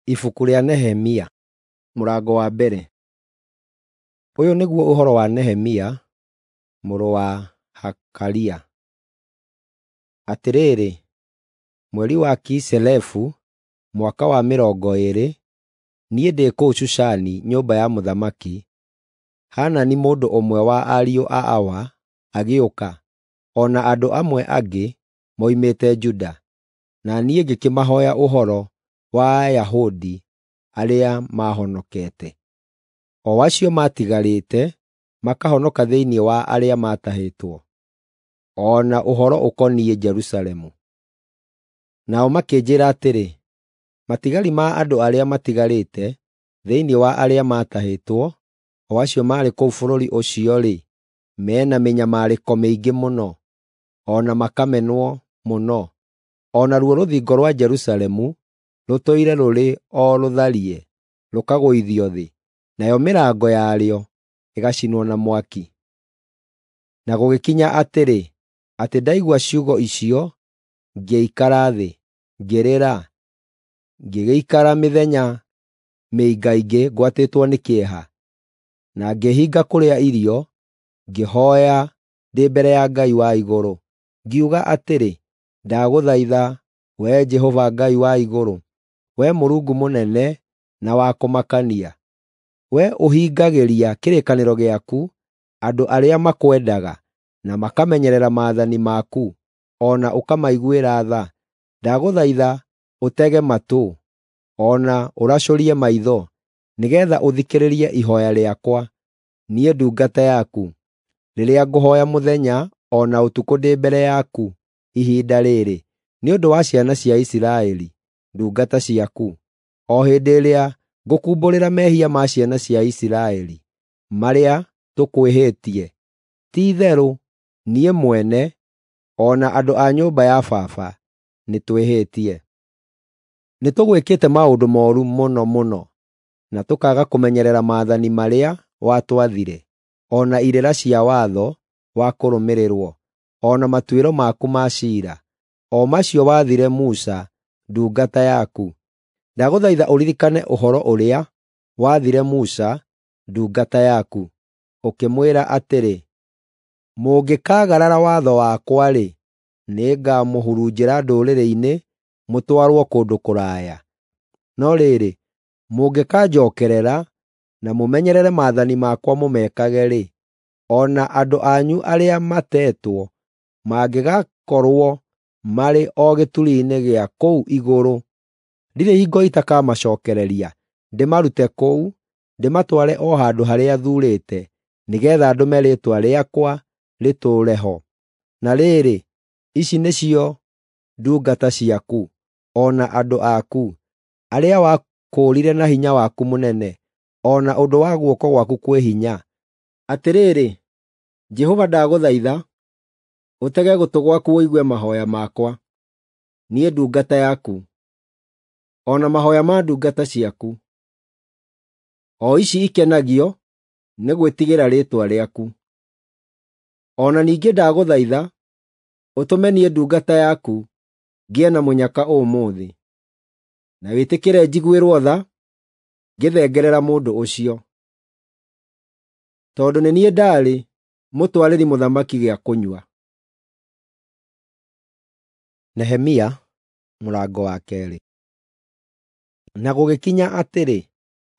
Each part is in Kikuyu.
Ibuku rĩa Nehemia mũrango wa mbere. Ũyũ nĩguo ũhoro wa Nehemia mũrũ wa Hakalia. Atĩrĩrĩ, mweri wa Kiselevu, mwaka wa 20, niĩ ndĩ kũu Shushani nyũmba ya mũthamaki, Hanani mũndũ ũmwe wa ariũ a Awa agĩũka, o na andũ amwe angĩ moimĩte Juda, na niĩ ngĩkĩmahooya ũhoro wa Ayahudi arĩa maahonokete, o acio maatigarĩte makahonoka thĩinĩ wa arĩa maatahĩtwo, o na ũhoro ũkoniĩ Jerusalemu. Nao makĩnjĩĩra atĩrĩ, “Matigari ma andũ arĩa matigarĩte thĩinĩ wa arĩa maatahĩtwo, o acio maarĩ kũu bũrũri ũcio-rĩ, me na mĩnyamarĩko mĩingĩ mũno, o na makamenwo mũno. O naruo rũthingo rwa Jerusalemu rũtũire rũrĩ o rũtharie rũkagũithio thĩ, nayo mĩrango yarĩo ĩgacinwo na mwaki.” Na gũgĩkinya atĩrĩ, atĩ ndaigua ciugo icio, ngĩikara thĩ, ngĩrĩra, ngĩgĩikara mĩthenya mĩingaingĩ ngwatĩtwo nĩ kĩeha, na ngĩĩhinga kũrĩa irio, ngĩhooya ndĩ mbere ya Ngai wa igũrũ. Ngiuga atĩrĩ, “Ndagũthaitha, Wee Jehova Ngai wa igũrũ, Wee Mũrungu mũnene na wa kũmakania, wee ũhingagĩria kĩrĩkanĩro gĩaku andũ arĩa makwendaga na makamenyerera maathani maku, o na ũkamaiguĩra tha, ndagũthaitha ũtege matũ, o na ũracũrie maitho, nĩgeetha ũthikĩrĩrie ihooya rĩakwa, niĩ ndungata yaku, rĩrĩa ngũhooya mũthenya o na ũtukũ ndĩ mbere yaku ihinda rĩrĩ, nĩ ũndũ wa ciana cia Isiraeli, ndungata ciaku, o hĩndĩ ĩrĩa ngũkumbũrĩra mehia ma ciana cia Isiraeli, marĩa tũkwĩhĩtie. Ti-itherũ niĩ mwene, o na andũ a nyũmba ya baba, nĩtwĩhĩtie. Nĩtũgwĩkĩte maũndũ mooru mũno mũno, na tũkaaga kũmenyerera maathani marĩa watwathire, o na irĩra cia watho wa kũrũmĩrĩrwo, o na matuĩro maku ma ciira, o macio waathire Musa ndungata yaku. Ndagũthaitha ũririkane ũhoro ũrĩa waathire Musa ndungata yaku, ũkĩmwĩra atĩrĩ, “Mũngĩkaagarara watho wakwa-rĩ, nĩngamũhurunjĩra ndũrĩrĩ-inĩ mũtwarwo kũndũ kũraya. No rĩrĩ, mũngĩkanjookerera na mũmenyerere maathani makwa mũmekage-rĩ, o na andũ anyu arĩa matetwo mangĩgakorwo marĩ o gĩturi-inĩ gĩa kũu igũrũ, ndirĩ hingo itakamacookereria ndĩmarute kũu, ndĩmatware o handũ harĩa thuurĩte, nĩgeetha ndũme Rĩĩtwa rĩakwa rĩtũũre ho. Na rĩrĩ, ici nĩcio ndungata ciaku, o na andũ aku, arĩa wakũũrire na hinya waku mũnene, o na ũndũ wa guoko gwaku kwĩ hinya. Atĩrĩrĩ, Jehova ndagũthaitha, ũtege gũtũ gwaku ũigue mahooya makwa, niĩ ndungata yaku, o na mahooya ma ndungata ciaku, o ici ikenagio nĩ gwĩtigĩra rĩĩtwa rĩaku. O na ningĩ ndagũthaitha ũtũme niĩ ndungata yaku ngĩe na mũnyaka ũmũthĩ, na wĩtĩkĩre njiguĩrwo tha ngĩthengerera mũndũ ũcio, tondũ nĩ niĩ ndaarĩ mũtwarĩri mũthamaki gĩa kũnyua.” Nehemia mũrango wa 2. Na gũgĩkinya atĩrĩ,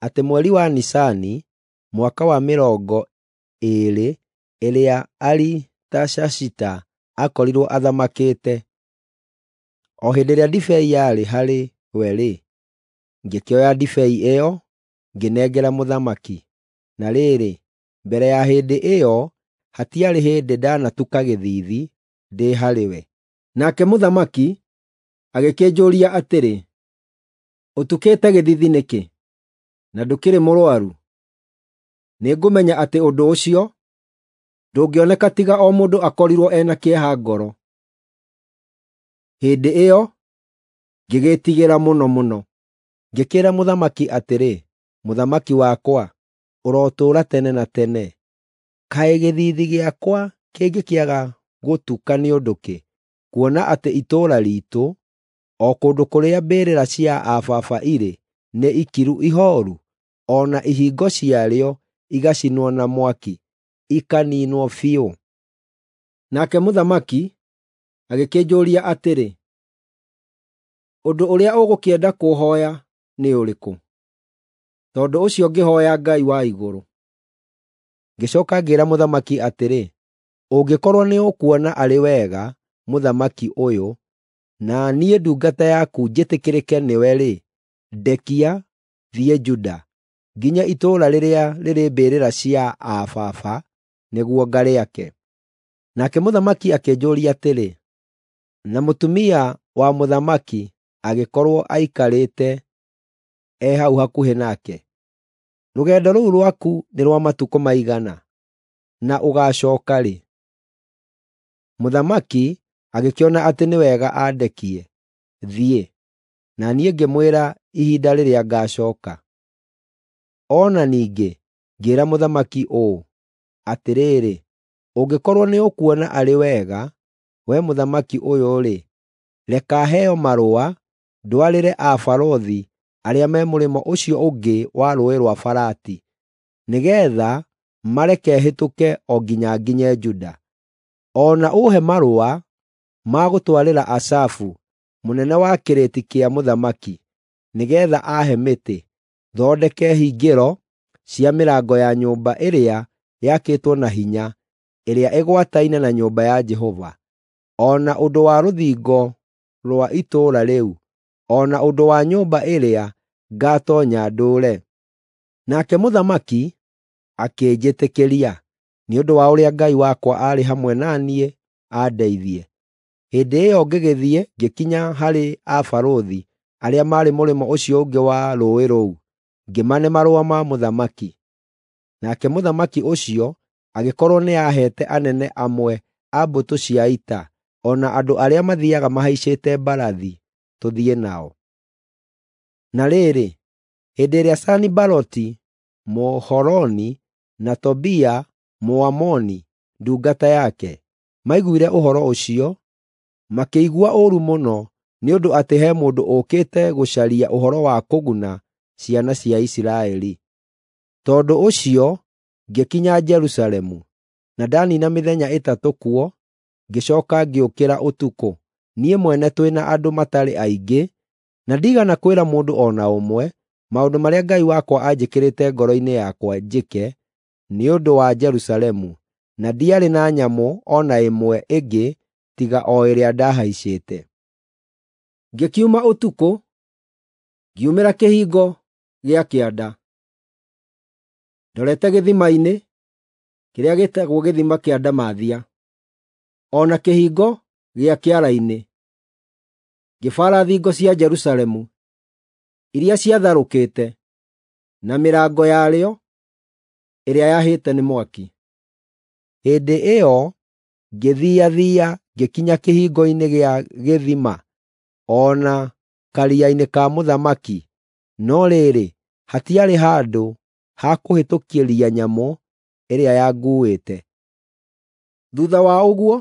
atĩ mweri wa Nisani, mwaka wa 20 ĩrĩa Aritashashita aakorirwo athamakĩte, o hĩndĩ ĩrĩa ndibei yarĩ harĩ we-rĩ, ngĩkĩoya ndibei ĩyo ngĩnengera mũthamaki. Na rĩrĩ, mbere ya hĩndĩ ĩyo hatiarĩ hĩndĩ ndanatuka gĩthiithi ndĩ harĩ we. Nake mũthamaki agĩkĩnjũũria atĩrĩ, “Ũtukĩte gĩthiithi nĩkĩ, na ndũkĩrĩ mũrũaru?” Nĩngũmenya atĩ ũndũ ũcio ndũngĩoneka tiga o mũndũ akorirwo e na kĩeha ngoro. Hĩndĩ ĩyo ngĩgĩĩtigĩra mũno mũno. Ngĩkĩĩra mũthamaki atĩrĩ, “Mũthamaki wakwa, ũrotũũra tene na tene! Kaĩ gĩthiithi gĩakwa kĩngĩkĩaga gũtuka nĩ ũndũ kĩ, kuona atĩ itũũra riitũ, o kũndũ kũrĩa mbĩrĩra cia aa baba irĩ, nĩ ikiru ihooru, o na ihingo ciarĩo igacinwo na mwaki, ikaniinwo biũ? Nake mũthamaki agĩkĩnjũũria atĩrĩ, “Ũndũ ũrĩa ũgũkĩenda kũũhooya nĩ ũrĩkũ?” Tondũ ũcio ngĩhooya Ngai wa igũrũ. Ngĩcooka ngĩĩra mũthamaki atĩrĩ, “Ũngĩkorwo nĩũkuona arĩ wega, mũthamaki ũyũ, na niĩ ndungata yaku njĩtĩkĩrĩke nĩwe-rĩ, ndekia thiĩ Juda, nginye itũũra rĩrĩa rĩrĩ mbĩrĩra cia aa baba nĩguo ngarĩake.” Nake mũthamaki akĩnjũũria atĩrĩ, na mũtumia wa mũthamaki agĩkorwo aikarĩte e hau hakuhĩ nake, “Rũgendo rũu rwaku nĩ rwa matukũ maigana, na ũgaacooka rĩ?” Mũthamaki agĩkĩona atĩ nĩ wega andekie thiĩ, na niĩ ngĩmwĩra ihinda rĩrĩa ngaacooka. O na ningĩ ngĩĩra mũthamaki ũũ, “Atĩrĩrĩ, ũngĩkorwo nĩũkuona arĩ wega, wee mũthamaki ũyũ-rĩ, reka heo marũa ndwarĩre abarũthi arĩa me mũrĩmo ũcio ũngĩ wa Rũũĩ rwa Farati, nĩgeetha mareke hĩtũke o nginya nginye Juda. O na ũũhe marũa ma gũtwarĩra Asafu, mũnene wa kĩrĩti kĩa mũthamaki, nĩgeetha aahe mĩtĩ, thondeke hingĩro cia mĩrango ya nyũmba ĩrĩa yakĩtwo na hinya, ĩrĩa ĩgwataine na nyũmba ya Jehova, o na ũndũ wa rũthingo rwa itũũra rĩu, o na ũndũ wa nyũmba ĩrĩa ngaatoonya ndũũre.” Nake mũthamaki akĩnjĩtĩkĩria, nĩ ũndũ wa ũrĩa Ngai wakwa aarĩ hamwe na niĩ andeithie. Hĩndĩ ĩyo ngĩgĩthiĩ ngĩkinya harĩ abarũthi arĩa maarĩ mũrĩmo ũcio ũngĩ wa rũũĩ rũu, ngĩmane marũa ma mũthamaki. Nake mũthamaki ũcio agĩkorwo nĩaheete anene amwe a mbũtũ cia ita, o na andũ arĩa mathiiaga mahaicĩte mbarathi tũthiĩ nao. Na rĩrĩ, hĩndĩ ĩrĩa Sanibalati Mũhoroni na Tobia Mũamoni ndungata yake maiguire ũhoro ũcio, makĩigua ũũru mũno nĩ ũndũ atĩ he mũndũ ũũkĩte gũcaria ũhoro wa kũguna ciana cia Isiraeli. Tondũ ũcio ngĩkinya Jerusalemu, na ndaniina mĩthenya ĩtatũ kuo, ngĩcooka ngĩũkĩra ũtukũ, niĩ mwene twĩ na andũ matarĩ aingĩ, na ndiigana kwĩra mũndũ o na ũmwe maũndũ marĩa Ngai wakwa anjĩkĩrĩte ngoro-inĩ yakwa njĩke nĩ ũndũ wa Jerusalemu, na ndiarĩ na nyamũ o na ĩmwe ĩngĩ tiga o ĩrĩa ndahaicĩte. Ngĩkiuma ũtukũ, ngiumĩra kĩhingo gĩa kĩanda, ndorete gĩthima-inĩ kĩrĩa gĩtagwo Gĩthima kĩa Ndamathia, o na kĩhingo gĩa kĩara-inĩ, ngĩbaara thingo cia Jerusalemu iria ciatharũkĩte, na mĩrango yarĩo ĩrĩa yahĩte nĩ mwaki. Hĩndĩ ĩyo ngĩthiiathiia ngĩkinya kĩhingo-inĩ gĩa gĩthima o na karia-inĩ ka mũthamaki, no rĩrĩ, hatiarĩ handũ ha kũhĩtũkĩria nyamũ ĩrĩa yanguuĩte. Thuutha wa ũguo,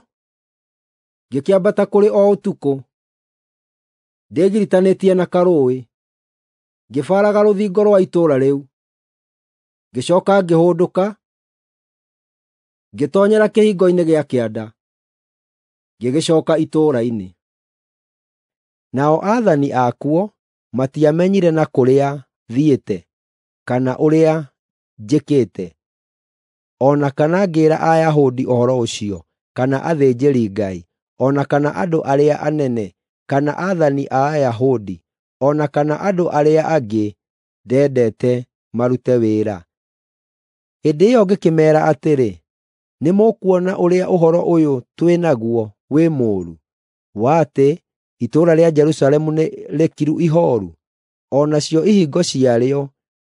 ngĩkĩambata kũrĩ o ũtukũ, ndĩgiritanĩtie na karũũĩ, ngĩbaaraga rũthingo rwa itũũra rĩu. Ngĩcooka ngĩhũndũka, ngĩtoonyera kĩhingo-inĩ gĩa kĩanda, ngĩgĩcooka itũũra-inĩ. Nao aathani akuo matiamenyire na kũrĩa thiĩte kana ũrĩa njĩkĩte, o na kana ngĩĩra Ayahudi ũhoro ũcio, kana athĩnjĩri-Ngai, o na kana andũ arĩa anene, kana aathani a Ayahudi, o na kana andũ arĩa angĩ ndendete marute wĩra. Hĩndĩ ĩyo ngĩkĩmeera atĩrĩ, “Nĩmũkuona ũrĩa ũhoro ũyũ twĩ naguo wĩ mũũru, wa atĩ itũũra rĩa Jerusalemu nĩ rĩkiru ihooru, o nacio ihingo ciarĩo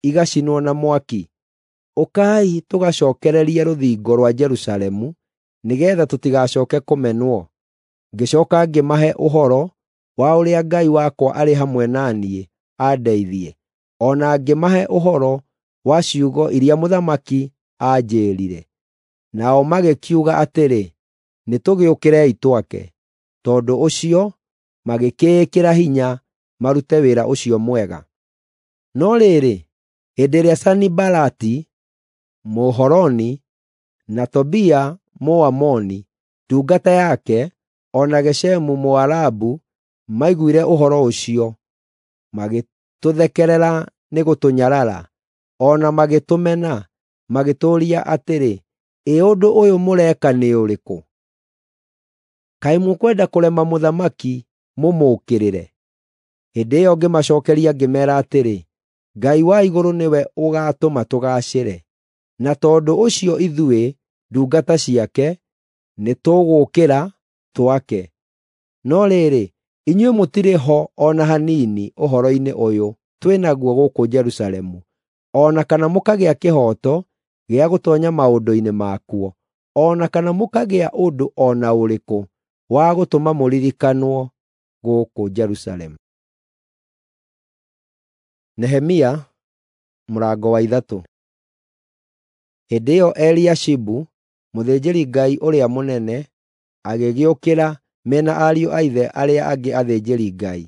igacinwo na mwaki. Ũkai tũgacookererie rũthingo rwa Jerusalemu nĩgeetha tũtigacooke kũmenwo.” Ngĩcooka ngĩmahe ũhoro wa ũrĩa Ngai wakwa arĩ hamwe na niĩ andeithie, o na ngĩmahe ũhoro wa ciugo iria mũthamaki aanjĩĩrire. Nao magĩkiuga atĩrĩ, “Nĩtũgĩũkĩrei twake.” Tondũ ũcio magĩkĩĩkĩra hinya marute wĩra ũcio mwega. No rĩrĩ, hĩndĩ ĩrĩa Sanibalati Mũhoroni na Tobia Mũamoni ndungata yake, o na Geshemu Mũarabu maiguire ũhoro ũcio, magĩtũthekerera nĩ gũtũnyarara, o na magĩtũmena, magĩtũũria atĩrĩ, “Ĩ ũndũ ũyũ mũreka nĩ ũrĩkũ? Kaĩ mũkwenda kũrema mũthamaki mũmũũkĩrĩre?” Hĩndĩ ĩyo ngĩmacookeria ngĩmeera atĩrĩ, “Ngai wa igũrũ nĩwe ũgaatũma tũgaacĩre, na tondũ ũcio ithuĩ, ndungata ciake, nĩtũgũũkĩra twake. No rĩrĩ, inyuĩ mũtirĩ ho o na hanini ũhoro-inĩ ũyũ twĩ naguo gũkũ Jerusalemu, o na kana mũkagĩa kĩhooto gĩa gũtoonya maũndũ-inĩ makuo, o na kana mũkagĩa ũndũ o na ũrĩkũ wa gũtũma mũririkanwo gũkũ Jerusalemu.” Nehemia mũrango wa 3. Hĩndĩ ĩyo Eliashibu, mũthĩnjĩri-Ngai ũrĩa mũnene, agĩgĩũkĩra me na ariũ a ithe arĩa angĩ athĩnjĩri-Ngai.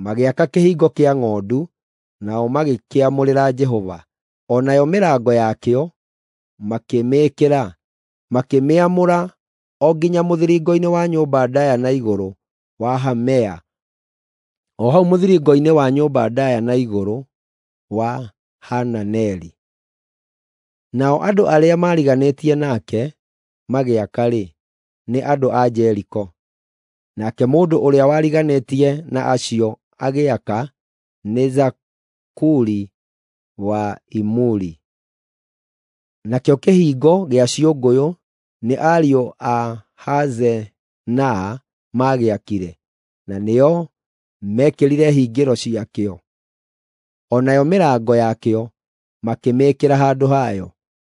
Magĩaka Kĩhingo kĩa Ng'ondu, nao magĩkĩamũrĩra Jehova. O nayo mĩrango yakĩo makĩmĩĩkĩra, makĩmĩamũra o nginya mũthiringo-inĩ wa nyũmba ndaaya na igũrũ wa Hamea, o hau mũthiringo-inĩ wa nyũmba ndaaya na igũrũ wa Hananeli. Nao andũ arĩa maariganĩtie nake magĩaka-rĩ, nĩ andũ a Jeriko. Nake mũndũ ũrĩa wariganĩtie na acio agĩaka nĩ Zakuri wa Imuri. Nakĩo Kĩhingo gĩa Ciũngũyũ nĩ ariũ a Hazenaa maagĩakire, na nĩo meekĩrire hingĩro ciakĩo. O nayo mĩrango yakĩo makĩmĩĩkĩra handũ hayo,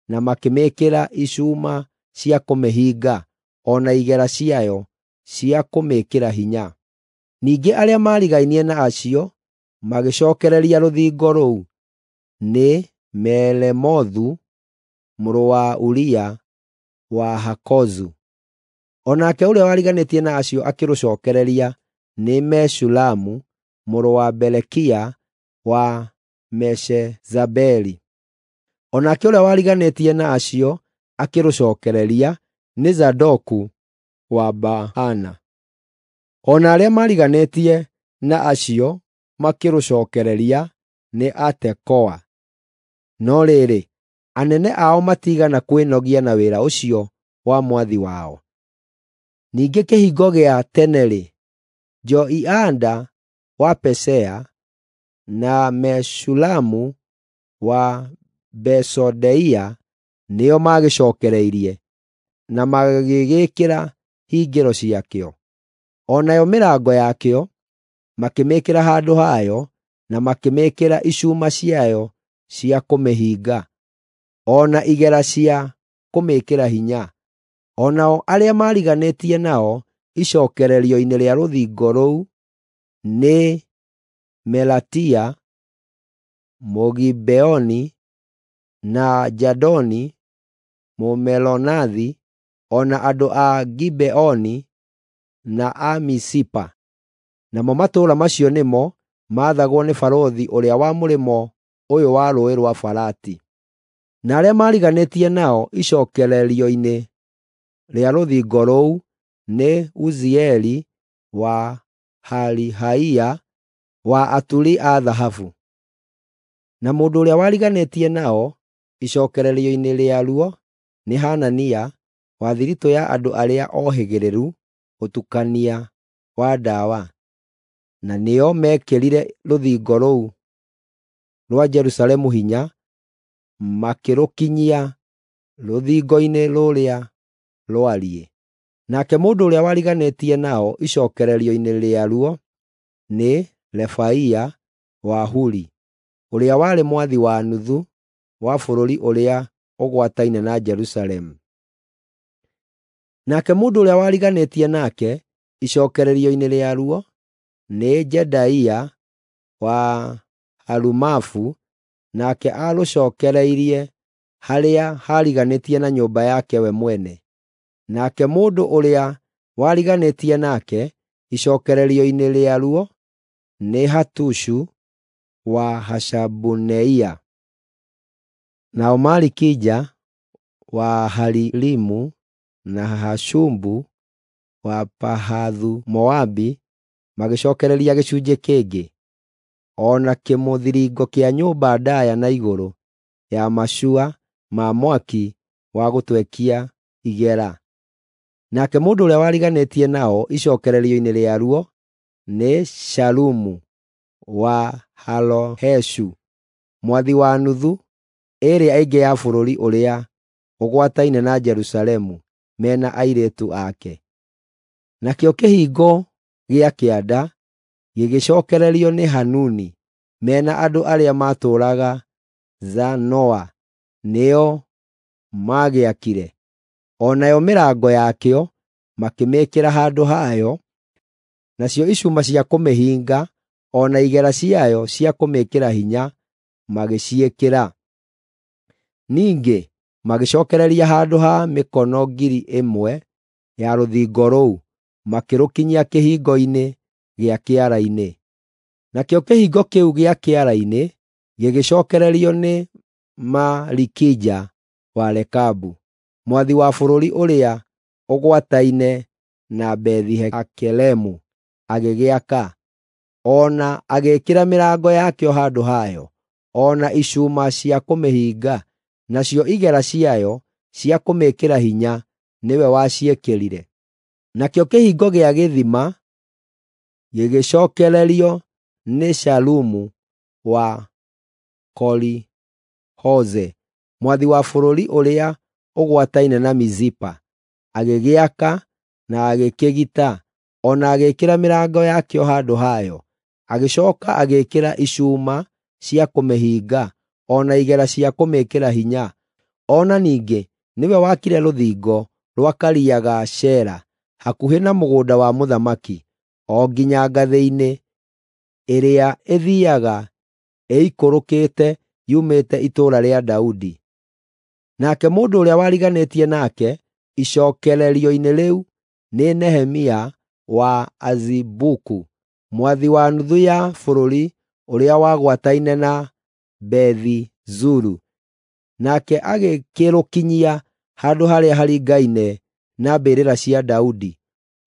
na makĩmĩĩkĩra icuuma cia kũmĩhinga, o na igera ciayo cia kũmĩĩkĩra hinya. Ningĩ arĩa maarigainie na acio magĩcookereria rũthingo rũu nĩ Meremothu mũrũ wa Uria wa Hakozu. O nake ũrĩa wariganĩtie na acio akĩrũcookereria nĩ Meshulamu mũrũ wa Berekia wa Meshezabeli. O nake ũrĩa wariganĩtie na acio akĩrũcookereria nĩ Zadoku wa Baana. O na arĩa maariganĩtie na acio makĩrũcookereria nĩ Atekoa. No rĩrĩ, anene ao matiigana kwĩnogia na wĩra ũcio wa mwathi wao. Ningĩ Kĩhingo gĩa Tene-rĩ, Joiada wa Pasea na Meshulamu wa Besodeia nĩo maagĩcookereirie na magĩgĩĩkĩra hingĩro ciakĩo. O nayo mĩrango yakĩo makĩmĩĩkĩra handũ hayo na makĩmĩĩkĩra icuuma ciayo cia kũmĩhinga, o na igera cia kũmĩĩkĩra hinya. O nao arĩa maariganĩtie nao icookererio-inĩ rĩa rũthingo rũu nĩ Melatia Mũgibeoni na Jadoni Mũmeronothi, o na andũ a Gibeoni na a Mizipa. Namo matũũra macio nĩmo maathagwo nĩ barũthi ũrĩa wa mũrĩmo ũyũ wa Rũũĩ rwa Farati. Na arĩa maariganĩtie nao icookererio-inĩ rĩa rũthingo rũu nĩ Uzieli wa Harihaia wa aturi a thahabu. Na mũndũ ũrĩa wariganĩtie nao icookererio-inĩ rĩaruo nĩ Hanania wa thiritũ ya andũ arĩa ohĩgĩrĩru ũtukania wa ndawa, na nĩo meekĩrire rũthingo rũu rwa Jerusalemu hinya, makĩrũkinyia rũthingo-inĩ rũrĩa rwariĩ. Nake mũndũ ũrĩa wariganĩtie nao icookererio-inĩ rĩaruo nĩ Refaia wa Huri, ũrĩa warĩ mwathi wa nuthu wa bũrũri ũrĩa ũgwataine na Jerusalemu. Nake mũndũ ũrĩa wariganĩtie nake icookererio-inĩ rĩaruo nĩ Jedaia wa Harumafu, nake aarũcookereirie harĩa haariganĩtie na nyũmba yake we mwene. Nake mũndũ ũrĩa wariganĩtie nake icookererio-inĩ rĩaruo nĩ Hatushu wa Hashabuneia. Nao Malikija wa Haririmu na Hashubu wa Pahathu-Moabi magĩcookereria gĩcunjĩ kĩngĩ, o na kĩmũthiringo kĩa nyũmba ndaaya na igũrũ ya macua ma mwaki wa gũtwekia igera. Nake mũndũ ũrĩa wariganĩtie nao icookererio-inĩ rĩaruo nĩ Shalumu wa Haloheshu, mwathi wa nuthu ĩrĩa ĩngĩ ya bũrũri ũrĩa ũgwataine na Jerusalemu, mena airĩtu ake. Nakĩo kĩhingo gĩa kĩanda gĩgĩcookererio nĩ Hanuni mena andũ arĩa maatũũraga Zanoa nĩo maagĩakire. O nayo mĩrango yakĩo makĩmĩĩkĩra handũ hayo, nacio icuma cia kũmĩhinga o na igera ciayo cia kũmĩĩkĩra hinya magĩciĩkĩra. Ningĩ magĩcookereria handũ ha mĩkono 1,000 ya rũthingo rũu, makĩrũkinyia kĩhingo-inĩ gĩa kĩara-inĩ. Nakĩo kĩhingo kĩu gĩa kĩara-inĩ gĩgĩcookererio nĩ Malikija wa Rekabu, mwathi wa bũrũri ũrĩa ũgwataine na Bethi-Hakeremu, agĩgĩaka, o na agĩĩkĩra mĩrango yakĩo handũ hayo, o na icuuma cia kũmĩhinga, nacio igera ciayo cia kũmĩĩkĩra hinya nĩwe waciĩkĩrire. Nakĩo kĩhingo gĩa gĩthima gĩgĩcookererio nĩ Shalumu wa Koli-Hoze, mwathi wa bũrũri ũrĩa ũgwataine na Mizipa, agĩgĩaka na agĩkĩgita, o na agĩĩkĩra mĩrango yakĩo handũ hayo. Agĩcooka agĩĩkĩra icuuma cia kũmĩhinga, o na igera cia kũmĩĩkĩra hinya. O na ningĩ nĩwe wakire rũthingo rwa Karia ga Shela hakuhĩ na mũgũnda wa mũthamaki, o nginya ngathĩ-inĩ ĩrĩa ĩthiiaga ĩikũrũkĩte yumĩte itũũra rĩa Daudi. Nake mũndũ ũrĩa wariganĩtie nake icookererio-inĩ rĩu nĩ Nehemia wa Azibuku, mwathi wa nuthu ya bũrũri ũrĩa wagwataine na Bethi-Zuru. Nake agĩkĩrũkinyia handũ harĩa haringaine na mbĩrĩra cia Daudi,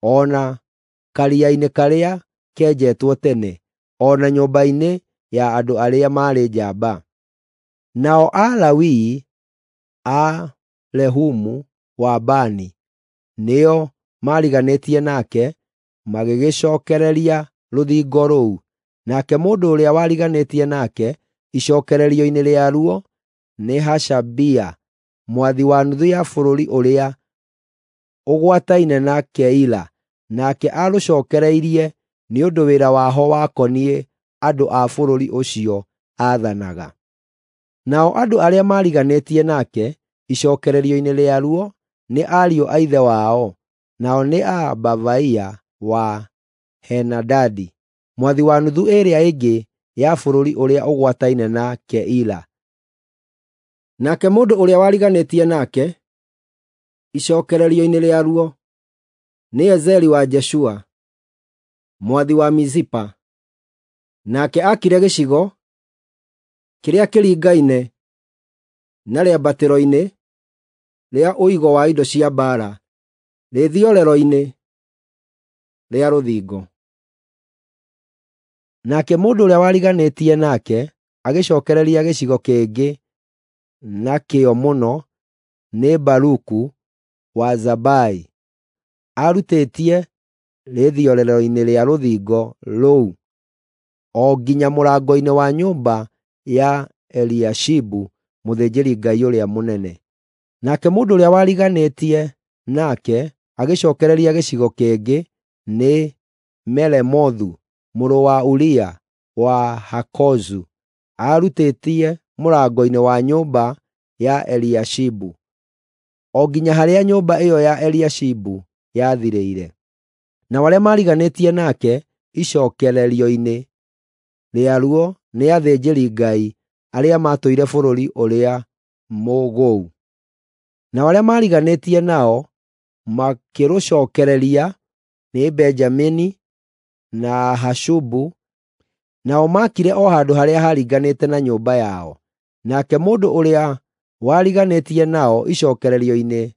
o na karia-inĩ karĩa kenjetwo tene, o na nyũmba-inĩ ya andũ arĩa maarĩ njamba. Nao Alawii a Rehumu wa Bani nĩo maariganĩtie nake, magĩgĩcookereria rũthingo rũu. Nake mũndũ ũrĩa wariganĩtie nake icookererio-inĩ rĩaruo nĩ Hashabia, mwathi wa nuthu ya bũrũri ũrĩa ũgwataine na Keila. Nake aarũcookereirie nĩ ũndũ wĩra waho wakoniĩ andũ a bũrũri ũcio aathanaga. Nao andũ arĩa maariganĩtie nake icookererio-inĩ rĩaruo nĩ ariũ a ithe wao, nao nĩ a Bavaia wa Henadadi, mwathi wa nuthu ĩrĩa ĩngĩ ya bũrũri ũrĩa ũgwataine na Keila. Nake mũndũ ũrĩa wariganĩtie nake icookererio-inĩ rĩaruo nĩ Ezeri wa Jeshua, mwathi wa Mizipa. Nake aakire gĩcigo kĩrĩa kĩringaine na rĩambatĩro-inĩ rĩa ũigo wa indo cia mbaara rĩthiorero-inĩ rĩa rũthingo. Nake mũndũ ũrĩa wariganĩtie nake agĩcookereria gĩcigo kĩngĩ na kĩo mũno nĩ Baruku wa Zabai. Aarutĩtie rĩthiorero-inĩ rĩa rũthingo rũu o nginya mũrango-inĩ wa nyũmba ya Eliashibu mũthĩnjĩri-Ngai ũrĩa mũnene. Nake mũndũ ũrĩa wariganĩtie nake agĩcookereria gĩcigo kĩngĩ nĩ Meremothu mũrũ wa Uria wa Hakozu. Aarutĩtie mũrango-inĩ wa nyũmba ya Eliashibu o nginya harĩa nyũmba ĩyo ya Eliashibu yathirĩire. Nao arĩa maariganĩtie nake icookererio-inĩ rĩaruo nĩ athĩnjĩri-Ngai arĩa maatũire bũrũri ũrĩa mũgũu. Nao arĩa maariganĩtie nao makĩrũcookereria nĩ Benjamini na Hashubu Nao maakire o handũ harĩa haaringanĩte na nyũmba yao. Nake mũndũ ũrĩa wariganĩtie nao icookererio-inĩ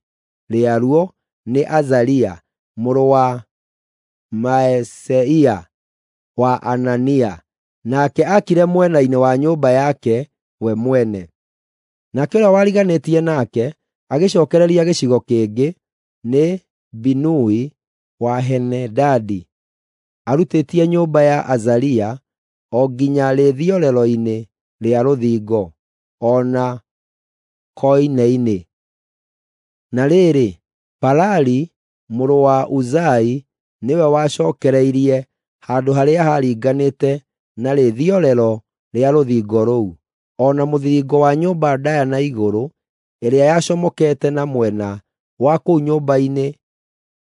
rĩaruo nĩ Azaria mũrũ wa Maaseia wa Anania, nake aakire mwena-inĩ wa nyũmba yake we mwene. Nake ũrĩa wariganĩtie nake agĩcookereria gĩcigo kĩngĩ nĩ Binui wa Henadadi, arutĩtie nyũmba ya Azaria o nginya rĩthiorero-inĩ rĩa rũthingo, o na koine-inĩ. Na rĩrĩ, Palali mũrũ wa Uzai nĩwe wacookereirie handũ harĩa haaringanĩte na rĩthiorero rĩa rũthingo rũu, o na mũthiringo wa nyũmba ndaaya na igũrũ ĩrĩa yacomokete na mwena wa kũu nyũmba-inĩ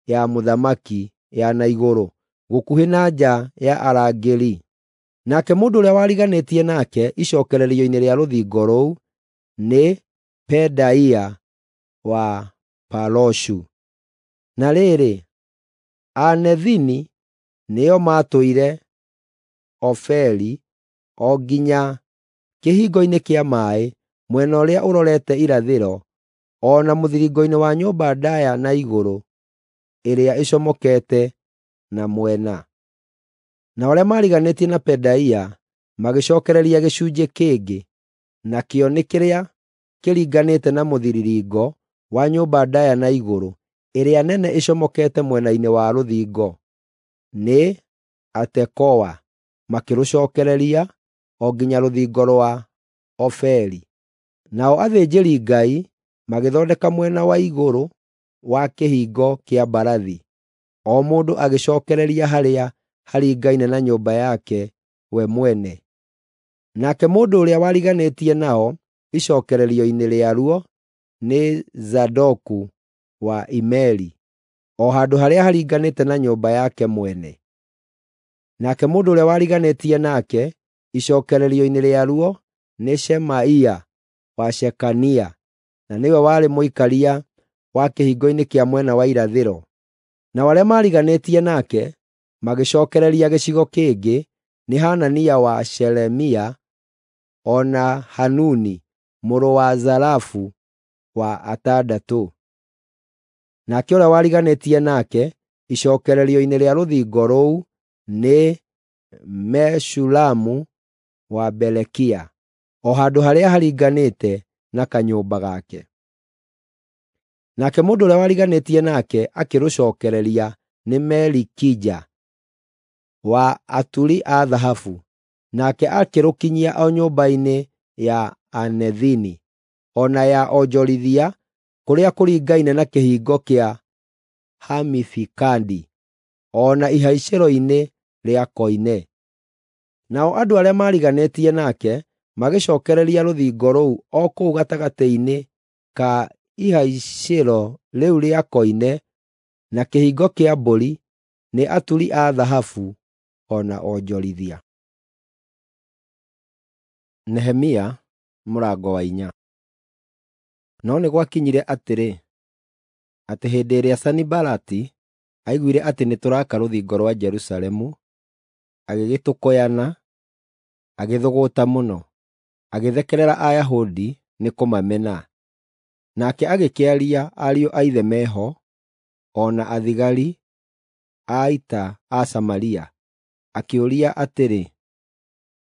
ya mũthamaki ya na igũrũ, gũkuhĩ na nja ya arangĩri. Nake mũndũ ũrĩa wariganĩtie nake icookererio-inĩ rĩa rũthingo rũu nĩ Pedaia wa Paroshu. Na rĩrĩ, Anethini nĩo maatũire Ofeli o nginya kĩhingo-inĩ kĩa maaĩ mwena ũrĩa ũrorete irathĩro, o na mũthiringo-inĩ wa nyũmba ndaaya na igũrũ ĩrĩa ĩcomokete na mwena. Nao arĩa maariganĩtie na Pedaia magĩcookereria gĩcunjĩ kĩngĩ, nakĩo nĩ kĩrĩa kĩringanĩte na mũthiringo wa nyũmba ndaaya na igũrũ ĩrĩa nene ĩcomokete mwena-inĩ wa rũthingo, nĩ Atekoa, makĩrũcookereria o nginya rũthingo rwa Ofeli. Nao athĩnjĩri-Ngai magĩthondeka mwena wa igũrũ wa Kĩhingo kĩa Mbarathi, o mũndũ agĩcookereria harĩa haringaine na nyũmba yake we mwene. Nake mũndũ ũrĩa wariganĩtie nao icookererio-inĩ rĩaruo nĩ Zadoku wa Imeri, o handũ harĩa haringanĩte na nyũmba yake mwene. Nake mũndũ ũrĩa wariganĩtie nake icookererio-inĩ rĩaruo nĩ Shemaia wa Shekania, na nĩwe warĩ mũikaria wa kĩhingo-inĩ kĩa mwena wa irathĩro. Nao arĩa maariganĩtie nake magĩcookereria gĩcigo kĩngĩ nĩ Hanania wa Shelemia o na Hanuni mũrũ wa Zalafu wa atandatũ. Nake ũrĩa wariganĩtie nake icookererio-inĩ rĩa rũthingo rũu nĩ Meshulamu wa Berekia, o handũ harĩa haringanĩte na kanyũmba gake. Nake mũndũ ũrĩa wariganĩtie nake akĩrũcookereria nĩ Melikija wa aturi a thahabu, nake akĩrũkinyia o nyũmba-inĩ ya Anethini, o na ya onjorithia kũrĩa kũringaine na kĩhingo kĩa Hamifikadi, o na ihaicĩro-inĩ rĩa koine. Nao andũ arĩa maariganĩtie nake magĩcookereria rũthingo rũu o kũu gatagatĩ-inĩ ka ihaicĩro rĩu rĩa koine na kĩhingo kĩa mbũri nĩ aturi a thahabu o na onjorithia. Nehemia mũrango wa 4. No nĩ gwakinyire atĩrĩ, atĩ hĩndĩ ĩrĩa Sanibalati aiguire atĩ nĩtũraaka rũthingo rwa Jerusalemu, agĩgĩtũkũyana, agĩthũgũta mũno, agĩthekerera Ayahudi nĩ kũmamena. Nake agĩkĩaria ariũ a ithe meho, o na athigari a ita a Samaria, akĩũria atĩrĩ,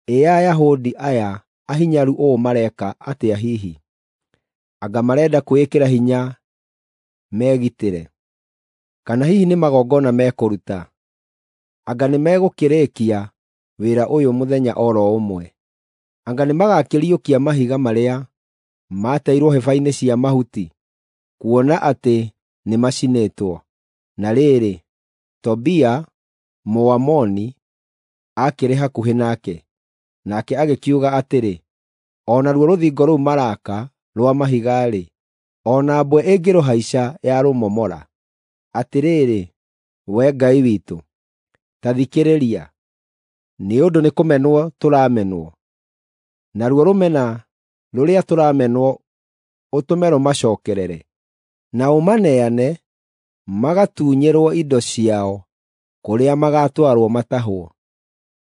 “Ĩ Ayahudi aya ahinyaru ũũ mareka atĩa hihi? Anga marenda kwĩĩkĩra hinya megitĩre? Kana hihi nĩ magongona mekũruta? Anga nĩmegũkĩrĩkia wĩra ũyũ mũthenya o ro ũmwe? Anga nĩmagakĩriũkia mahiga marĩa maateirwo hĩba-inĩ cia mahuti, kuona atĩ nĩmacinĩtwo?” Na rĩrĩ, Tobia Mũamoni aakĩrĩ hakuhĩ nake, nake agĩkiuga atĩrĩ, “O naruo rũthingo rũu maraaka rwa mahiga-rĩ, o na mbwe ĩngĩrũhaica yarũmomora. Atĩrĩrĩ, Wee Ngai witũ, ta thikĩrĩria, nĩ ũndũ nĩkũmenwo tũramenwo, naruo rũmena rũrĩa tũramenwo ũtũme rũmacookerere, na ũmaneane magatunyĩrwo indo ciao kũrĩa magaatwarwo matahwo.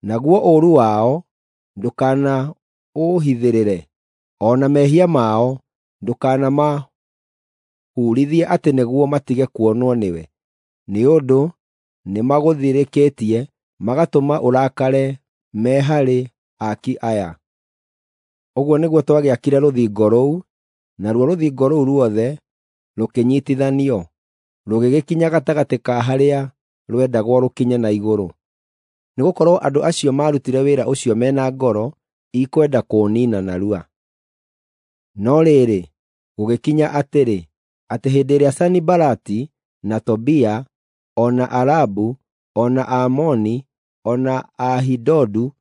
Naguo ũũru wao ndũkanaũhithĩrĩre, o na mehia mao ndũkanamahurithie atĩ nĩguo matige kuonwo nĩwe, nĩ ũndũ nĩmagũthirĩkĩtie magatũma ũrakare me harĩ aaki aya. Ũguo nĩguo twagĩakire rũthingo rũu, naruo rũthingo rũu ruothe rũkĩnyiitithanio, rũgĩgĩkinya gatagatĩ ka harĩa rwendagwo rũkinye na igũrũ. Nĩgũkorwo andũ acio maarutire wĩra ũcio me na ngoro ikwenda kũũniina narua. No rĩrĩ, gũgĩkinya atĩrĩ, atĩ hĩndĩ ĩrĩa Sanibalati, na Tobia, o na Arabu, o na Aamoni, o na Aashidodu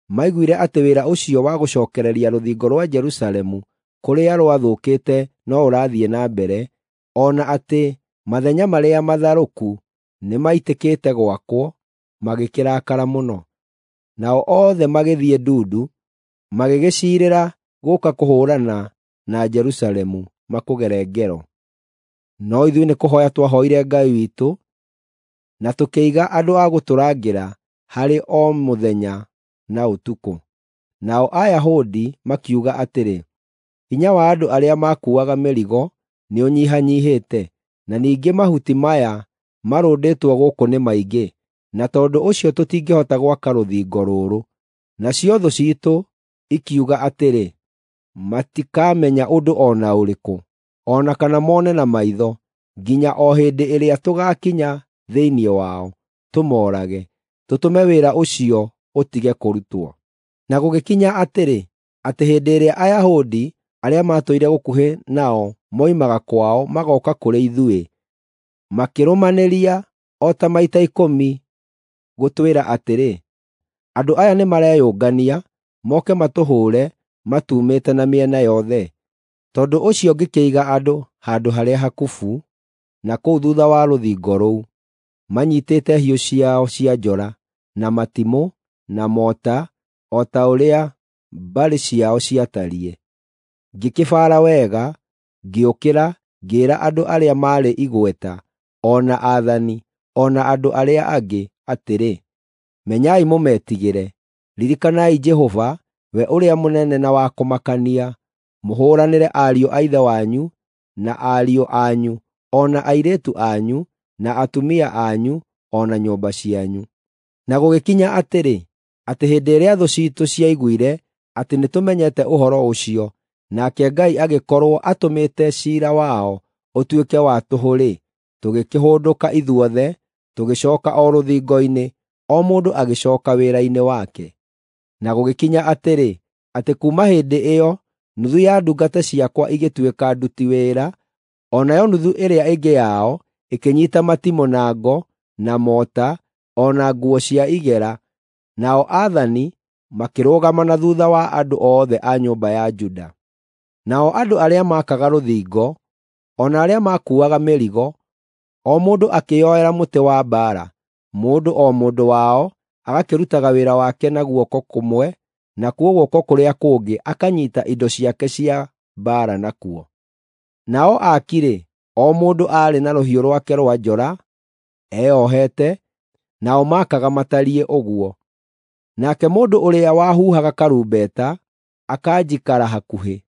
maiguire atĩ wĩra ũcio wa gũcookereria rũthingo rwa Jerusalemu kũrĩa rwathũkĩte no ũrathiĩ na mbere, o na atĩ mathenya marĩa matharũku nĩmaitĩkĩte gwakwo, magĩkĩrakara mũno. Nao othe magĩthiĩ ndundu, magĩgĩciirĩra gũũka kũhũũrana na Jerusalemu makũgere ngero. No ithuĩ nĩkũhooya twahooire Ngai witũ, na tũkĩiga andũ a gũtũrangĩra harĩ o mũthenya na ũtukũ. Nao Ayahudi makiuga atĩrĩ, “Hinya wa andũ arĩa makuuaga mĩrigo nĩũnyihanyiihĩte, na ningĩ mahuti maya marũndĩtwo gũkũ nĩ maingĩ, na tondũ ũcio tũtingĩhota gwaka rũthingo rũrũ.” Nacio thũ ciitũ ikiuga atĩrĩ, “Matikamenya ũndũ o na ũrĩkũ, o na kana mone na maitho, nginya o hĩndĩ ĩrĩa tũgaakinya thĩinĩ wao, tũmoorage, tũtũme wĩra ũcio ũtige kũrutwo.” Na gũgĩkinya atĩrĩ, atĩ hĩndĩ ĩrĩa Ayahudi arĩa maatũire gũkuhĩ nao moimaga kwao magooka kũrĩ ithuĩ, makĩrũmanĩria o ta maita ikũmi gũtwĩra atĩrĩ, “Andũ aya nĩmareyũngania moke matũhũũre matuumĩte na mĩena yothe.” Tondũ ũcio ngĩkĩiga andũ handũ harĩa hakubu na kũu thuutha wa rũthingo rũu, manyiitĩte hiũ ciao cia njora, na matimũ, na mota, o ta ũrĩa mbarĩ ciao ciatariĩ. Ngĩkĩbaara wega, ngĩũkĩra, ngĩĩra andũ arĩa maarĩ igweta, o na aathani, o na andũ arĩa angĩ atĩrĩ, “Menyai mũmetigĩre. Ririkanai Jehova, we ũrĩa mũnene na wa kũmakania, mũhũũranĩre ariũ a ithe wanyu, na ariũ anyu, o na airĩtu anyu, na atumia anyu, o na nyũmba cianyu.” Na gũgĩkinya atĩrĩ, atĩ hĩndĩ ĩrĩa thũ ciitũ ciaiguire atĩ nĩtũmenyete ũhoro ũcio, nake Ngai agĩkorwo atũmĩte ciira wao ũtuĩke wa tũhũ-rĩ, tũgĩkĩhũndũka ithuothe, tũgĩcooka o rũthingo-inĩ, o mũndũ agĩcooka wĩra-inĩ wake. Na gũgĩkinya atĩrĩ, atĩ kuuma hĩndĩ ĩyo nuthu ya ndungata ciakwa igĩtuĩka nduti wĩra, o nayo nuthu ĩrĩa ĩngĩ yao ĩkĩnyiita matimũ na ngo, na mota, o na nguo cia igera, nao aathani makĩrũgama na thuutha wa andũ othe a nyũmba ya Juda. Nao andũ arĩa maakaga rũthingo, o na arĩa makuuaga mĩrigo, o mũndũ akĩĩyoera mũtĩ wa mbaara, mũndũ o mũndũ wao agakĩrutaga wĩra wake na guoko kũmwe, nakuo guoko kũrĩa kũngĩ akanyiita indo ciake cia mbaara nakuo. Nao aaki-rĩ, o mũndũ aarĩ na rũhiũ rwake rwa njora eyohete, nao maakaga matariĩ ũguo. Nake mũndũ ũrĩa wahuhaga karumbeta akanjikara hakuhĩ.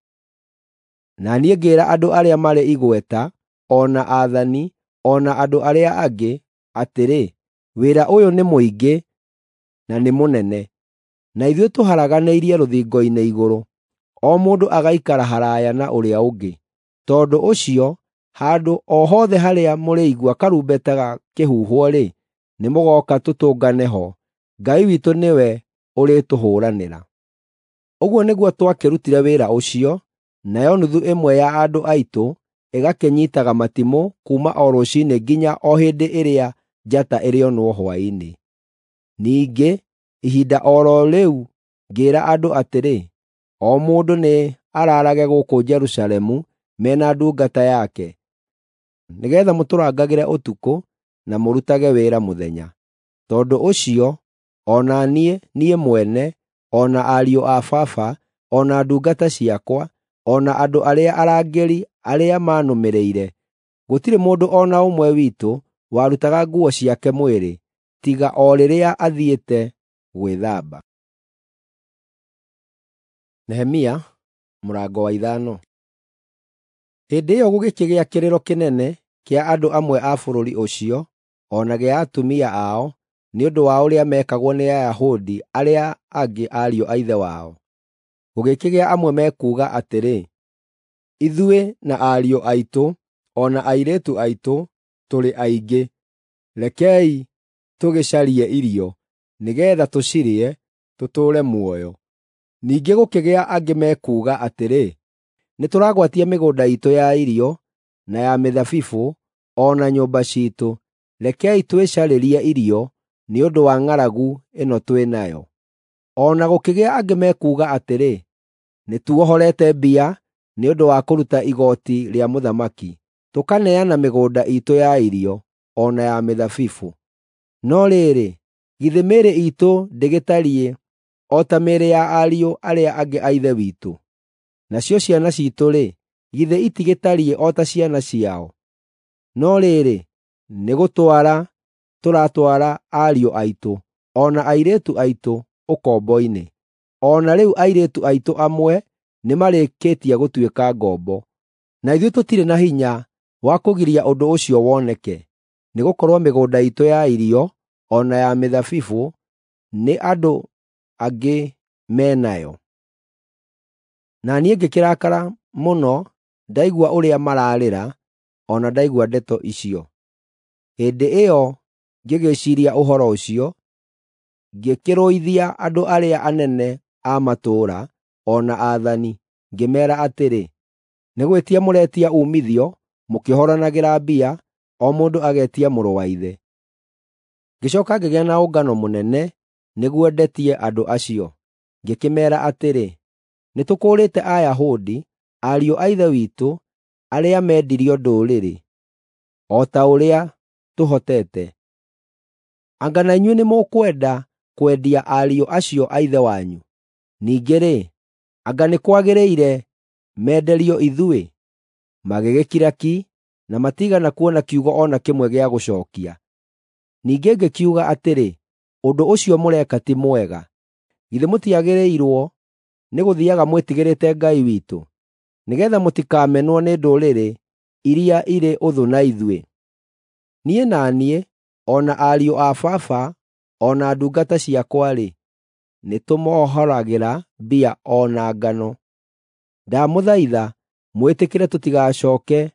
Na niĩ ngĩĩra andũ arĩa marĩ igweta, o na aathani, o na andũ arĩa angĩ atĩrĩ, “Wĩra ũyũ nĩ mũingĩ na nĩ mũnene, na ithuĩ tũharaganĩirie rũthingo-inĩ igũrũ, o mũndũ agaikara haraaya na ũrĩa ũngĩ. Tondũ ũcio handũ o hothe harĩa mũrĩigua karumbeta gakĩhuhwo-rĩ, nĩmũgooka tũtũngane ho. Ngai witũ nĩwe ũrĩtũhũũranĩra.” Ũguo nĩguo twakĩrutire wĩra ũcio, nayo nuthu ĩmwe ya andũ aitũ ĩgakĩnyiitaga matimũ kuuma o rũciinĩ nginya o hĩndĩ ĩrĩa njata ĩrĩonwo hwaĩ-inĩ. Ningĩ ihinda o ro rĩu ngĩĩra andũ atĩrĩ, “O mũndũ nĩ araarage gũkũ Jerusalemu me na ndungata yake, nĩgeetha mũtũrangagĩre ũtukũ na mũrutage wĩra mũthenya.” Tondũ ũcio o na niĩ, niĩ mwene, o na ariũ a baba, o na ndungata ciakwa, o na andũ arĩa arangĩri arĩa maanũmĩrĩire, gũtirĩ mũndũ o na ũmwe witũ warutaga nguo ciake mwĩrĩ, tiga o rĩrĩa athiĩte gwĩthamba. Nehemia mũrango wa ithano. Hĩndĩ ĩyo gũgĩkĩgĩa kĩrĩro kĩnene kĩa andũ amwe a bũrũri ũcio, o na gĩa atumia ao, nĩ ũndũ wa ũrĩa meekagwo nĩ Ayahudi arĩa angĩ ariũ a ithe wao. Gũgĩkĩgĩa amwe mekuuga atĩrĩ, “Ithuĩ na ariũ aitũ o na airĩtu aitũ tũrĩ aingĩ, rekei tũgĩcarie irio, nĩgeetha tũcirĩe, tũtũũre muoyo.” Ningĩ gũkĩgĩa angĩ mekuuga atĩrĩ, “Nĩtũragwatia mĩgũnda iitũ ya irio, na ya mĩthabibũ, o na nyũmba ciitũ. Rekei twĩcarĩrie irio nĩ ũndũ wa ng'aragu ĩno twĩ nayo.” O na gũkĩgĩa angĩ mekuuga atĩrĩ, “Nĩtuohorete mbia nĩ ũndũ wa kũruta igooti rĩa mũthamaki, tũkaneana mĩgũnda iitũ ya irio, o na ya mĩthabibũ. No rĩrĩ, githĩ mĩĩrĩ iitũ ndĩgĩtariĩ o ta mĩĩrĩ ya ariũ arĩa angĩ a ithe witũ? Nacio ciana ciitũ-rĩ, githĩ itigĩtariĩ o ta ciana ciao? No rĩrĩ, nĩgũtwara tũratwara ariũ aitũ, o na airĩtu aitũ ũkombo-inĩ. O na rĩu airĩtu aitũ amwe nĩmarĩkĩtie gũtuĩka ngombo. Na ithuĩ tũtirĩ na hinya wa kũgiria ũndũ ũcio woneke, nĩgũkorwo mĩgũnda iitũ ya irio o na ya mĩthabibũ nĩ andũ angĩ me nayo.” Na niĩ ngĩkĩrakara mũno ndaigua ũrĩa maraarĩra, o na ndaigua ndeto icio. Hĩndĩ ĩyo ngĩgĩciiria ũhoro ũcio, ngĩkĩrũithia andũ arĩa anene a matũũra o na aathani, ngĩmeera atĩrĩ, “Nĩ gwĩtia mũretia uumithio mũkĩohoranagĩra mbia, o mũndũ agetia mũrũ wa ithe.” Ngĩcooka ngĩgĩa na ũngano mũnene nĩguo ndetie andũ acio. Ngĩkĩmeera atĩrĩ, “Nĩtũkũũrĩte Ayahudi, ariũ a ithe witũ, arĩa meendirio ndũrĩrĩ, o ta ũrĩa tũhotete. Anga na inyuĩ nĩmũkwenda kwendia ariũ acio a ithe wanyu? Ningĩ-rĩ, anga nĩ kwagĩrĩire menderio ithuĩ?” Magĩgĩkira ki, na matiigana kuona kiugo o na kĩmwe gĩa gũcookia. Ningĩ ngĩkiuga atĩrĩ, “Ũndũ ũcio mũreka ti mwega. Githĩ mũtiagĩrĩirwo nĩgũthiiaga mwĩtigĩrĩte Ngai witũ, nĩgeetha mũtikamenwo nĩ ndũrĩrĩ iria irĩ ũthũ na ithuĩ? Niĩ na niĩ, o na ariũ a baba, o na ndungata ciakwa-rĩ, nĩtũmohoragĩra mbia o na ngano. Ndamũthaitha mwĩtĩkĩre tũtigacooke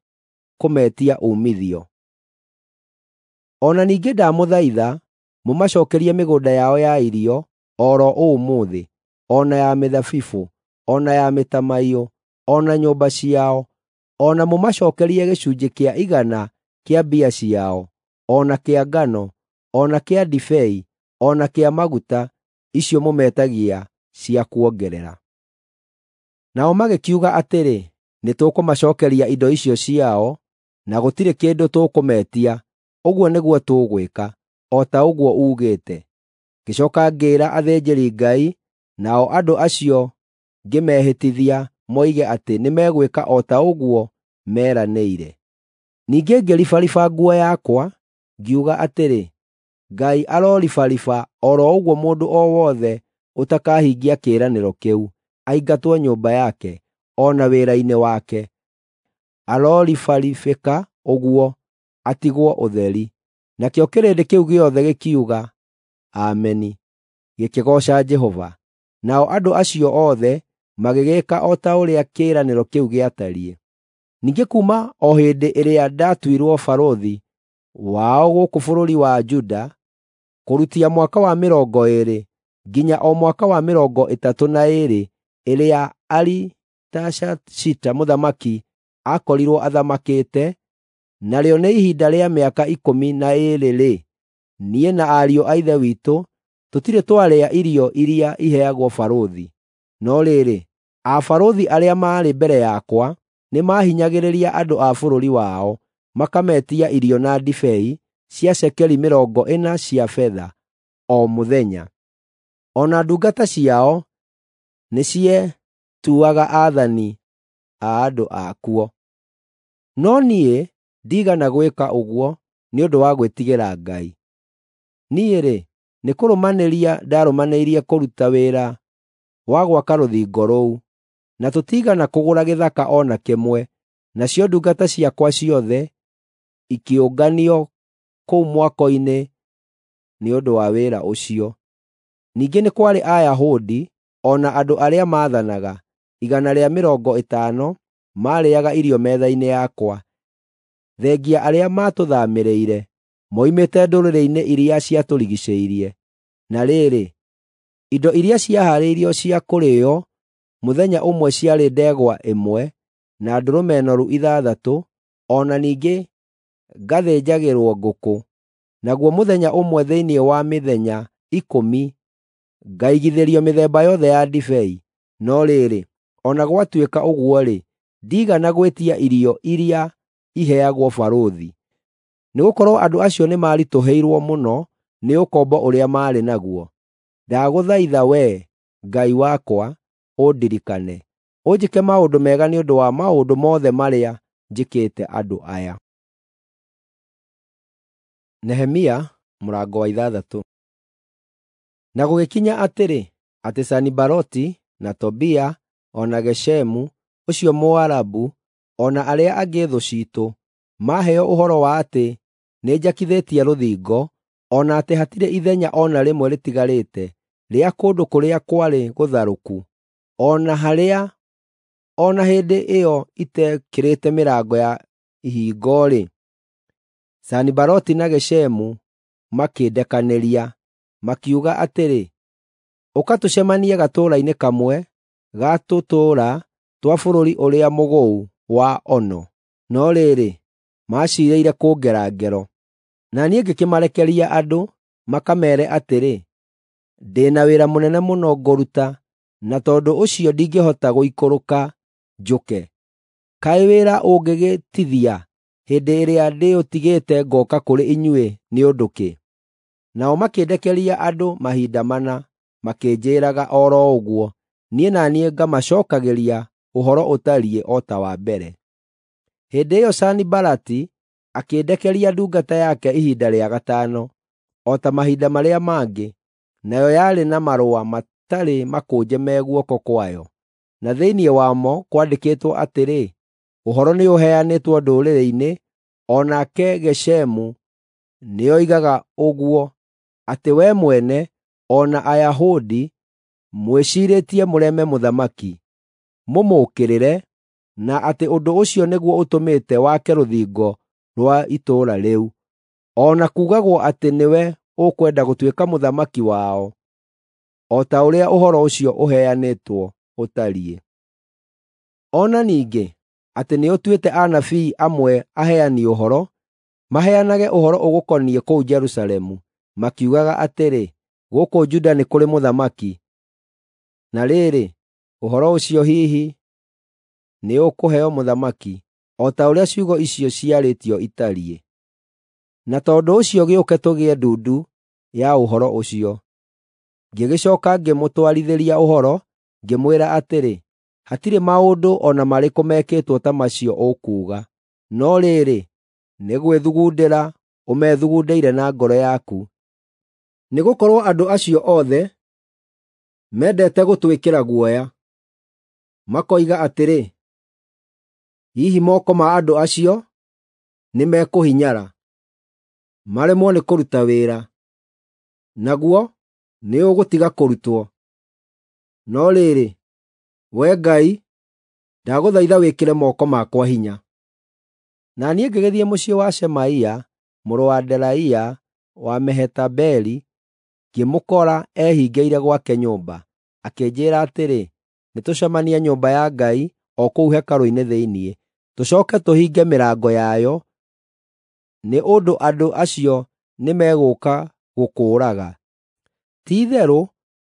kũmetia uumithio. O na ningĩ ndamũthaitha mũmacookerie mĩgũnda yao ya irio o ro ũmũthĩ, o na ya mĩthabibũ, o na ya mĩtamaiyũ, o na nyũmba ciao, o na mũmacookerie gĩcunjĩ kĩa igana kĩa mbia ciao, o na kĩa ngano, o na kĩa ndibei, o na kĩa maguta, icio mũmetagia cia kuongerera.” Nao magĩkiuga atĩrĩ, “Nĩtũkũmacookeria indo icio ciao, na gũtirĩ kĩndũ tũkũmetia. Ũguo nĩguo tũgwĩka, o ta ũguo uugĩte.” Ngĩcooka ngĩĩra athĩnjĩri-Ngai, nao andũ acio ngĩmehĩtithia moige atĩ nĩmegwĩka o ta ũguo meranĩire. Ningĩ ngĩribariba nguo yakwa, ngiuga atĩrĩ, “Ngai aroribariba o ro ũguo mũndũ o wothe ũtakahingia kĩĩranĩro kĩu, aingatwo nyũmba yake, o na wĩra-inĩ wake. Aroribaribĩka ũguo, atigwo ũtheri.” Nakĩo kĩrĩndĩ kĩu gĩothe gĩkiuga, “Ameni,” gĩkĩgooca Jehova. Nao andũ acio othe magĩgĩĩka o ta ũrĩa kĩĩranĩro kĩu gĩatariĩ. Ningĩ kuuma o hĩndĩ ĩrĩa ndatuirwo barũthi wao gũkũ bũrũri wa Juda, kũrutia mwaka wa mĩrongo ĩĩrĩ nginya o mwaka wa mĩrongo ĩtatũ na ĩĩrĩ ĩrĩa Aritashashita mũthamaki aakorirwo athamakĩte, narĩo nĩ ihinda rĩa mĩaka ikũmi na ĩĩrĩ-rĩ, niĩ na ariũ a ithe witũ tũtirĩ twarĩa irio iria iheagwo barũthi. No rĩrĩ, abarũthi arĩa maarĩ mbere yakwa nĩmahinyagĩrĩria andũ a bũrũri wao, makametia irio na ndibei cia cekeri 40 cia betha o mũthenya. O na ndungata ciao nĩcietuaga aathani a andũ akuo. No niĩ ndiigana gwĩka ũguo nĩ ũndũ wa gwĩtigĩra Ngai. Niĩ-rĩ, nĩkũrũmanĩria ndarũmanĩirie kũruta wĩra wa gwaka rũthingo rũu, na tũtiigana kũgũra gĩthaka o na kĩmwe, nacio ndungata ciakwa ciothe ikĩũnganio kũu mwako-inĩ nĩ ũndũ wa wĩra ũcio. Ningĩ nĩ kwarĩ Ayahudi o na andũ arĩa maathanaga 150 maarĩĩaga irio metha-inĩ yakwa, thengia arĩa maatũthaamĩrĩire moimĩte ndũrĩrĩ-inĩ iria ciatũrigiicĩirie. Na rĩrĩ, indo iria ciahaarĩirio cia kũrĩĩo mũthenya ũmwe ciarĩ ndegwa ĩmwe na ndũrũme noru 6, o na ningĩ ngathĩnjagĩrwo ngũkũ. Naguo mũthenya ũmwe thĩinĩ wa mĩthenya 10 ngaigithĩrio mĩthemba yothe ya ndibei. No rĩrĩ, o na gwatuĩka ũguo-rĩ, ndiigana gwĩtia irio iria iheagwo barũthi, nĩgũkorwo andũ acio nĩmaritũhĩirwo mũno nĩ ũkombo ũrĩa maarĩ naguo. Ndagũthaitha Wee, Ngai wakwa, ũndirikane, ũnjĩke maũndũ mega nĩ ũndũ wa maũndũ mothe marĩa njĩkĩte andũ aya. Nehemia mũrango wa 6. Na gũgĩkinya atĩrĩ, atĩ Sanibalati, na Tobia, o na Geshemu ũcio Mũarabu, o na arĩa angĩ thũ ciitũ, maaheo ũhoro wa atĩ nĩnjakithĩtie rũthingo, o na atĩ hatirĩ ithenya o na rĩmwe rĩtigarĩte rĩa kũndũ kũrĩa kwarĩ gũtharũku, o na harĩa o na hĩndĩ ĩyo itekĩrĩte mĩrango ya ihingo-rĩ, Sanibalati na Geshemu makĩndekanĩria, makiuga atĩrĩ, “Ũka tũcemanie gatũũra-inĩ kamwe ga tũtũũra twa bũrũri ũrĩa mũgũu wa Ono.” No rĩrĩ, maciirĩire kũngera ngero. Na niĩ ngĩkĩmarekeria andũ makameere atĩrĩ, “Ndĩ na wĩra mũnene mũno ngũruta, na tondũ ũcio ndingĩhota gũikũrũka njũke. Kaĩ wĩra ũngĩgĩtithia hĩndĩ ĩrĩa ndĩũtigĩte ngooka kũrĩ inyuĩ nĩ ũndũ kĩ?” Nao makĩndekeria andũ mahinda mana, makĩnjĩĩraga o ro ũguo, niĩ na niĩ ngamacookagĩria ũhoro ũtariĩ o ta wa mbere. Hĩndĩ ĩyo Sanibalati akĩndekeria ndungata yake ihinda rĩa gatano, o ta mahinda marĩa mangĩ, nayo yarĩ na marũa matarĩ makũnje me guoko kwayo, na thĩinĩ wamo kwandĩkĩtwo atĩrĩ, “Ũhoro nĩũheanĩtwo ndũrĩrĩ-inĩ, o nake Geshemu nĩoigaga ũguo, atĩ wee mwene o na Ayahudi mwĩciirĩtie mũreme mũthamaki, mũmũũkĩrĩre, na atĩ ũndũ ũcio nĩguo ũtũmĩte wake rũthingo rwa itũũra rĩu, o na kuugagwo atĩ nĩwe ũkwenda gũtuĩka mũthamaki wao, o ta ũrĩa ũhoro ũcio ũheanĩtwo ũtariĩ. O na ningĩ atĩ nĩũtuĩte anabii amwe aheani ũhoro, maheanage ũhoro ũgũkoniĩ kũu Jerusalemu, makiugaga atĩrĩ, ‘Gũkũ Juda nĩ kũrĩ mũthamaki!’ Na rĩrĩ, ũhoro ũcio hihi nĩũkũheo mũthamaki, o ta ũrĩa ciugo icio ciarĩtio itariĩ. Na tondũ ũcio gĩũke tũgĩe ndundu ya ũhoro ũcio.” Ngĩgĩcooka ngĩmũtwarithĩria ũhoro, ngĩmwĩra atĩrĩ, “Hatirĩ maũndũ o na marĩkũ mekĩtwo ta macio ũkuuga, no rĩrĩ, nĩ gwĩthugundĩra ũmethugundĩire na ngoro yaku.” Nĩgũkorwo andũ acio othe mendete gũtwĩkĩra guoya, makoiga atĩrĩ, “Hihi moko ma andũ acio nĩmekũhinyara, maremwo nĩ kũruta wĩra, naguo nĩũgũtiga kũrutwo.” No rĩrĩ, Wee Ngai, ndagũthaitha wĩkĩre moko makwa hinya. Na niĩ ngĩgĩthiĩ mũciĩ wa Shemaia mũrũ wa Delaia wa Mehetabeli, ngĩmũkora ehingĩire gwake nyũmba. Akĩnjĩĩra atĩrĩ, “Nĩtũcemanie nyũmba ya Ngai o kũu hekarũ-inĩ thĩinĩ, tũcooke tũhinge mĩrango yayo, nĩ ũndũ andũ acio nĩmegũũka gũkũũraga. Ti-itherũ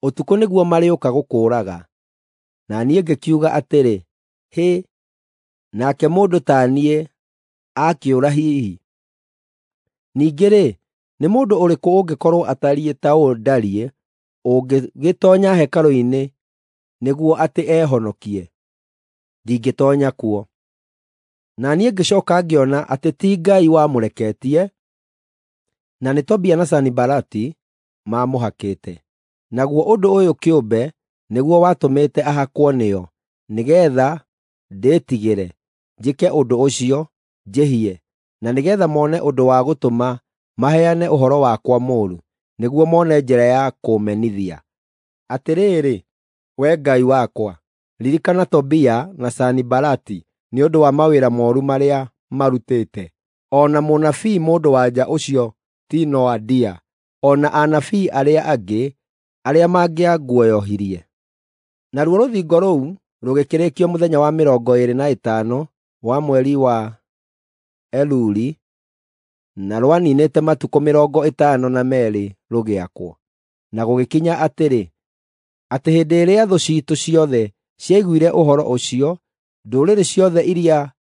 ũtukũ nĩguo marĩũka gũkũũraga.” Na niĩ ngĩkiuga atĩrĩ, “Hĩ, nake mũndũ ta niĩ aakĩũra hihi? Ningĩ-rĩ, nĩ mũndũ ũrĩkũ ũngĩkorwo atariĩ ta ũũ ndariĩ ũngĩgĩtoonya hekarũ-inĩ nĩguo atĩ ehonokie? Ndingĩtoonya kuo.” Na niĩ ngĩcooka ngĩona atĩ ti Ngai wamũreketie, na nĩ Tobia na Sanibalati maamũhakĩte. Naguo ũndũ ũyũ kĩũmbe nĩguo watũmĩte ahakwo nĩo, nĩgeetha ndĩtigĩre, njĩke ũndũ ũcio, njĩhie, na nĩgeetha mone ũndũ wa gũtũma maheane ũhoro wakwa mũũru, nĩguo mone njĩra ya kũũmenithia. Atĩrĩrĩ, Wee Ngai wakwa, ririkana Tobia na Sanibalati nĩ ũndũ wa mawĩra mooru marĩa marutĩte, o na mũnabii mũndũ-wa-nja ũcio ti Noadia, o na anabii arĩa angĩ arĩa mangĩanguoyohirie. Naruo rũthingo rũu rũgĩkĩrĩkio mũthenya wa 25 wa mweri wa Eluli, na rwaniinĩte matukũ 52 rũgĩakwo. Na gũgĩkinya atĩrĩ, atĩ hĩndĩ ĩrĩa thũ ciitũ ciothe ciaiguire ũhoro ũcio, ndũrĩrĩ ciothe iria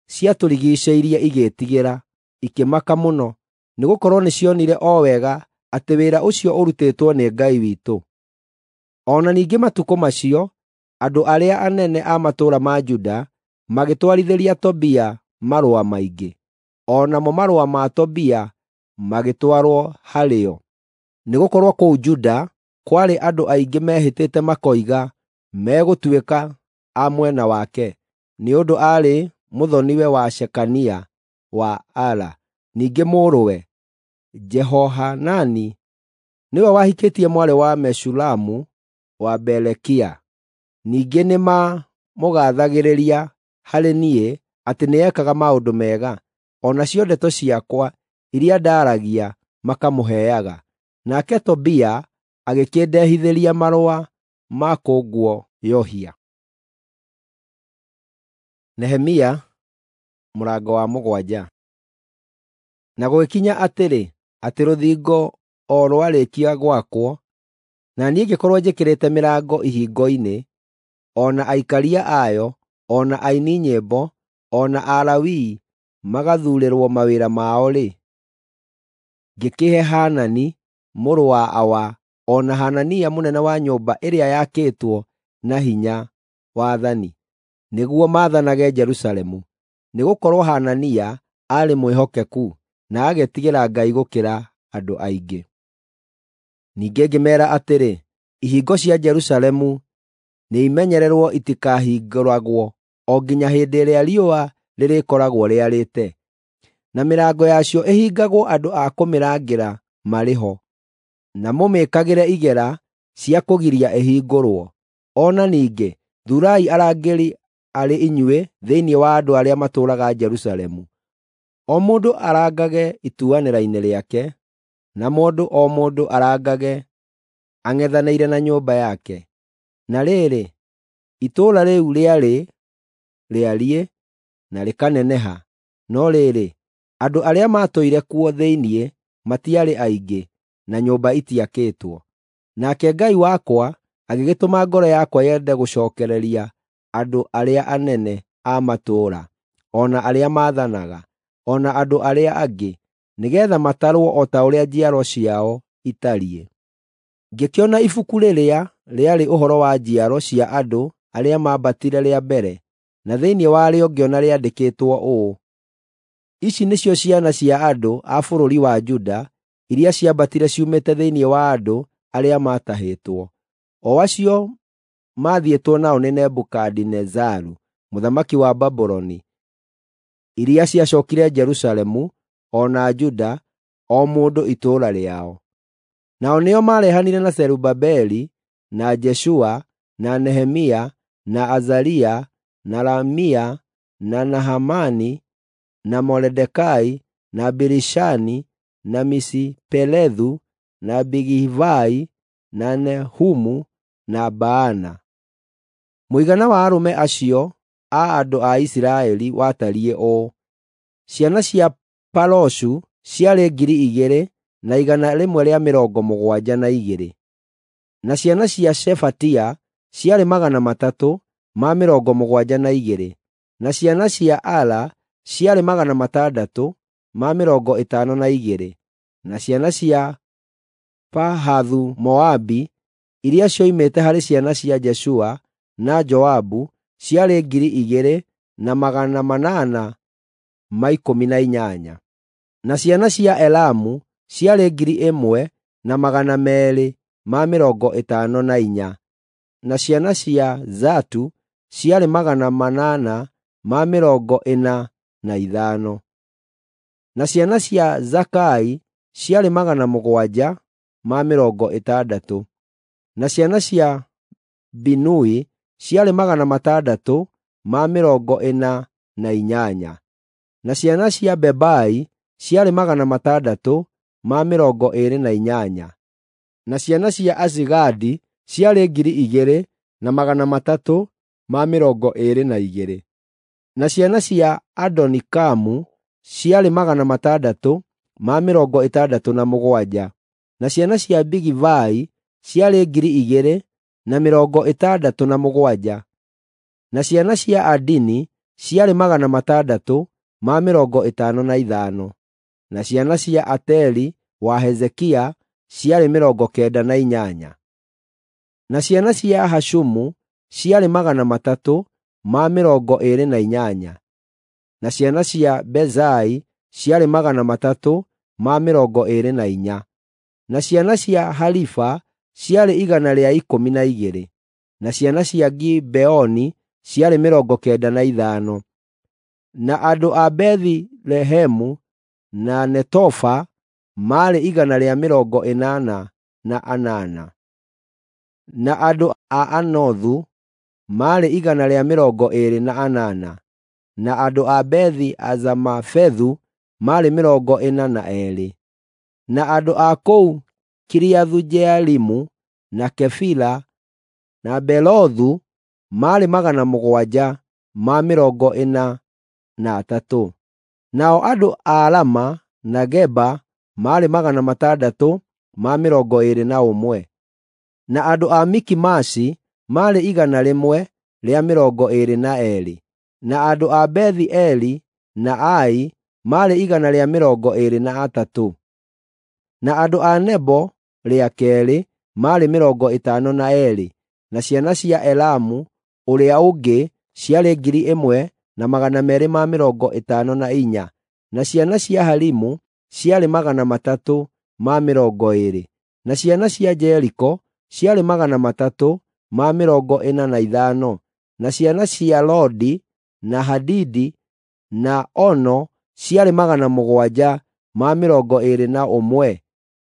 ciatũrigiicĩirie igĩĩtigĩra, ikĩmaka mũno, nĩgũkorwo nĩcionire o wega atĩ wĩra ũcio ũrutĩtwo nĩ Ngai witũ. O na ningĩ matukũ macio, andũ arĩa anene a matũũra ma Juda magĩtwarithĩria Tobia marũa maingĩ, o namo marũa ma Tobia magĩtwarwo harĩo. Nĩgũkorwo kũu Juda kwarĩ andũ aingĩ mehĩtĩte makoiga megũtuĩka a mwena wake, nĩ ũndũ aarĩ mũthoni-we wa Shekania wa Ara. Ningĩ mũrũwe, Jehohanani, nĩwe wahikĩtie mwarĩ wa Meshulamu wa Berekia. Ningĩ nĩmamũgaathagĩrĩria harĩ niĩ atĩ nĩekaga maũndũ mega, o nacio ndeto ciakwa iria ndaaragia makamũheaga. Nake Tobia agĩkĩndehithĩria marũa ma kũnguoyohia. Nehemia mũrango wa 7. Na gũgĩkinya atĩrĩ, atĩ rũthingo o rwarĩkia gwakwo, na niĩ ngĩkorwo njĩkĩrĩte mĩrango ihingo-inĩ, o na aikaria ayo, o na aini nyĩmbo, o na Alawii magathuurĩrwo mawĩra mao-rĩ, ngĩkĩhe Hanani mũrũ wa Awa o na Hanania mũnene wa nyũmba ĩrĩa yakĩtwo na hinya wathani, nĩguo maathanage Jerusalemu. Nĩgũkorwo Hanania aarĩ mwĩhokeku na agetigĩra Ngai gũkĩra andũ aingĩ. Ningĩ ngĩmeera atĩrĩ, ihingo cia Jerusalemu nĩimenyererwo itikahingũragwo o nginya hĩndĩ ĩrĩa riũa rĩrĩkoragwo rĩarĩte, na mĩrango yacio ĩhingagwo andũ a kũmĩrangĩra marĩ ho, na mũmĩĩkagĩre igera cia kũgiria ĩhingũrwo. O na ningĩ thuurai arangĩri arĩ inyuĩ thĩinĩ wa andũ arĩa matũũraga Jerusalemu, o mũndũ arangage ituanĩra-inĩ rĩake, na mũndũ o mũndũ arangage ang'ethanĩire na nyũmba yake. Na rĩrĩ, itũũra rĩu rĩarĩ rĩariĩ na rĩkaneneha, no rĩrĩ, andũ arĩa maatũire kuo thĩinĩ matiarĩ aingĩ, na nyũmba itiakĩtwo. Nake Ngai wakwa agĩgĩtũma ngoro yakwa yende gũcookereria andũ arĩa anene a matũũra, o na arĩa maathanaga, o na andũ arĩa angĩ, nĩgeetha matarwo o ta ũrĩa njiaro ciao itariĩ. Ngĩkĩona ibuku rĩrĩa rĩarĩ ũhoro wa njiaro cia andũ arĩa maambatire rĩa mbere, na thĩinĩ warĩo ngĩona rĩandĩkĩtwo ũũ: Ici nĩcio ciana cia andũ a bũrũri wa Juda iria ciambatire ciumĩte thĩinĩ wa andũ arĩa maatahĩtwo, o acio maathiĩtwo nao nĩ Nebukadinezaru mũthamaki wa Babuloni, iria ciacookire Jerusalemu o na Juda, o mũndũ itũũra rĩao. Nao nĩo maarehanire na Zerubabeli, na Jeshua, na Nehemia, na Azaria, na Ramia, na Nahamani, na Moridekai, na Bilishani, na Misiperethu, na Bigivai, na Nehumu, na Baana. Mũigana wa arũme acio a andũ a Isiraeli watariĩ ũũ: ciana cia Paroshu ciarĩ 2,172, na ciana cia Shefatia ciarĩ 372, na ciana cia Ara ciarĩ 652, na ciana cia Pahathu-Moabi iria cioimĩte harĩ ciana cia Jeshua na Joabu ciarĩ 2,818, na ciana cia Elamu ciarĩ 1,254. Na ciana cia Zatu ciarĩ 845. Na ciana cia Zakai ciarĩ 760. Na ciana cia Binui ciarĩ 648. Na ciana cia Bebai ciarĩ 628. Na ciana cia Azigadi ciarĩ 2,322. Na ciana cia Adonikamu ciarĩ 667. Na ciana cia Bigivai ciarĩ 2,067. Na ciana cia Adini ciarĩ 655. Na ciana cia Ateri wa Hezekia ciarĩ 98. Na ciana cia Hashumu ciarĩ 328. Na ciana cia Bezai ciarĩ 324. Na ciana cia Harifa ciarĩ 112. Na ciana cia Gibeoni ciarĩ 95. Na andũ a Bethilehemu na Netofa maarĩ 188. Na andũ a Anothu maarĩ 128. Na andũ a Bethi-Azamafethu maarĩ 42. Na andũ a kũu Kiriathu-Jearimu na Kefira na Beerothu maarĩ 743. Nao andũ a Rama na Geba maarĩ 621. Na andũ a Mikimashi maarĩ 122. Na andũ a Bethi-Eli na Ai maarĩ 123. Na andũ a Nebo rĩa keerĩ maarĩ 52. Na ciana cia Elamu ũrĩa ũngĩ ciarĩ 1,254. Na ciana cia Harimu ciarĩ 320. Na ciana cia Jeriko ciarĩ 345. Na ciana cia Lodi na Hadidi na Ono ciarĩ 721.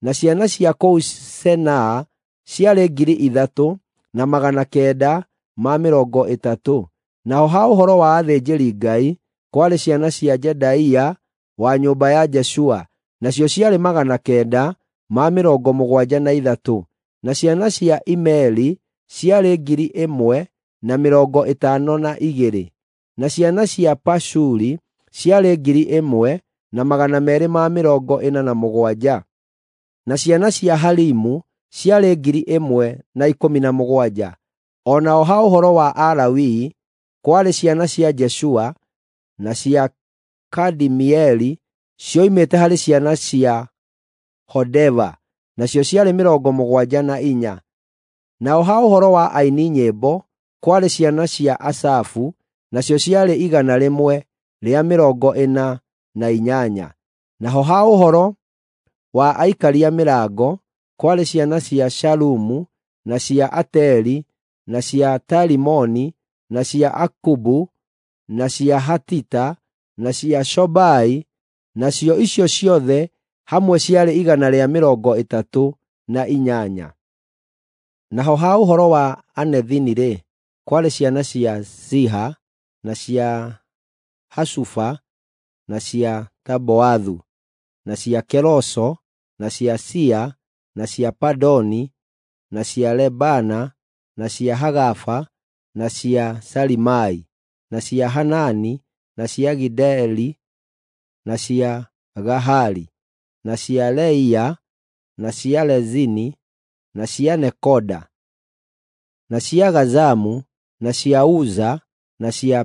Na ciana cia kũu Senaa ciarĩ 3,930. Naho ha ũhoro wa athĩnjĩri-Ngai kwarĩ ciana cia Jedaia wa nyũmba ya Jeshua, nacio ciarĩ 973. Na ciana cia Imeri ciarĩ 1,052. Na ciana cia Pashuri ciarĩ 1,247. Na ciana cia Harimu ciarĩ 1,017. O nao ha ũhoro wa Alawii kwarĩ ciana cia Jeshua na cia Kadimieli cioimĩte harĩ ciana cia Hodeva, nacio ciarĩ 74. Nao ha ũhoro wa aini nyĩmbo kwarĩ ciana cia Asafu, nacio ciarĩ 148. Naho ha ũhoro wa aikaria mĩrango kwarĩ ciana cia Shalumu na cia Ateri na cia Talimoni na cia Akubu na cia Hatita na cia Shobai, nacio icio ciothe hamwe ciarĩ 138. Naho ha ũhoro wa Anethini-rĩ, kwarĩ ciana cia Ziha na cia Hasufa na cia Taboathu na cia Keroso na cia Sia na cia Padoni na cia Lebana na cia Hagafa na cia Salimai na cia Hanani na cia Gideli na cia Gahari na cia Leia na cia Lezini na cia Nekoda na cia Gazamu na cia Uza na cia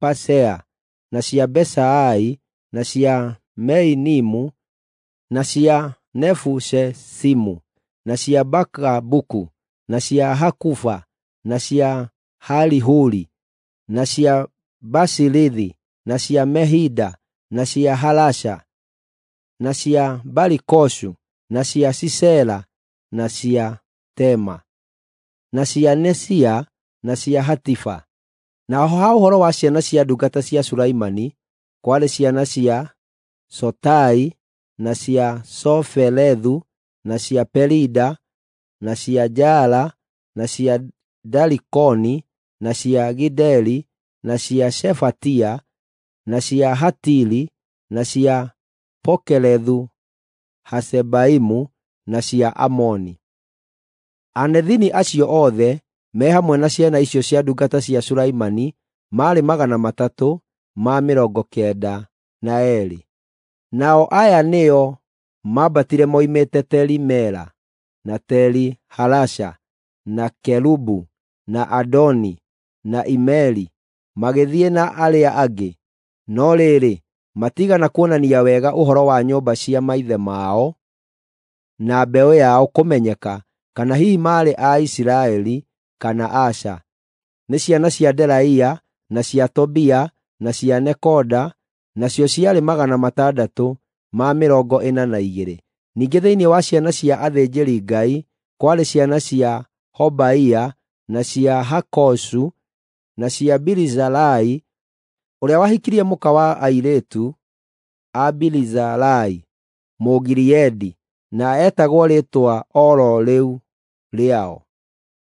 Pasea na cia Besaai na cia Meinimu na cia Nefushesimu na cia Bakabuku na cia Hakufa na cia Harihuri na cia Basilithi na cia Mehida na cia Halasha na cia Barikoshu na cia Sisera na cia Tema. na cia Nesia, na cia Hatifa. Naho ha ũhoro wa ciana cia ndungata cia Sulaimani, kwarĩ ciana cia Sotai, na cia Soferethu, na cia Perida, na cia Jaala, na cia Darikoni, na cia Gideli, na cia Shefatia, na cia Hatili, na cia Pokerethu Hasebaimu, na cia Amoni. Anethini acio othe me hamwe na ciana icio cia ndungata cia Sulaimani maarĩ 392. Nao aya nĩo maambatire moimĩte Teli-Mela, na Teli-Halasha, na Kerubu, na Adoni, na Imeri, magĩthiĩ na arĩa angĩ. No rĩrĩ, matiigana kuonania wega ũhoro wa nyũmba cia maithe mao na mbeũ yao kũmenyeka kana hihi maarĩ a Isiraeli kana aca. Nĩ ciana cia Delaia, na cia Tobia, na cia Nekoda, nacio ciarĩ 642. Ningĩ thĩinĩ wa ciana cia athĩnjĩri-Ngai kwarĩ ciana cia Hobaia, na cia Hakosu, na cia Birizalai, ũrĩa wahikirie mũka wa airĩtu a Birizalai Mũgileadi, na etagwo rĩĩtwa o ro rĩu rĩao.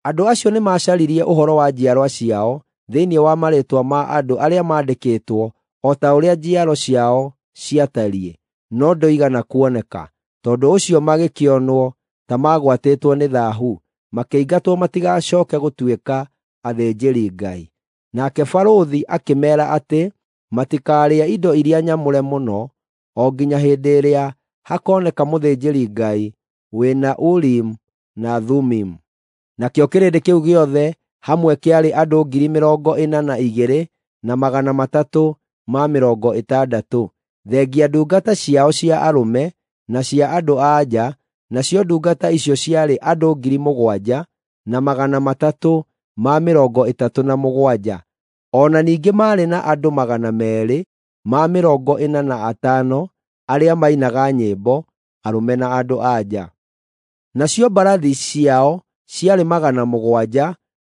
Andũ acio nĩmacaririe ũhoro wa njiarwa ciao thĩinĩ wa marĩĩtwa ma andũ arĩa maandĩkĩtwo o ta ũrĩa njiaro ciao ciatariĩ, no ndũigana kuoneka. Tondũ ũcio magĩkĩonwo ta magwatĩtwo nĩ thaahu, makĩingatwo matigacooke gũtuĩka athĩnjĩri-Ngai. Nake barũthi akĩmeera atĩ matikarĩe indo iria nyamũre mũno o nginya hĩndĩ ĩrĩa hakoneka mũthĩnjĩri-Ngai wĩna Urimu na Thumimu. Nakĩo kĩrĩndĩ kĩu gĩothe hamwe kĩarĩ andũ 42,360, thengia ndungata ciao cia arũme na cia andũ-a-nja, nacio ndungata icio ciarĩ andũ 7,337. O na ningĩ maarĩ na andũ 245 arĩa mainaga nyĩmbo, arũme na andũ-a-nja. Nacio mbarathi ciao ciarĩ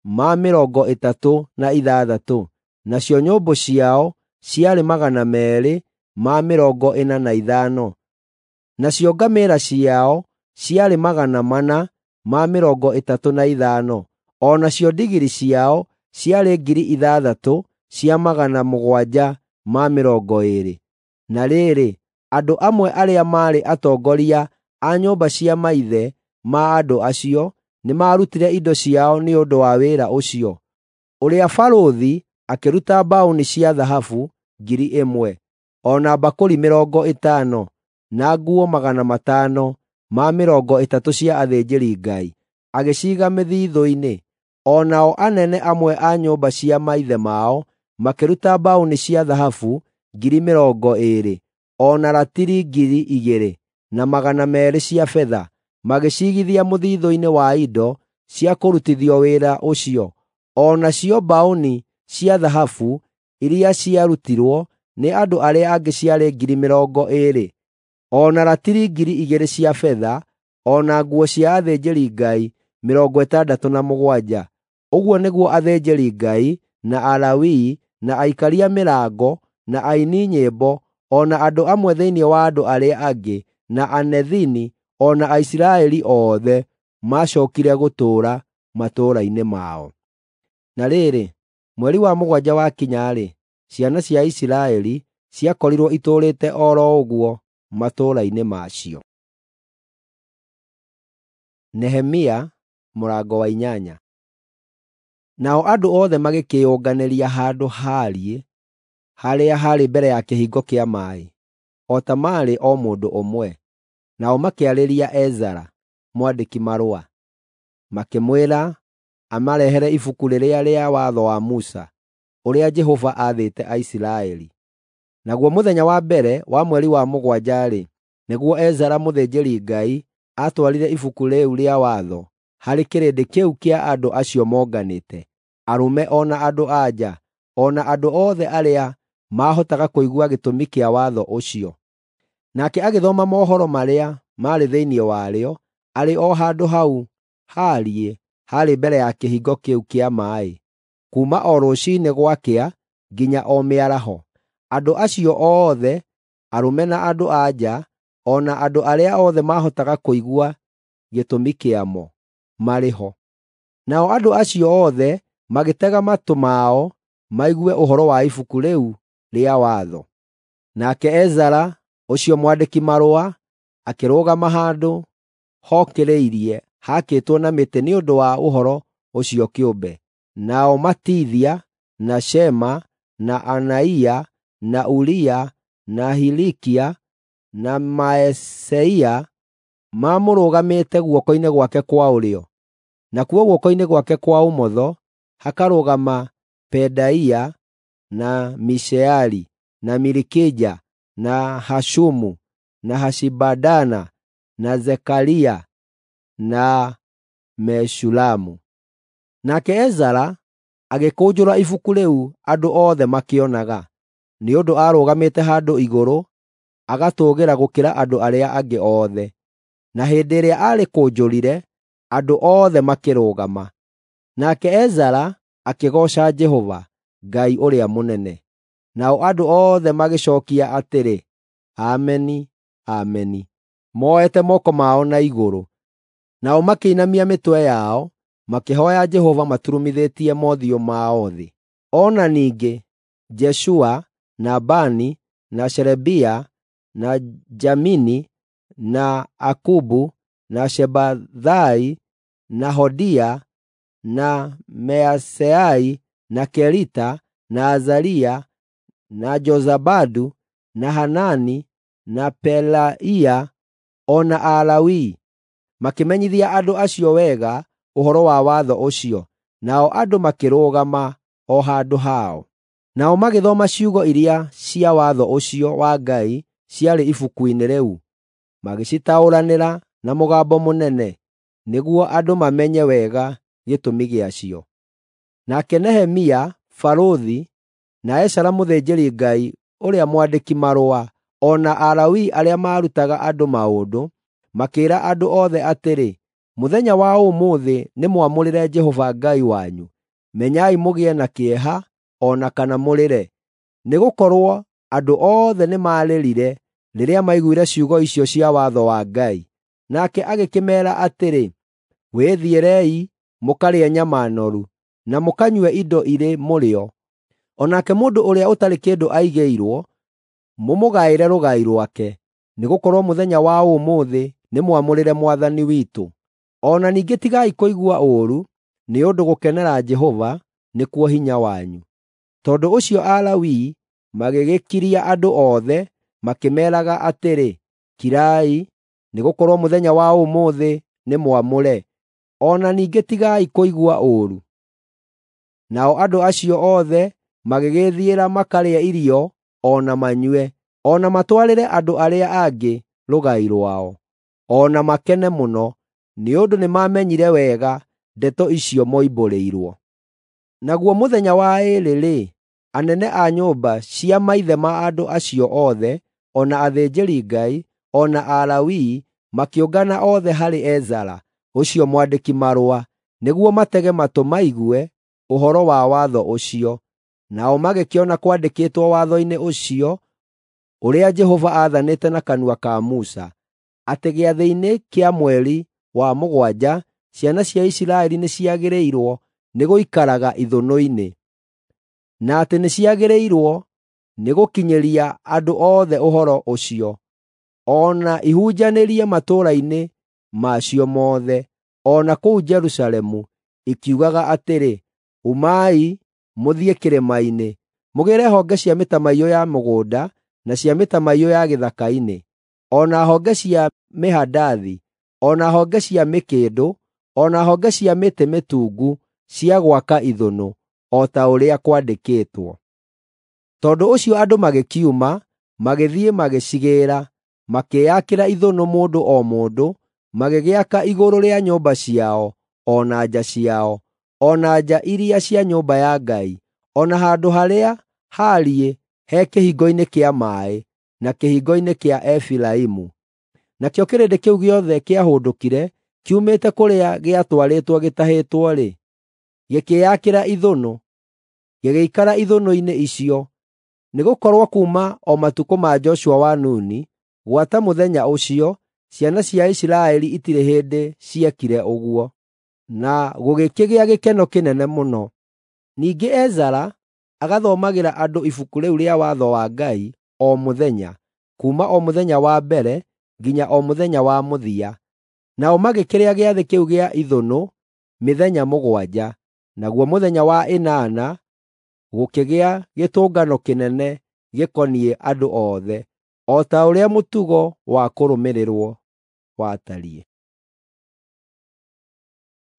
736, nacio nyũmbũ ciao ciarĩ 245, nacio ngamĩĩra ciao ciarĩ 435, o nacio ndigiri ciao ciarĩ 6,720. Na rĩrĩ, andũ amwe arĩa maarĩ atongoria a nyũmba cia maithe ma andũ acio nĩmarutire indo ciao nĩ ũndũ wa wĩra ũcio. Ũrĩa barũthi akĩruta mbaũni cia thahabu 1,000, o na mbakũri 50, na nguo 530 cia athĩnjĩri-Ngai, agĩciiga mĩthiithũ-inĩ. O nao anene amwe a nyũmba cia maithe mao makĩruta mbaũni cia thahabu 20,000, o na ratiri 2,200 cia betha, magĩciigithia mũthiithũ-inĩ wa indo cia kũrutithio wĩra ũcio. O nacio mbaũni cia thahabu iria ciarutirwo nĩ andũ arĩa angĩ ciarĩ 20,000, o na ratiri 2,000 cia betha, o na nguo cia athĩnjĩri-Ngai 67. Ũguo nĩguo athĩnjĩri-Ngai, na Alawii, na aikaria mĩrango, na aini nyĩmbo, o na andũ amwe thĩinĩ wa andũ arĩa angĩ, na Anethini, o na Aisiraeli othe maacookire gũtũũra matũũra-inĩ mao. Na rĩrĩ, mweri wa mũgwanja wakinya-rĩ, ciana cia Isiraeli ciakorirwo itũũrĩte o ro ũguo matũũra-inĩ macio. Nehemia mũrango wa 8. Nao andũ othe magĩkĩĩyũnganĩria handũ haariĩ harĩa haarĩ mbere ya kĩhingo kĩa maaĩ, o ta maarĩ o mũndũ ũmwe. Nao makĩarĩria Ezara, mwandĩki-marũa, makĩmwĩra amarehere ibuku rĩrĩa rĩa watho wa Musa, ũrĩa Jehova aathĩte Aisiraeli. Naguo mũthenya wa mbere wa mweri wa mũgwanja-rĩ, nĩguo Ezara mũthĩnjĩri-Ngai aatwarire ibuku rĩu rĩa watho harĩ kĩrĩndĩ kĩu kĩa andũ acio monganĩte, arũme o na andũ-a-nja, o na andũ othe arĩa maahotaga kũigua gĩtũmi kĩa watho ũcio. Nake agĩthoma mohoro marĩa maarĩ thĩinĩ warĩo arĩ o handũ hau haariĩ haarĩ mbere ya kĩhingo kĩu kĩa maaĩ, kuuma o rũciinĩ gwakĩa nginya o mĩaraho. Andũ acio othe, arũme na andũ-a-nja, o na andũ arĩa othe maahotaga kũigua gĩtũmi kĩamo, marĩ ho. Nao andũ acio othe magĩtega matũ mao maigue ũhoro wa ibuku rĩu rĩa watho. Nake Ezara ũcio mwandĩki-marũa akĩrũgama handũ hokĩrĩirie haakĩtwo na mĩtĩ nĩ ũndũ wa ũhoro ũcio kĩũmbe. Nao Matithia, na Shema, na Anaia, na Uria, na Hilikia, na Maeseia maamũrũgamĩte guoko-inĩ gwake kwa ũrĩo, nakuo guoko-inĩ gwake kwa ũmotho hakarũgama Pedaia, na Mishaeli, na Milikija, na Hashumu, na Hashibadana, na Zekaria, na Meshulamu. Nake Ezara agĩkũnjũra ibuku rĩu andũ othe makĩonaga, nĩ ũndũ aarũgamĩte handũ igũrũ agatũũgĩra gũkĩra andũ arĩa angĩ othe. Na hĩndĩ ĩrĩa aarĩkũnjũrire, andũ othe makĩrũgama. Nake Ezara akĩgooca Jehova, Ngai ũrĩa mũnene. Nao andũ othe magĩcookia atĩrĩ, “Ameni, Ameni,” moete moko mao na igũrũ. Nao makĩinamia mĩtwe yao, makĩhooya Jehova maturumithĩtie mothiũ mao thĩ. O na ningĩ Jeshua, na Bani, na Sherebia, na Jamini, na Akubu, na Shebathai, na Hodia, na Measeai, na Kelita, na Azaria, na Jozabadu, na Hanani, na Pelaia, o na Alawii makĩmenyithia andũ acio wega ũhoro wa watho ũcio, nao andũ makĩrũgama o handũ hao. Nao magĩthoma ciugo iria cia watho ũcio wa Ngai ciarĩ ibuku-inĩ rĩu, magĩcitaũranĩra na mũgambo mũnene, nĩguo andũ mamenye wega gĩtũmi gĩacio. Nake Nehemia barũthi, na Ezara mũthĩnjĩri-Ngai ũrĩa mwandĩki-marũa, o na Alawii arĩa maarutaga andũ maũndũ, makĩĩra andũ othe atĩrĩ, “Mũthenya wa ũmũthĩ nĩmwamũrĩre Jehova Ngai wanyu. Menyai mũgĩe na kĩeha o na kana mũrĩre.” Nĩgũkorwo andũ othe nĩmarĩrire rĩrĩa maiguire ciugo icio cia watho wa Ngai. Nake agĩkĩmeera atĩrĩ, “Wĩthiĩrei mũkarĩe nyama noru, na mũkanyue indo irĩ mũrĩo. O nake mũndũ ũrĩa ũtarĩ kĩndũ aigĩirwo, mũmũgaĩre rũgai rwake, nĩgũkorwo mũthenya wa ũmũthĩ nĩmwamũrĩre Mwathani witũ. O na ningĩ tigai kũigua ũũru, nĩ ũndũ gũkenera Jehova nĩkuo hinya wanyu.” Tondũ ũcio Alawii magĩgĩkiria andũ othe, makĩmeeraga atĩrĩ, “Kirai, nĩgũkorwo mũthenya wa ũmũthĩ nĩ mwamũre. O na ningĩ tigai kũigua ũũru.” Nao andũ acio othe magĩgĩĩthiĩra makarĩe irio o na manyue, o na matwarĩre andũ arĩa angĩ rũgai rwao, o na makene mũno, nĩ ũndũ nĩmamenyire wega ndeto icio moimbũrĩirwo. Naguo mũthenya wa ĩĩrĩ-rĩ, anene a nyũmba cia maithe ma andũ acio othe, o na athĩnjĩri-Ngai, o na Alawii makĩũngana othe harĩ Ezara ũcio mwandĩki-marũa, nĩguo matege matũ maigue ũhoro wa watho ũcio. Nao magĩkĩona kwandĩkĩtwo watho-inĩ ũcio ũrĩa Jehova aathanĩte na kanua ka Musa, atĩ gĩathĩ-inĩ kĩa mweri wa mũgwanja ciana cia Isiraeli nĩciagĩrĩirwo nĩ gũikaraga ithũnũ-inĩ, na atĩ nĩciagĩrĩirwo nĩ gũkinyĩria andũ othe ũhoro ũcio, o na ihunjanĩrie matũũra-inĩ macio mothe, o na kũu Jerusalemu, ikiugaga atĩrĩ, “Umai mũthiĩ kĩrĩma-inĩ, mũgĩĩre honge cia mĩtamaiyũ ya mũgũnda na cia mĩtamaiyũ ya gĩthaka-inĩ, o na honge cia mĩhandathi, o na honge cia mĩkĩndũ, o na honge cia mĩtĩ mĩtungu cia gwaka ithũnũ, o ta ũrĩa kwandĩkĩtwo.” Tondũ ũcio andũ magĩkiuma, magĩthiĩ magĩcigĩĩra, makĩĩakĩra ithũnũ mũndũ o mũndũ, magĩgĩaka igũrũ rĩa nyũmba ciao, o na nja ciao, o na nja iria cia nyũmba ya Ngai, o na handũ harĩa haariĩ he kĩhingo-inĩ kĩa maaĩ, na kĩhingo-inĩ kĩa Efiraimu. Nakĩo kĩrĩndĩ kĩu gĩothe kĩahũndũkire, kiumĩte kũrĩa gĩatwarĩtwo gĩtahĩtwo-rĩ, gĩkĩĩakĩra ithũnũ, gĩgĩikara ithũnũ-inĩ icio, nĩgũkorwo kuuma o matukũ ma Joshua wa Nuni gwata mũthenya ũcio, ciana cia Isiraeli itirĩ hĩndĩ ciekire ũguo. Na gũgĩkĩgĩa gĩkeno kĩnene mũno. Ningĩ Ezara agathomagĩra andũ ibuku rĩu rĩa watho wa Ngai o mũthenya, kuuma o mũthenya wa mbere nginya o mũthenya wa mũthia. Nao magĩkĩrĩa gĩathĩ kĩu gĩa ithũnũ mĩthenya 7, naguo mũthenya wa ĩnana gũkĩgĩa gĩtũngano kĩnene gĩkoniĩ andũ othe, o ta ũrĩa mũtugo wa kũrũmĩrĩrwo watariĩ.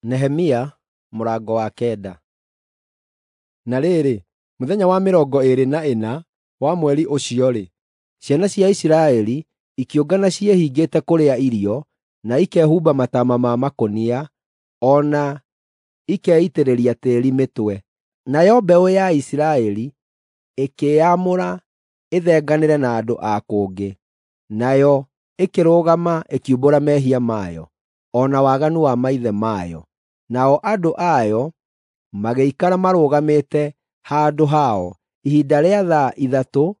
Nehemia mũrango wa 9. Na rĩrĩ, mũthenya wa 24 wa mweri ũcio-rĩ, ciana cia Isiraeli ikĩũngana ciĩhingĩte kũrĩa irio, na ikehumba mataama ma makũnia, o na ikeitĩrĩria tĩĩri mĩtwe. Nayo mbeũ ya Isiraeli ĩkĩĩamũra ĩthenganĩre na andũ a kũngĩ, nayo ĩkĩrũgama ĩkiumbũra mehia mayo, o na waganu wa maithe mayo. Nao andũ ayo magĩikara marũgamĩte handũ hao ihinda rĩa thaa 3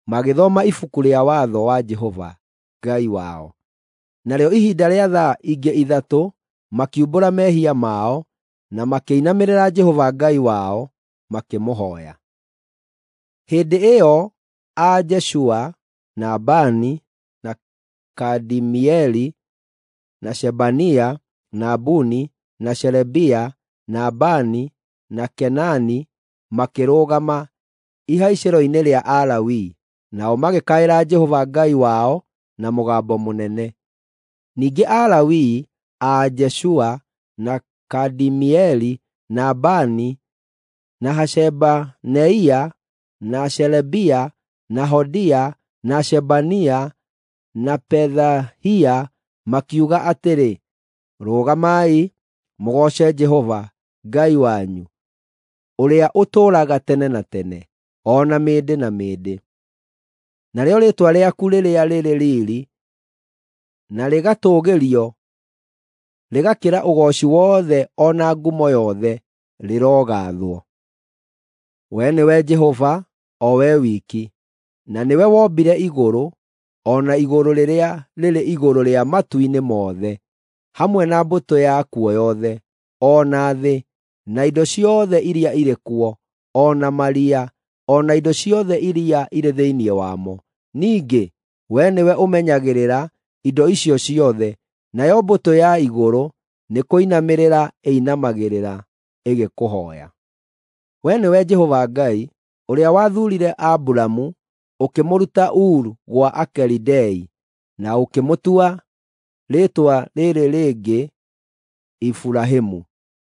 magĩthoma ibuku rĩa watho wa Jehova Ngai wao. Narĩo ihinda rĩa thaa ingĩ 3 makiumbũra mehia mao na makĩinamĩrĩra Jehova Ngai wao makĩmũhooya. Hĩndĩ ĩyo a Jeshua na Bani na Kadimieli na Shebania na Buni na Sherebia na Bani na Kenani makĩrũgama ihaicĩro-inĩ rĩa Alawii, nao magĩkaĩra Jehova Ngai wao na mũgambo mũnene. Ningĩ Alawii a Jeshua na Kadimieli na Bani na Hashabaneia na Sherebia na Hodia na Shebania na Pethahia makiuga atĩrĩ, “Rũgamai mũgooce Jehova Ngai wanyu, ũrĩa ũtũũraga tene na tene, o na mĩndĩ na mĩndĩ.” Narĩo rĩĩtwa rĩaku rĩrĩa rĩrĩ riiri na rĩgatũũgĩrio, rĩgakĩra ũgooci wothe o na ngumo yothe, rĩrogaathwo. Wee nĩwe Jehova, o Wee wiki, na nĩwe wombire igũrũ, o na igũrũ rĩrĩa rĩrĩ igũrũ rĩa matu-inĩ mothe, hamwe na mbũtũ yakuo yothe, o na thĩ, na indo ciothe iria irĩ kuo, o na maria, o na indo ciothe iria irĩ thĩinĩ wamo. Ningĩ wee nĩwe ũmenyagĩrĩra indo icio ciothe, nayo mbũtũ ya igũrũ nĩkũinamĩrĩra ĩinamagĩrĩra ĩgĩkũhooya. Wee nĩwe Jehova Ngai, ũrĩa wathuurire Aburamu ũkĩmũruta Uru gwa Akalidei, na ũkĩmũtua rĩĩtwa rĩrĩ rĩngĩ Iburahĩmu.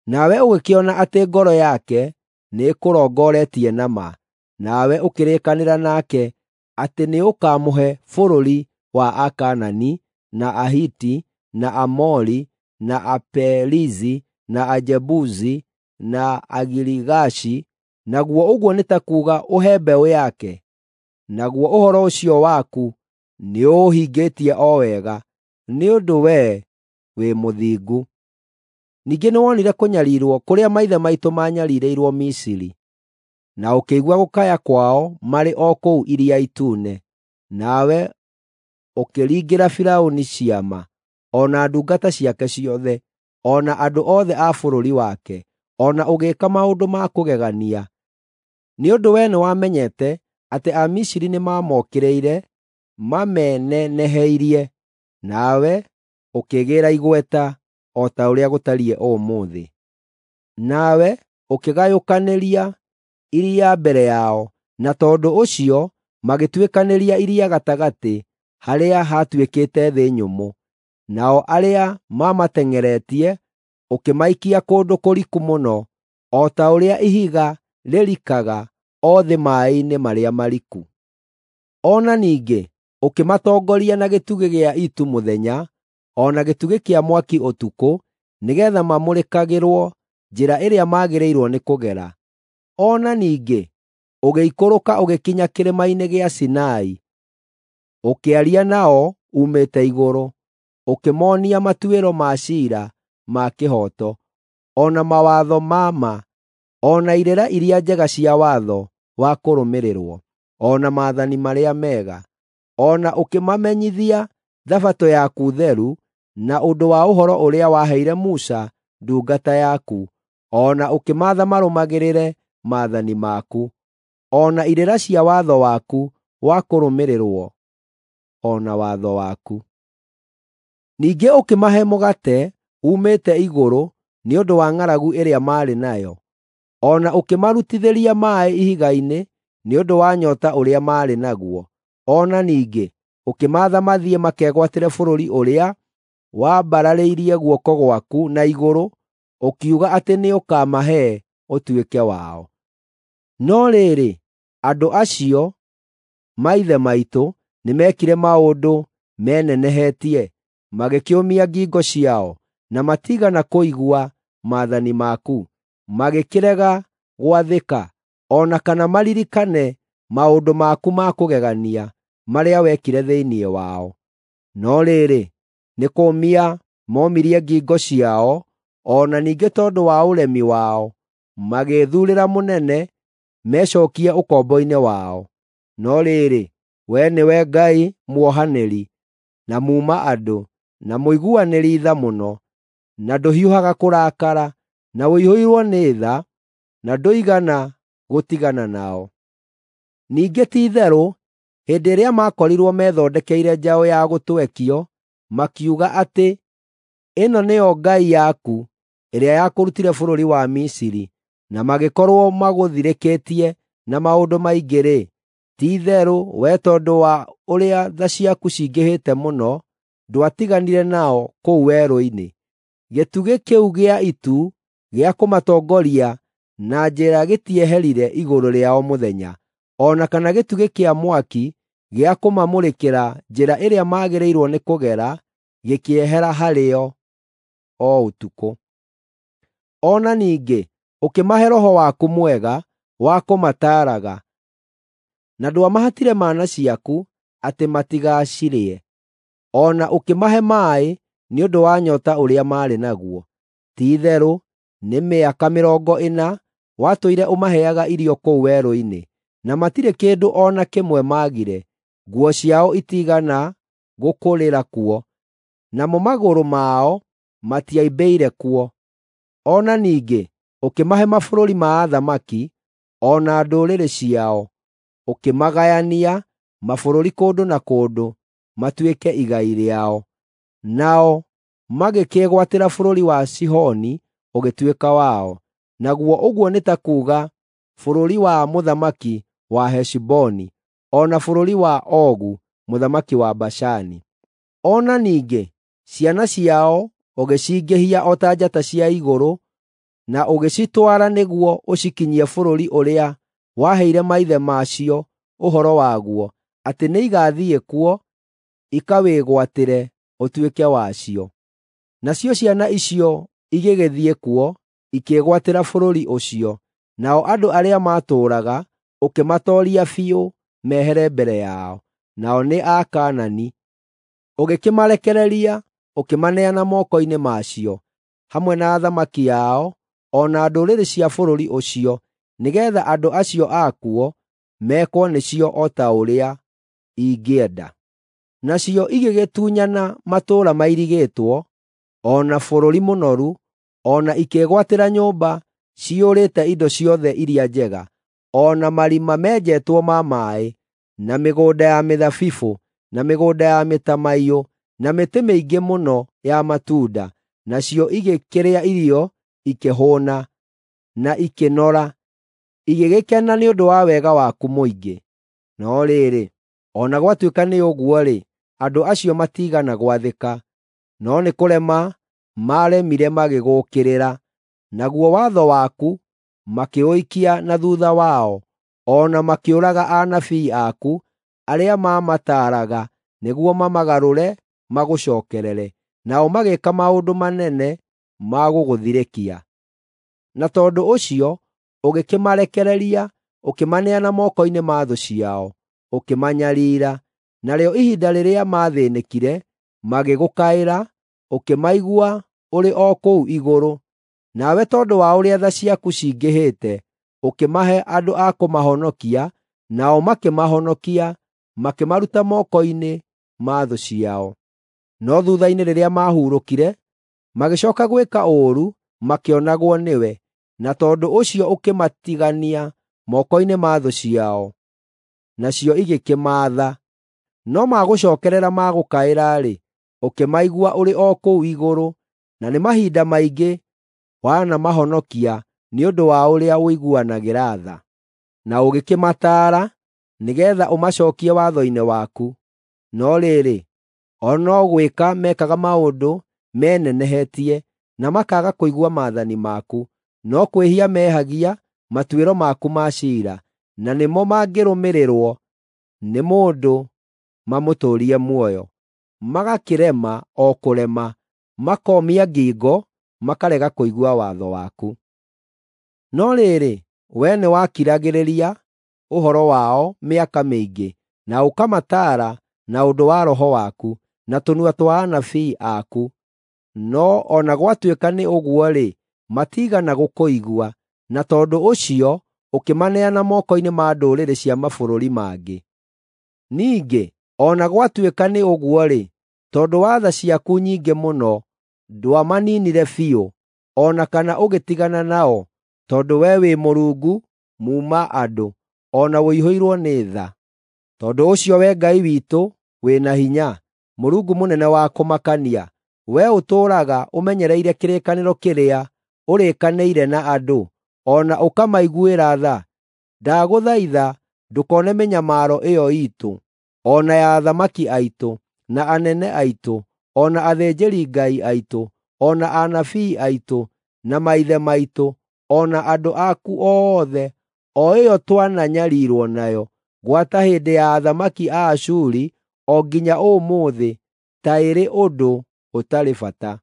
Nawe ũgĩkĩona atĩ ngoro yake nĩĩkũrongoretie na ma, nawe ũkĩrĩkanĩra nake atĩ nĩũkamũhe bũrũri wa Akaanani, na Ahiti, na Aamori, na Aperizi, na Ajebusi, na Agirigashi, naguo ũguo nĩ ta kuuga ũhe mbeũ yake. Naguo ũhoro ũcio waku nĩũũhingĩtie o wega, nĩ ũndũ wee wĩ mũthingu. Ningĩ nĩwonire kũnyariirwo kũrĩa maithe maitũ maanyariirĩirwo Misiri, na ũkĩigua gũkaya kwao marĩ o kũu Iria Itune, nawe ũkĩringĩra Firaũni ciama, o na ndungata ciake ciothe, o na andũ othe a bũrũri wake, o na ũgĩĩka maũndũ ma kũgegania. Nĩ ũndũ wee nĩwamenyete atĩ Amisiri nĩmamokĩrĩire mameneneheirie, nawe ũkĩgĩĩra igweta o ta ũrĩa gũtariĩ ũmũthĩ. Nawe ũkĩgayũkanĩria iria mbere yao, na tondũ ũcio magĩtuĩkanĩria iria gatagatĩ harĩa haatuĩkĩte thĩ nyũmũ. Nao arĩa maamateng'eretie ũkĩmaikia kũndũ kũriku mũno, o ta ũrĩa ihiga rĩrikaga o thĩ maaĩ-inĩ marĩa mariku. O na ningĩ ũkĩmatongoria na gĩtugĩ gĩa itu mũthenya, o na gĩtugĩ kĩa mwaki ũtukũ, nĩgeetha mamũrĩkagĩrwo njĩra ĩrĩa maagĩrĩirwo nĩ kũgera. O na ningĩ ũgĩikũrũka ũgĩkinya kĩrĩma-inĩ gĩa Sinai, ũkĩaria nao uumĩte igũrũ. ũkĩmoonia matuĩro ma ciira ma kĩhooto, o na mawatho ma ma, o na irĩra iria njega cia watho wa kũrũmĩrĩrwo, o na maathani marĩa mega. O na ũkĩmamenyithia Thabatũ yaku theru na ũndũ wa ũhoro ũrĩa waheire Musa ndungata yaku, o na ũkĩmaatha marũmagĩrĩre maathani maku, o na irĩra cia watho waku wa kũrũmĩrĩrwo, o na watho waku. Ningĩ ũkĩmahe mũgate uumĩte igũrũ nĩ ũndũ wa ng'aragu ĩrĩa maarĩ nayo, o na ũkĩmarutithĩria maaĩ ihiga-inĩ nĩ ũndũ wa nyoota ũrĩa maarĩ naguo. O na ningĩ ũkĩmaatha mathiĩ makegwatĩre bũrũri ũrĩa waambararĩirie guoko gwaku na igũrũ, ũkiuga atĩ nĩũkamahe ũtuĩke wao. No rĩrĩ, andũ acio, maithe maitũ, nĩmekire maũndũ menenehetie, magĩkĩũmia ngingo ciao, na matiigana kũigua maathani maku. Magĩkĩrega gwathĩka, o na kana maririkane maũndũ maku ma kũgegania marĩa wekire thĩinĩ wao. No rĩrĩ, nĩ kũũmia moomirie ngingo ciao, o na ningĩ tondũ wa ũremi wao, magĩĩthuurĩra mũnene mecookie ũkombo-inĩ wao. No rĩrĩ, wee nĩwe Ngai muohanĩri, na muuma-andũ, na mũiguanĩri tha mũno, na ndũhiũhaga kũrakara, na ũiyũirwo nĩ tha, na ndũigana gũtigana nao. Ningĩ ti-itherũ, hĩndĩ ĩrĩa maakorirwo methondekeire njaũ ya gũtwekio, makiuga atĩ, “Ĩno nĩyo ngai yaku, ĩrĩa yakũrutire bũrũri wa Misiri,” na magĩkorwo magũthirĩkĩtie na maũndũ maingĩ-rĩ, ti-itherũ we tondũ wa ũrĩa tha ciaku cingĩhĩte mũno, ndwatiganire nao kũu werũ-inĩ. Gĩtugĩ kĩu gĩa itu gĩa kũmatongoria na njĩra gĩtieherire igũrũ rĩao mũthenya, o na kana gĩtugĩ kĩa mwaki gĩa kũmamũrĩkĩra njĩra ĩrĩa maagĩrĩirwo nĩ kũgera gĩkĩehera harĩo o ũtukũ. O na ningĩ ũkĩmahe Roho waku mwega wa kũmataaraga, na ndwamahatire mana ciaku atĩ matigacirĩe, o na ũkĩmahe maaĩ nĩ ũndũ wa nyoota ũrĩa maarĩ naguo. Ti-itherũ nĩ mĩaka 40 watũire ũmaheaga irio kũu werũ-inĩ, na matirĩ kĩndũ o na kĩmwe maagire. Nguo ciao itiigana gũkũrĩra kuo, namo magũrũ mao matiaimbĩire kuo. O na ningĩ ũkĩmahe mabũrũri ma athamaki, o na ndũrĩrĩ ciao, ũkĩmagayania mabũrũri kũndũ na kũndũ matuĩke igai rĩao. Nao magĩkĩĩgwatĩra bũrũri wa Sihoni ũgĩtuĩka wao, naguo ũguo nĩ ta kuuga bũrũri wa mũthamaki wa Heshiboni, o na bũrũri wa Ogu mũthamaki wa Bashani. O na ningĩ ciana ciao ũgĩcingĩhia o ta njata cia igũrũ, na ũgĩcitwara nĩguo ũcikinyie bũrũri ũrĩa waheire maithe macio ũhoro waguo, atĩ nĩigathiĩ kuo ikawĩgwatĩre ũtuĩke wacio. Nacio ciana icio igĩgĩthiĩ kuo, ikĩĩgwatĩra bũrũri ũcio, nao andũ arĩa maatũũraga ũkĩmatooria biũ mehere mbere yao, nao nĩ Akaanani. Ũgĩkĩmarekereria ũkĩmaneana moko-inĩ macio, hamwe na athamaki ao, o na ndũrĩrĩ cia bũrũri ũcio, nĩgeetha andũ acio akuo mekwo nĩcio o ta ũrĩa ingĩenda. Nacio igĩgĩtunyana matũũra mairigĩtwo, o na bũrũri mũnoru, o na ikĩĩgwatĩra nyũmba ciyũrĩte indo ciothe iria njega, o na marima menjetwo ma maaĩ, na mĩgũnda ya mĩthabibũ, na mĩgũnda ya mĩtamaiyũ, na mĩtĩ mĩingĩ mũno ya matunda. Nacio igĩkĩrĩa irio ikĩhũũna, na ikĩnora, igĩgĩkena nĩ ũndũ wa wega waku mũingĩ. No rĩrĩ, o na gwatuĩka nĩ ũguo-rĩ, andũ acio matiigana gwathĩka, no nĩ kũrema maaremire magĩgũũkĩrĩra. Naguo watho waku makĩũikia na thuutha wao, o na makĩũraga anabii aku arĩa maamataaraga nĩguo mamagarũre magũcookerere. Nao magĩĩka maũndũ manene ma gũgũthirĩkia. Na tondũ ũcio ũgĩkĩmarekereria, ũkĩmaneana moko-inĩ ma thũ ciao, ũkĩmanyariira. Narĩo ihinda rĩrĩa maathĩĩnĩkire, Magĩgũkaĩra, ũkĩmaigua ũrĩ o kũu igũrũ, nawe tondũ wa ũrĩa tha ciaku cingĩhĩte, ũkĩmahe andũ a kũmahonokia, nao makĩmahonokia, makĩmaruta moko-inĩ ma thũ ciao. No thuutha-inĩ rĩrĩa maahurũkire, magĩcooka gwĩka ũũru makĩonagwo nĩwe, na tondũ ũcio ũkĩmatigania moko-inĩ ma thũ ciao, nacio igĩkĩmaatha. No magũcookerera magũkaĩra-rĩ, ũkĩmaigua ũrĩ o kũu igũrũ, na nĩ mahinda maingĩ wanamahonokia nĩ ũndũ wa ũrĩa ũiguanagĩra tha. Na ũgĩkĩmataara nĩgeetha ũmacookie watho-inĩ waku. No rĩrĩ, o no gwĩka mekaga maũndũ menenehetie na makaaga kũigua maathani maku, no kwĩhia mehagia matuĩro maku ma ciira, na nĩmo mangĩrũmĩrĩrwo nĩ mũndũ mamũtũũrie muoyo. Magakĩrema o kũrema, makoomia ngingo, makarega kũigua watho waku. No rĩrĩ, wee nĩwakiragĩrĩria ũhoro wao mĩaka mĩingĩ, na ũkamataara na ũndũ wa Roho waku, na tũnua twa anabii aku. No o na gwatuĩka nĩ ũguo-rĩ, matiigana gũkũigua, na tondũ ũcio ũkĩmaneana moko-inĩ ma ndũrĩrĩ cia mabũrũri mangĩ. Ningĩ o na gwatuĩka nĩ ũguo-rĩ, tondũ wa tha ciaku nyingĩ mũno, ndwamaninire biũ, o na kana ũgĩtigana nao, tondũ wee wĩ Mũrungu muuma-andũ, o na ũiyũirwo nĩ tha. Tondũ ũcio Wee Ngai witũ wĩ na hinya, Mũrungu mũnene wa kũmakania, wee ũtũũraga ũmenyereire kĩrĩkanĩro kĩrĩa ũrĩkanĩire na andũ, o na ũkamaiguĩra tha, ndagũthaitha ndũkone mĩnyamaro ĩyo iitũ, o na ya athamaki aitũ, na anene aitũ, o na athĩnjĩri-Ngai aitũ, o na anabii aitũ, na maithe maitũ, o na andũ aku othe, o ĩyo twananyariirwo nayo, gwata hĩndĩ ya athamaki a Ashuri o nginya ũmũthĩ, ta ĩrĩ ũndũ ũtarĩ bata.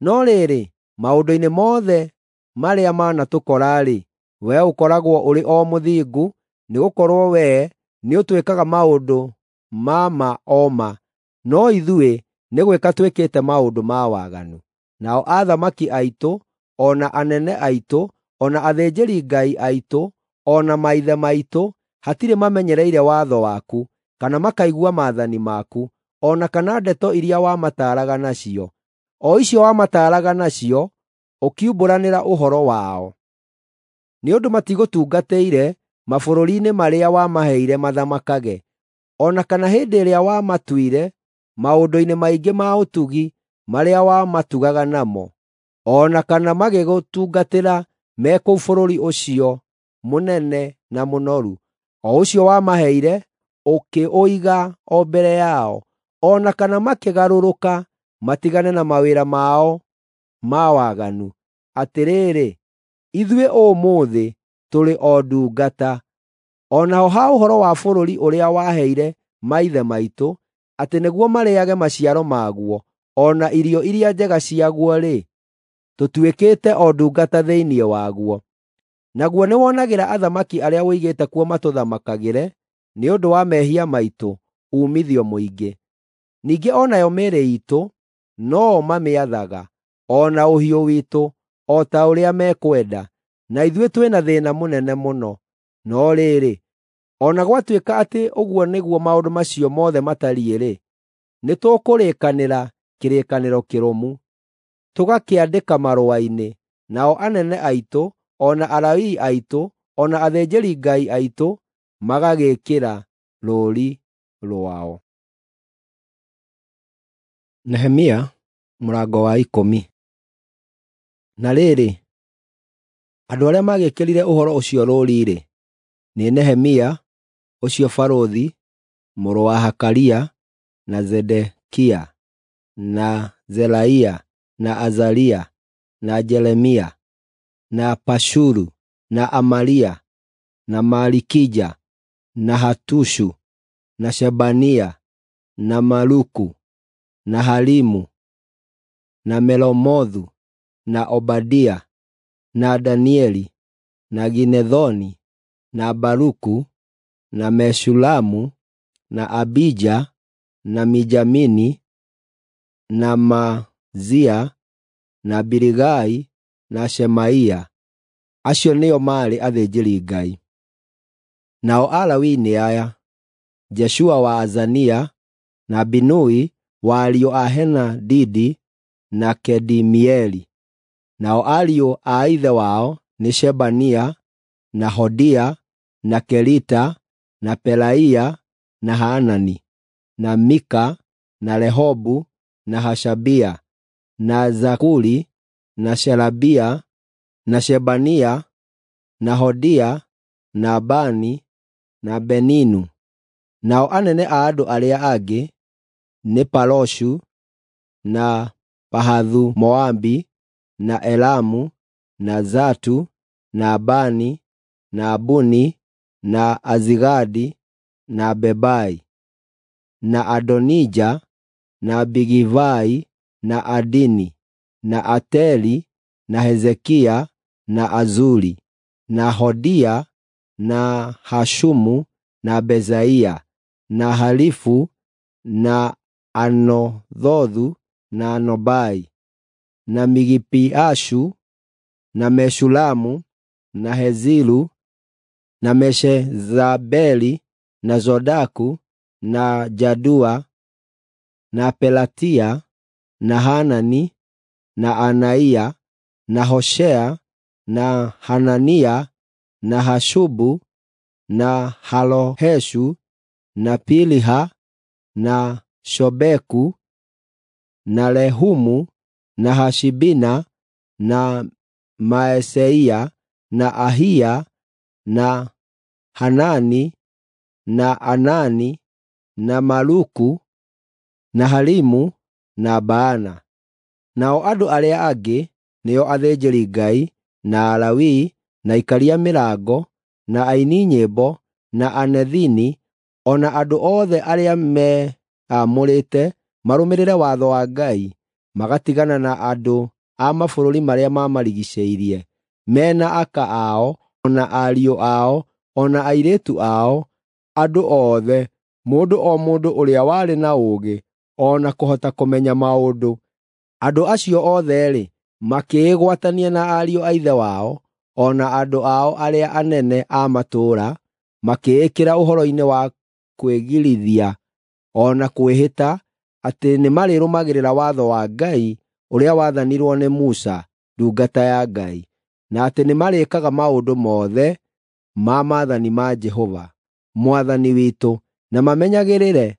No rĩrĩ, maũndũ-inĩ mothe marĩa manatũkora-rĩ, wee ũkoragwo ũrĩ o mũthingu, nĩgũkorwo wee nĩũtwĩkaga maũndũ ma ma o ma, no ithuĩ nĩ gwĩka twĩkĩte maũndũ ma waganu. Nao athamaki aitũ, o na anene aitũ, o na athĩnjĩri-Ngai aitũ, o na maithe maitũ, hatirĩ mamenyereire watho waku, kana makaigua maathani maku, o na kana ndeto iria wamataaraga nacio, o icio wamataaraga nacio ũkiumbũranĩra ũhoro wao. Nĩ ũndũ matigũtungatĩire mabũrũri-inĩ marĩa wamaheire mathamakage, o na kana hĩndĩ ĩrĩa wamatuire maũndũ-inĩ maingĩ ma ũtugi marĩa wamatugaga namo, o na kana magĩgũtungatĩra me kũu bũrũri ũcio mũnene na mũnoru, o ũcio wamaheire ũkĩũiga o mbere yao, o na kana makĩgarũrũka matigane na mawĩra mao ma waganu. Atĩrĩrĩ, ithuĩ ũmũthĩ tũrĩ o ndungata. O naho ha ũhoro wa bũrũri ũrĩa waheire maithe maitũ, atĩ nĩguo marĩĩage maciaro maguo, o na irio iria njega ciaguo-rĩ, tũtuĩkĩte o ndungata thĩinĩ waguo. Naguo nĩwonagĩra athamaki arĩa ũigĩte kuo matũthamakagĩre nĩ ũndũ wa mehia maitũ uumithio mũingĩ. Ningĩ o nayo mĩĩrĩ iitũ no-o mamĩathaga, o na ũhiũ witũ, o ta ũrĩa mekwenda, na ithuĩ twĩ na thĩĩna mũnene mũno. No rĩrĩ, o na gwatuĩka atĩ ũguo nĩguo maũndũ macio mothe matariĩ-rĩ, nĩtũkũrĩkanĩra kĩrĩkanĩro kĩrũmu, tũgakĩandĩka marũa-inĩ, nao anene aitũ, o na Alawii aitũ, o na athĩnjĩri-Ngai aitũ magagĩĩkĩra rũũri rwao. Nehemia mũrango wa 10. Na rĩrĩ, andũ arĩa magĩĩkĩrire ũhoro ũcio rũũri-rĩ, nĩ Nehemia ũcio barũthi, mũrũ wa Hakalia, na Zedekia, na Zeraia, na Azaria, na Jeremia, na Pashuru, na Amaria, na Malikija, na Hatushu, na Shebania, na Maluku, na Harimu, na Meromothu, na Obadia, na Danieli, na Ginethoni, na Baruku, na Meshulamu, na Abija, na Mijamini, na Maazia, na Biligai, na Shemaia. Acio nĩo maarĩ athĩnjĩri-Ngai. Nao Alawii nĩ aya: Jeshua wa Azania, na Binui wa ariũ a Henadidi, na Kedimieli. Nao ariũ a ithe wao nĩ Shebania, na Hodia, na Kelita, na Pelaia, na Hanani, na Mika, na Rehobu, na Hashabia, na Zakuri, na Sherebia, na Shebania, na Hodia, na Bani, na Beninu. Nao anene a andũ arĩa angĩ nĩ Paroshu, na Pahathu-Moabi, na Elamu, na Zatu, na Bani, na Buni, na Azigadi, na Bebai, na Adonija, na Bigivai, na Adini, na Ateli, na Hezekia, na Azuri, na Hodia, na Hashumu, na Bezaia, na Halifu, na Anothothu, na Nobai, na Migipiashu, na Meshulamu, na Heziru, na Meshezabeli, na Zodaku, na Jadua, na Pelatia, na Hanani, na Anaia, na Hoshea, na Hanania, na Hashubu, na Haloheshu, na Piliha, na Shobeku, na Rehumu, na Hashibina, na Maeseia, na Ahia, na Hanani, na Anani, na Maluku, na Harimu, na Baana. Nao andũ arĩa angĩ nĩo athĩnjĩri-Ngai, na Alawii, na aikaria mĩrango, na aini nyĩmbo, na Anethini, o na andũ othe arĩa meamũrĩte marũmĩrĩre watho wa Ngai, magatigana na andũ a mabũrũri marĩa mamarigiicĩirie, me na aka ao, o na ariũ ao, o na airĩtu ao, andũ othe, mũndũ o mũndũ ũrĩa warĩ na ũũgĩ, o na kũhota kũmenya maũndũ. Andũ acio othe-rĩ, makĩĩgwatania na ariũ a ithe wao, o na andũ ao arĩa anene a matũũra, makĩĩkĩra ũhoro-inĩ wa kwĩgirithia o na kwĩhĩta atĩ nĩmarĩrũmagĩrĩra watho wa Ngai ũrĩa wathanirwo nĩ Musa ndungata ya Ngai, na atĩ nĩmarĩĩkaga maũndũ mothe ma maathani ma Jehova Mwathani witũ, na mamenyagĩrĩre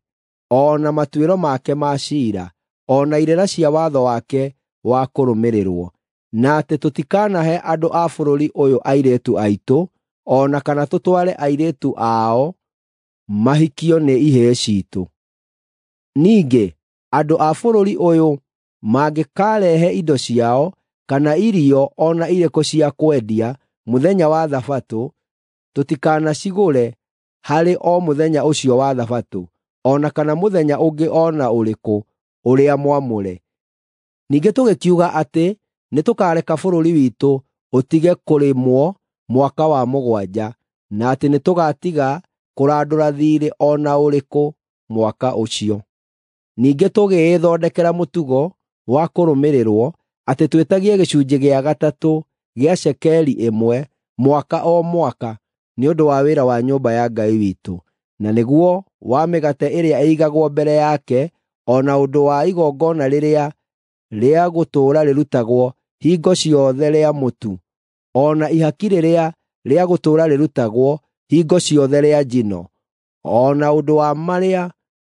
o na matuĩro make ma ciira, o na irĩra cia watho wake wa kũrũmĩrĩrwo, na atĩ tũtikanahe andũ a bũrũri ũyũ airĩtu aitũ, o na kana tũtware airĩtu ao mahikio nĩ ihĩĩ ciitũ. Ningĩ andũ a bũrũri ũyũ mangĩkarehe indo ciao kana irio o na irĩkũ cia kwendia mũthenya wa Thabatũ, tũtikanacigũre harĩ o mũthenya ũcio wa Thabatũ, o na kana mũthenya ũngĩ o na ũrĩkũ ũrĩa mwamũre. Ningĩ tũgĩkiuga atĩ nĩtũkareka bũrũri witũ ũtige kũrĩmwo mwaka wa mũgwanja, na atĩ nĩtũgatiga kũrandũra thiirĩ o na ũrĩkũ mwaka ũcio. Ningĩ tũgĩĩthondekera mũtugo wa kũrũmĩrĩrwo atĩ twĩtagie gĩcunjĩ gĩa gatatũ gĩa cekeri ĩmwe mwaka o mwaka nĩ ũndũ wa wĩra wa nyũmba ya Ngai witũ, na nĩguo wa mĩgate ĩrĩa ĩigagwo mbere yake, o na ũndũ wa igongona rĩrĩa rĩa gũtũũra rĩrutagwo hingo ciothe rĩa mũtu, o na ihaki rĩrĩa rĩa gũtũũra rĩrutagwo hingo ciothe rĩa njino, o na ũndũ wa marĩa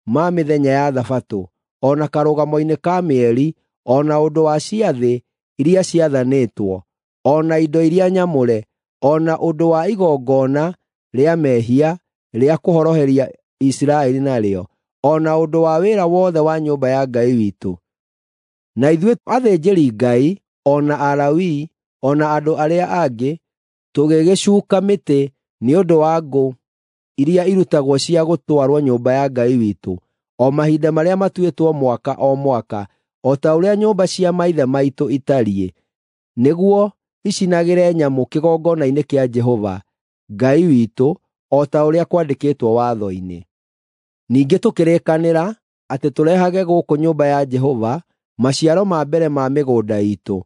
ma mĩthenya ya Thabatũ, o na karũgamo-inĩ ka mĩeri, o na ũndũ wa ciathĩ iria ciathanĩtwo, o na indo iria nyamũre, o na ũndũ wa igongona rĩa mehia rĩa kũhoroheria Isiraeli narĩo, o na ũndũ wa wĩra wothe wa nyũmba ya Ngai witũ. Na ithuĩ athĩnjĩri-Ngai, o na Alawii, o na andũ arĩa angĩ, tũgĩgĩcuuka mĩtĩ nĩ ũndũ wa ngũ iria irutagwo cia gũtwarwo nyũmba ya Ngai witũ, o mahinda marĩa matuĩtwo mwaka o mwaka, o ta ũrĩa nyũmba cia maithe maitũ itariĩ, nĩguo icinagĩre nyamũ kĩgongona-inĩ kĩa Jehova Ngai witũ, o ta ũrĩa kwandĩkĩtwo watho-inĩ. Ningĩ tũkĩrĩkanĩra atĩ tũrehage gũkũ nyũmba ya Jehova maciaro ma mbere ma mĩgũnda iitũ,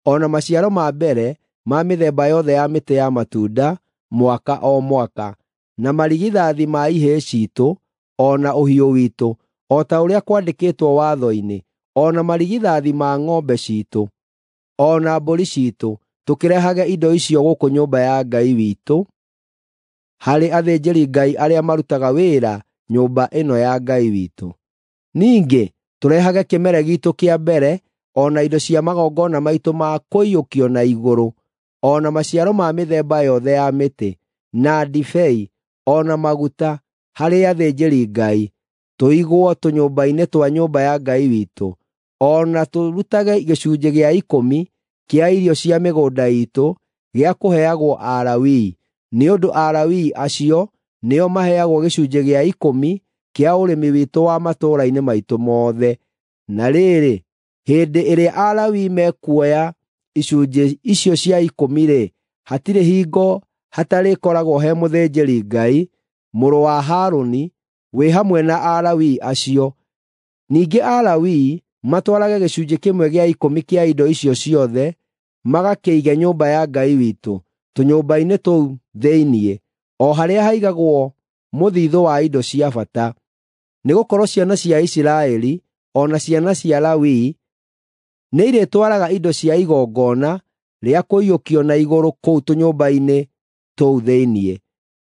o na maciaro ma mbere ma mĩthemba yothe ya mĩtĩ ya matunda mwaka o mwaka, na marigithathi ma ihĩĩ ciitũ o na ũhiũ witũ, o ta ũrĩa kwandĩkĩtwo watho-inĩ, o na marigithathi ma ng'ombe ciitũ, o na mbũri ciitũ, tũkĩrehage indo icio gũkũ nyũmba ya Ngai witũ harĩ athĩnjĩri-Ngai arĩa marutaga wĩra nyũmba ĩno ya Ngai witũ. Ningĩ tũrehage kĩmere giitũ kĩa mbere o na indo cia magongona maitũ ma kũiyũkio na igũrũ, o na maciaro ma mĩthemba yothe ya mĩtĩ, na ndibei, o na maguta harĩ athĩnjĩri-Ngai, tũigwo tũnyũmba-inĩ twa nyũmba ya Ngai witũ, o na tũrutage gĩcunjĩ gĩa ikũmi kĩa irio cia mĩgũnda iitũ gĩa kũheagwo Alawii, nĩ ũndũ Alawii acio nĩo maheagwo gĩcunjĩ gĩa ikũmi kĩa ũrĩmi witũ wa matũũra-inĩ maitũ mothe. Na rĩrĩ, hĩndĩ ĩrĩa Alawii mekuoya icunjĩ icio cia ikũmi-rĩ, hatirĩ hingo hatarĩkoragwo he mũthĩnjĩri-Ngai, mũrũ wa Harũni, wĩ hamwe na Alawii acio. Ningĩ Alawii matwarage gĩcunjĩ kĩmwe gĩa ikũmi kĩa indo icio ciothe magakĩige nyũmba ya Ngai witũ, tũnyũmba-inĩ tũu thĩinĩ, o harĩa haigagwo mũthithũ wa indo cia bata. Nĩgũkorwo ciana cia Isiraeli o na ciana cia Lawii nĩirĩtwaraga indo cia igongona rĩa kũiyũkio na igũrũ kũu tũnyũmba-inĩ tũu thĩinĩ,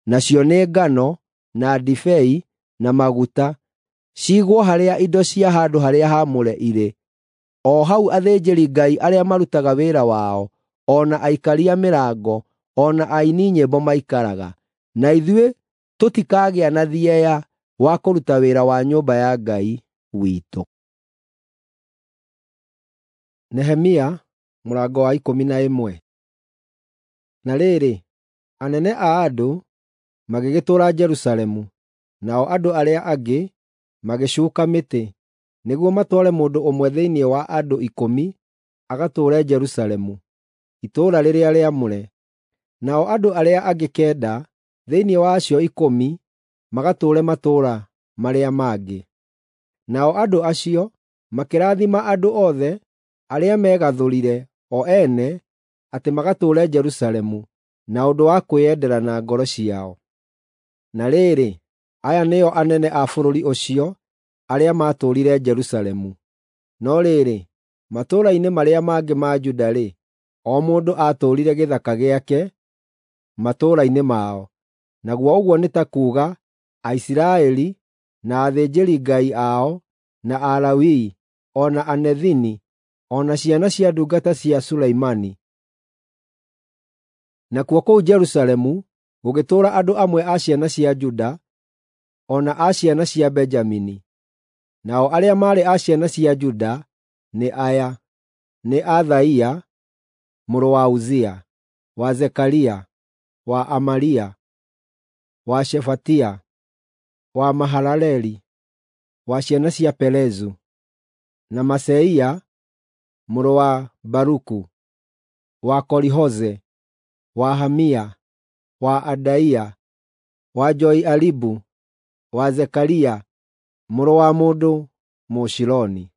nacio nĩ ngano, na ndibei, na maguta, ciigwo harĩa indo cia handũ-harĩa-haamũre irĩ, o hau athĩnjĩri-Ngai arĩa marutaga wĩra wao, o na aikaria mĩrango, o na aini nyĩmbo maikaraga. Na ithuĩ tũtikagĩa na thieya wa kũruta wĩra wa nyũmba ya Ngai witũ. Nehemia mũrango wa 11. Na rĩrĩ, anene a andũ magĩgĩtũũra Jerusalemu, nao andũ arĩa angĩ magĩcuuka mĩtĩ, nĩguo matware mũndũ ũmwe thĩinĩ wa andũ ikũmi agatũũre Jerusalemu, itũũra rĩrĩa rĩamũre, nao andũ arĩa angĩ kenda thĩinĩ wa acio ikũmi magatũũre matũũra marĩa mangĩ. Nao andũ acio makĩrathima andũ othe arĩa megathũrire o ene atĩ magatũũre Jerusalemu na ũndũ wa kwĩyendera na ngoro ciao. Na rĩrĩ, aya nĩo anene a bũrũri ũcio arĩa maatũũrire Jerusalemu. No rĩrĩ, matũũra-inĩ marĩa mangĩ ma Juda-rĩ, o mũndũ aatũũrire gĩthaka gĩake matũũra-inĩ mao, naguo ũguo nĩ ta kuuga Aisiraeli, na athĩnjĩri-Ngai ao, na Alawii, o na Anethini, o na ciana cia ndungata cia Sulaimani. Nakuo kũu Jerusalemu gũgĩtũũra andũ amwe a ciana cia Juda, o na a ciana cia Benjamini. Nao arĩa maarĩ a ciana cia Juda nĩ aya: nĩ Athaia mũrũ wa Uzia, wa Zekaria, wa Amaria, wa Shefatia, wa Mahalaleli, wa ciana cia Perezu, na Maseia mũrũ wa Baruku, wa Kolihoze, wa Hamia, wa Adaia, wa Joiaribu, wa Zekaria mũrũ wa mũndũ Mũshiloni.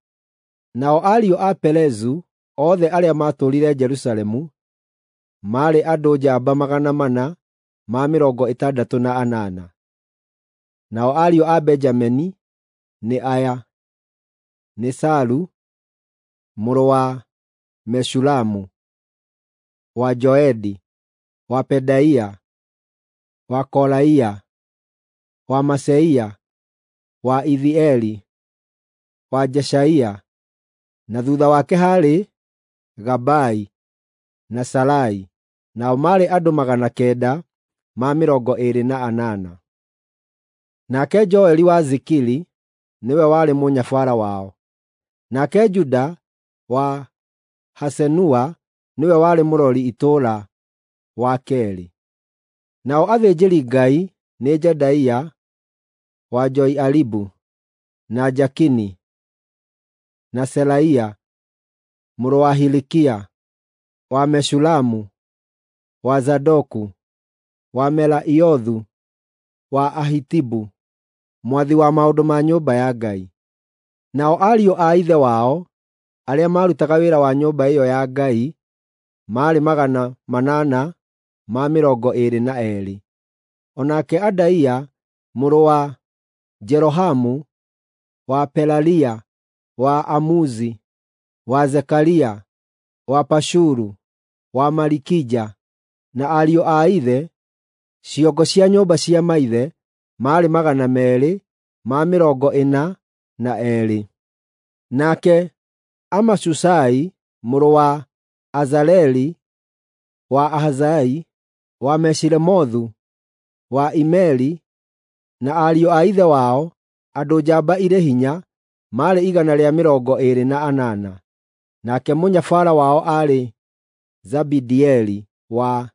Nao ariũ a Perezu othe arĩa maatũũrire Jerusalemu maarĩ andũ njamba 468. Nao ariũ a Benjamini nĩ aya: nĩ Salu mũrũ wa Meshulamu, wa Joedi, wa Pedaia, wa Kolaia, wa Maseia, wa Ithieli, wa Jeshaia, na thuutha wake haarĩ Gabai na Salai, nao maarĩ andũ 928. Nake Joeli wa Zikiri nĩwe warĩ mũnyabara wao. Nake Juda wa Hasenua nĩwe warĩ mũrori itũũra wa keerĩ. Nao athĩnjĩri-Ngai nĩ Jedaia wa Joiaribu, na Jakini, na Seraia mũrũ wa Hilikia, wa Meshulamu, wa Zadoku, wa Meraiothu, wa Ahitubu, mwathi wa maũndũ ma nyũmba ya Ngai. Nao ariũ a ithe wao arĩa maarutaga wĩra wa nyũmba ĩyo ya Ngai maarĩ 822. O nake Adaia mũrũ wa Jerohamu, wa Pelalia, wa Amuzi, wa Zekaria, wa Pashuru, wa Malikija, na ariũ a ithe, ciongo cia nyũmba cia maithe, maarĩ 242. Nake Amashusai mũrũ wa Azareli, wa Ahazai, wa Meshilemothu, wa Imeri, na ariũ a ithe wao, andũ njamba irĩ hinya, maarĩ 128. Nake mũnyabara wao aarĩ Zabidieli wa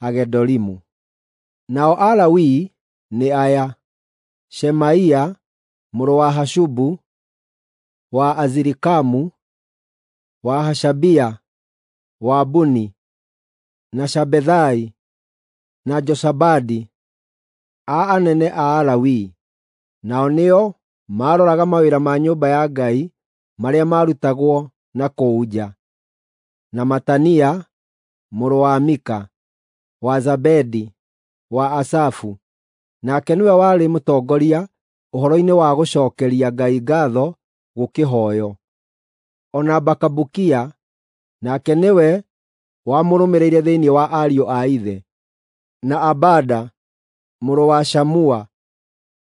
Hagedolimu. Nao Alawii nĩ aya: Shemaia mũrũ wa Hashubu, wa Azirikamu, wa Hashabia, wa Buni, na Shabethai, na Josabadi, a anene a Alawii. Nao nĩo maaroraga mawĩra ma nyũmba ya Ngai marĩa maarutagwo na kũu nja, na Matania mũrũ wa Mika, wa Zabedi, wa Asafu, nake nĩwe warĩ mũtongoria ũhoro-inĩ wa gũcookeria Ngai ngaatho gũkĩhooywo. O na Bakabukia, nake nĩwe wamũrũmĩrĩire thĩinĩ wa ariũ a ithe, na Abada mũrũ wa Shamua,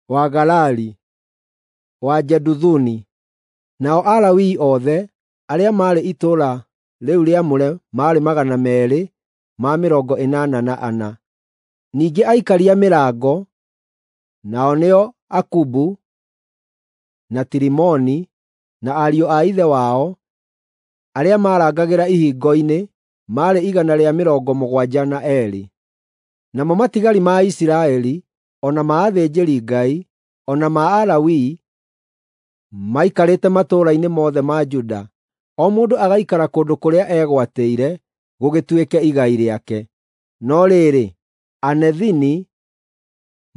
wa Galali, wa Jeduthuni. Nao Alawii othe arĩa maarĩ itũũra rĩu rĩamũre maarĩ 284. Ningĩ aikaria mĩrango, nao nĩo Akubu, na Tilimoni, na ariũ a ithe wao, arĩa maarangagĩra ihingo-inĩ, maarĩ 172. Namo matigari ma Isiraeli, o na ma athĩnjĩri-Ngai, o na ma Alawii, maikarĩte matũũra-inĩ mothe ma Juda, o mũndũ agaikara kũndũ kũrĩa eegwatĩire gũgĩtuĩke igai rĩake. No rĩrĩ, Anethini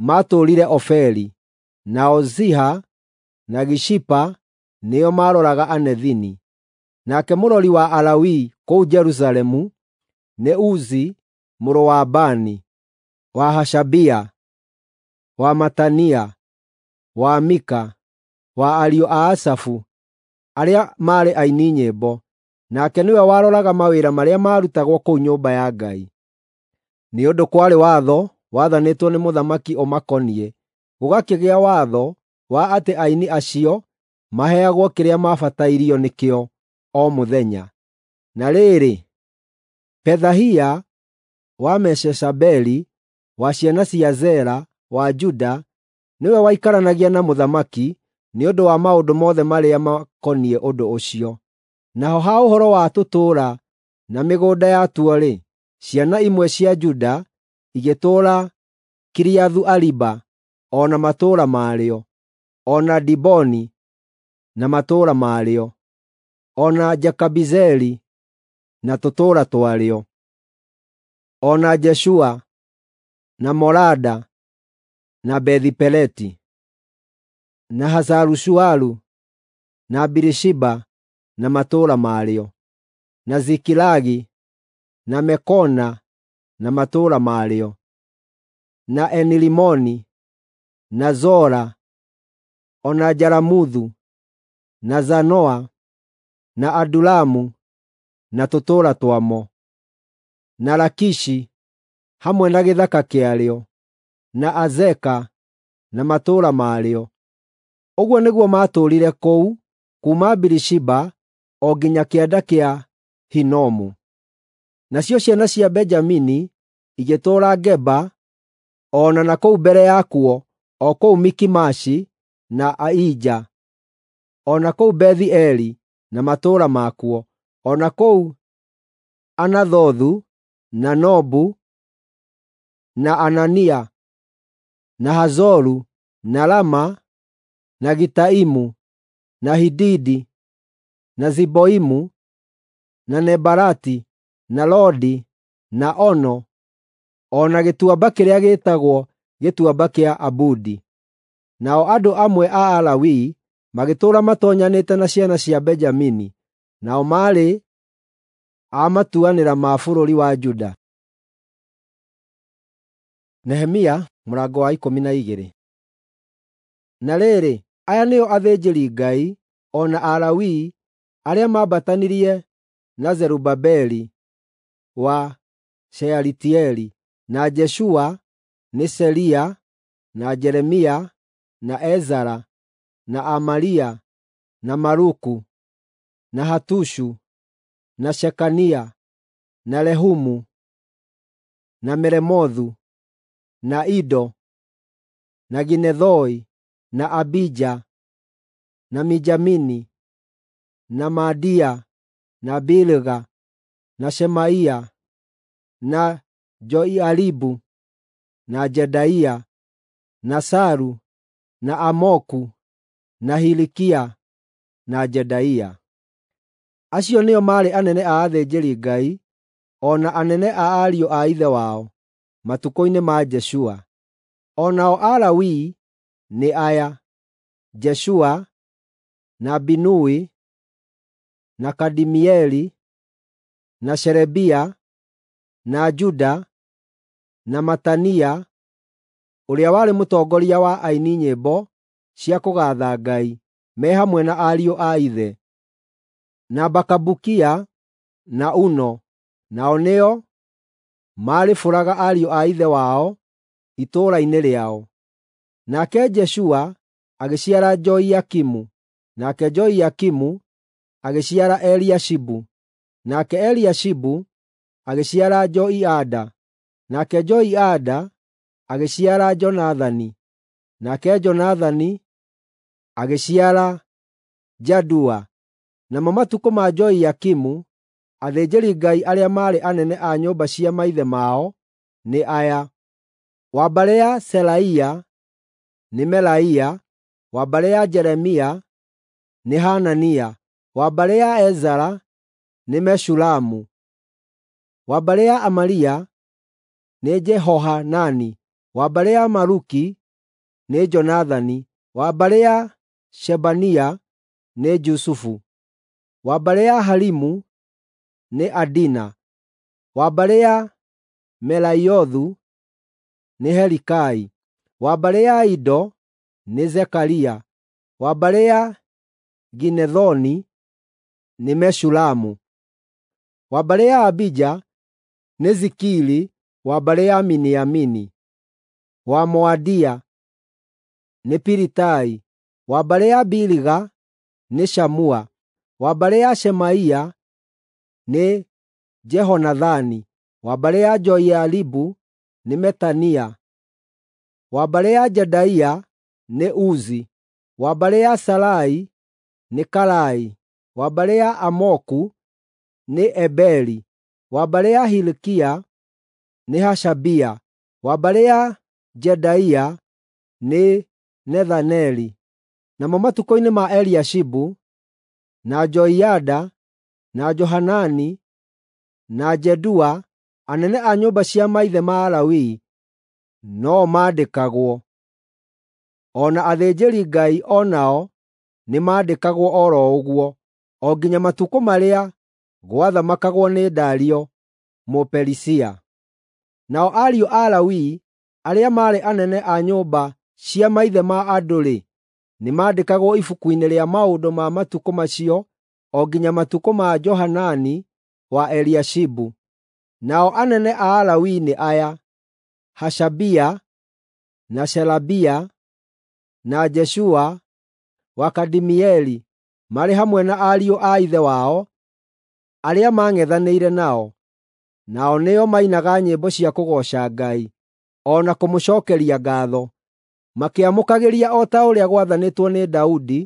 maatũũrire Ofeli, nao Ziha na Gishipa nĩo maaroraga Anethini. Nake mũrori wa Alawii kũu Jerusalemu nĩ Uzi mũrũ wa Bani, wa Hashabia, wa Matania, wa Mika, wa ariũ a Asafu arĩa maarĩ aini nyĩmbo. Nake nĩwe waroraga mawĩra marĩa maarutagwo kũu nyũmba ya Ngai. Nĩ ũndũ kwarĩ watho wathanĩtwo nĩ mũthamaki ũmakoniĩ, gũgakĩgĩa watho wa atĩ aini acio maheagwo kĩrĩa maabatairio nĩkĩo o mũthenya. Na rĩrĩ, Pethahia wa Meshezabeli, wa ciana cia Zera wa Juda, nĩwe waikaranagia na mũthamaki nĩ ũndũ wa maũndũ mothe marĩa makoniĩ ũndũ ũcio. Naho ha ũhoro wa tũtũũra na mĩgũnda yatuo-rĩ, ciana imwe cia Juda igĩtũũra Kiriathu-Ariba o na matũũra marĩo, o na Diboni na matũũra marĩo, o na Jekabizeli na tũtũũra twarĩo, o na Jeshua na Molada na Bethi-Peleti, na Hazaru-Shualu na Birishiba na matũũra marĩo, na Zikilagi na Mekona na matũũra marĩo, na Enilimoni na Zora o na Jaramuthu na Zanoa na Adulamu na tũtũũra twamo, na Lakishi hamwe na gĩthaka kĩarĩo, na Azeka na matũũra marĩo. Ũguo nĩguo maatũũrire kũu kuuma Birishiba o nginya kĩanda kĩa Hinomu. Nacio ciana cia Benjamini igĩtũũra Geba o na kũu mbere yakuo, o kũu Mikimashi na Aija, o na kũu Bethi-Eli na matũũra makuo, o na kũu Anathothu na Nobu na Anania na Hazoru na Rama na Gitaimu na Hididi na Ziboimu na Nebalati na Lodi na Ono o na gĩtuamba kĩrĩa gĩĩtagwo Gĩtuamba kĩa Abudi. Nao andũ amwe a Alawii magĩtũũra matoonyanĩte na ciana cia Benjamini, nao maarĩ a matuanĩra ma bũrũri wa Juda. Nehemia mũrango wa 12. Na rĩrĩ, aya nĩo athĩnjĩri-Ngai o na Alawii arĩa maambatanirie na Zerubabeli wa Shealitieli, na Jeshua, nĩ Seria, na Jeremia, na Ezara, na Amaria, na Maluku, na Hatushu, na Shekania, na Rehumu, na Meremothu, na Ido, na Ginethoi, na Abija, na Mijamini, na Maadia, na Bilga, na Shemaia, na Joiaribu, na Jedaia, na Salu, na Amoku, na Hilikia, na Jedaia. Acio nĩo maarĩ anene a athĩnjĩri-Ngai o na anene a ariũ a ithe wao matukũ-inĩ ma Jeshua. O nao Alawii nĩ aya: Jeshua, na Binui, na Kadimieli, na Sherebia, na Juda, na Matania, ũrĩa warĩ mũtongoria wa aini nyĩmbo cia kũgaatha Ngai, me hamwe na ariũ a ithe, na Bakabukia na Uno, nao nĩo maarĩbũraga ariũ a ithe wao itũũra-inĩ rĩao. Nake Jeshua agĩciara Joiakimu, nake Joiakimu agĩciara Eliashibu, nake Eliashibu agĩciara Joiada, nake Joiada agĩciara Jonathani, nake Jonathani agĩciara Jadua. Namo matukũ ma Joiakimu, athĩnjĩri-Ngai arĩa maarĩ anene a nyũmba cia maithe mao nĩ aya: wa mbarĩ ya Seraia nĩ Melaia, wa mbarĩ ya Jeremia nĩ Hanania, wa mbarĩ ya Ezara nĩ Meshulamu, wa mbarĩ ya Amaria nĩ Jehohanani, wa mbarĩ ya Maluki nĩ Jonathani, wa mbarĩ ya Shebania nĩ Jusufu, wa mbarĩ ya Harimu nĩ Adina, wa mbarĩ ya Meraiothu nĩ Helikai, wa mbarĩ ya Ido nĩ Zekaria, wa mbarĩ ya Ginethoni nĩ Meshulamu, wa mbarĩ ya Abija nĩ Zikiri, wa mbarĩ ya Miniamini, wa Moadia nĩ Pilitai, wa mbarĩ ya Biliga nĩ Shamua, wa mbarĩ ya Shemaia nĩ Jehonathani, wa mbarĩ ya Joiaribu nĩ Metania, wa mbarĩ ya Jedaia nĩ Uzi, wa mbarĩ ya Salai nĩ Kalai, wa mbarĩ ya Amoku nĩ Eberi, wa mbarĩ ya Hilikia nĩ Hashabia, wa mbarĩ ya Jedaia nĩ Nethaneli. Namo matukũ-inĩ ma Eliashibu, na Joiada, na Johanani, na Jedua, anene a nyũmba cia maithe ma Alawii no maandĩkagwo. O na athĩnjĩri-Ngai o nao nĩmandĩkagwo o ro ũguo, o nginya matukũ marĩa gwathamakagwo nĩ Dario Mũperisia. Nao ariũ a Lawi arĩa maarĩ anene a nyũmba cia maithe ma andũ-rĩ, nĩmandĩkagwo ibuku-inĩ rĩa maũndũ ma matukũ macio o nginya matukũ ma Johanani wa Eliashibu. Nao anene a Alawii nĩ aya: Hashabia, na Sherebia, na Jeshua wa Kadimieli, marĩ hamwe na ariũ a ithe wao arĩa maang'ethanĩire nao. Nao nĩo mainaga nyĩmbo cia kũgooca Ngai, o na kũmũcookeria ngaatho, makĩamũkagĩria o ta ũrĩa gwathanĩtwo nĩ Daudi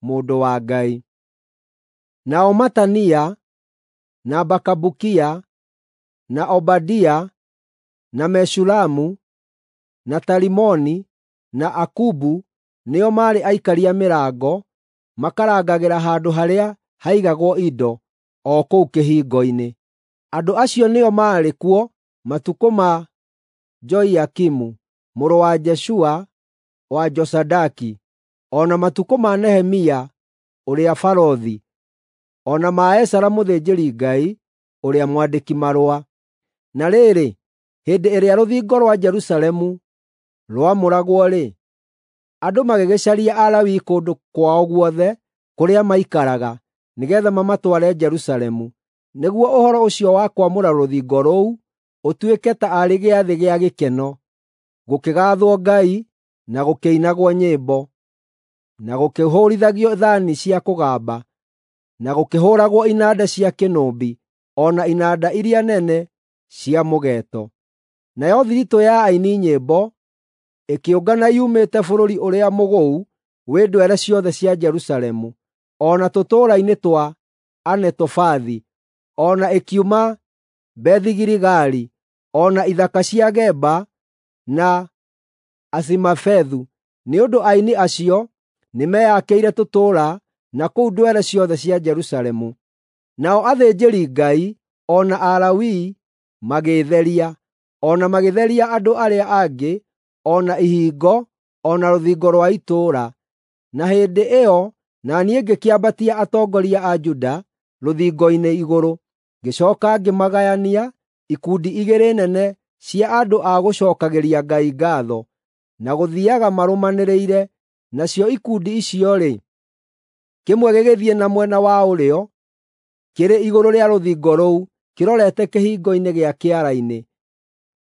mũndũ wa Ngai. Nao Matania, na Bakabukia, na Obadia, na Meshulamu, na Talimoni, na Akubu nĩo maarĩ aikaria mĩrango, makarangagĩra handũ harĩa haigagwo indo, o kũu kĩhingo-inĩ. Andũ acio nĩo maarĩ kuo matukũ ma Joiakimu mũrũ wa Jeshua wa Josadaki, o na matukũ ma Nehemia ũrĩa barũthi, o na ma Ezara mũthĩnjĩri-Ngai ũrĩa mwandĩki-marũa. Na rĩrĩ, hĩndĩ ĩrĩa rũthingo rwa Jerusalemu rwamũragwo-rĩ, andũ magĩgĩcaria Alawii kũndũ kwao guothe kũrĩa maikaraga, nĩgeetha mamatware Jerusalemu, nĩguo ũhoro ũcio wa kwamũra rũthingo rũu ũtuĩke taarĩ gĩathĩ gĩa gĩkeno, gũkĩgaathwo Ngai na gũkĩinagwo nyĩmbo, na gũkĩhũũrithagio thaani cia kũgamba, na gũkĩhũũragwo inanda cia kĩnũbi o na inanda iria nene cia mũgeeto. Nayo thiritũ ya aini nyĩmbo ĩkĩũngana yumĩte bũrũri ũrĩa mũgũu wĩ ndwere ciothe cia Jerusalemu, o na tũtũũra-inĩ twa Anetofathi, o na ĩkiuma Bethi-Giligali, o na ithaka cia Geba na Azimavethu, nĩ ũndũ aini acio nĩmeyakĩire tũtũũra na kũu ndwere ciothe cia Jerusalemu. Nao athĩnjĩri-Ngai o na Alawii magĩĩtheria, o na magĩtheria andũ arĩa angĩ, o na ihingo, o na rũthingo rwa itũũra. Na hĩndĩ ĩyo na niĩ ngĩkĩambatia atongoria a Juda rũthingo-inĩ igũrũ, ngĩcooka ngĩmagayania ikundi igĩrĩ nene cia andũ a gũcookagĩria Ngai ngaatho, na gũthiiaga marũmanĩrĩire, nacio ikundi icio-rĩ, kĩmwe gĩgĩthiĩ na mwena wa ũrĩo kĩrĩ igũrũ rĩa rũthingo rũu kĩrorete kĩhingo-inĩ gĩa Kĩara-inĩ,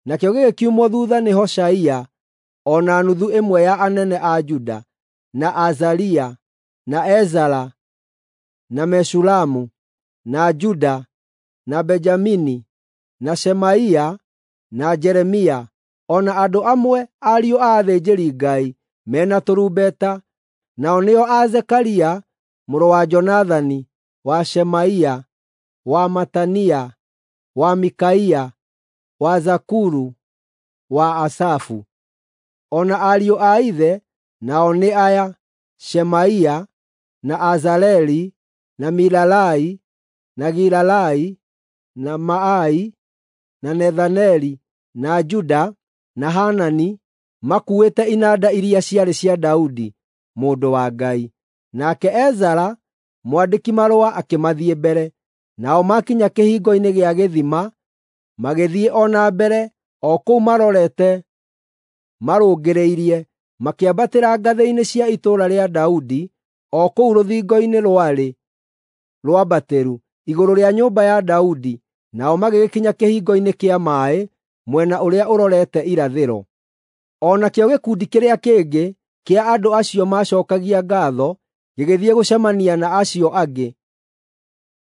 nakĩo gĩgĩkiumwo thuutha nĩ Hoshaia o na nuthu ĩmwe ya anene a Juda, na Azaria, na Ezara, na Meshulamu, na Juda, na Benjamini, na Shemaia, na Jeremia, o na andũ amwe ariũ a athĩnjĩri-Ngai me na tũrumbeta, nao nĩo a Zekaria mũrũ wa Jonathani, wa Shemaia, wa Matania, wa Mikaia, wa Zakuru, wa Asafu. O na ariũ a ithe nao nĩ aya: Shemaia, na Azareli, na Milalai, na Gilalai, na Maai, na Nethaneli, na Juda, na Hanani, makuuĩte inanda iria ciarĩ cia Daudi, mũndũ wa Ngai. Nake Ezara mwandĩki-marũa akĩmathiĩ mbere. Nao maakinya kĩhingo-inĩ gĩa gĩthima, magĩthiĩ o na mbere o kũu marorete marũngĩrĩirie, makĩambatĩra ngathĩ-inĩ cia itũũra rĩa Daudi, o kũu rũthingo-inĩ rwarĩ rwambatĩru, igũrũ rĩa nyũmba ya Daudi, nao magĩgĩkinya kĩhingo-inĩ kĩa maaĩ mwena ũrĩa ũrorete irathĩro. O nakĩo gĩkundi kĩrĩa kĩngĩ kĩa andũ acio maacookagia ngaatho gĩgĩthiĩ gũcemania na acio angĩ,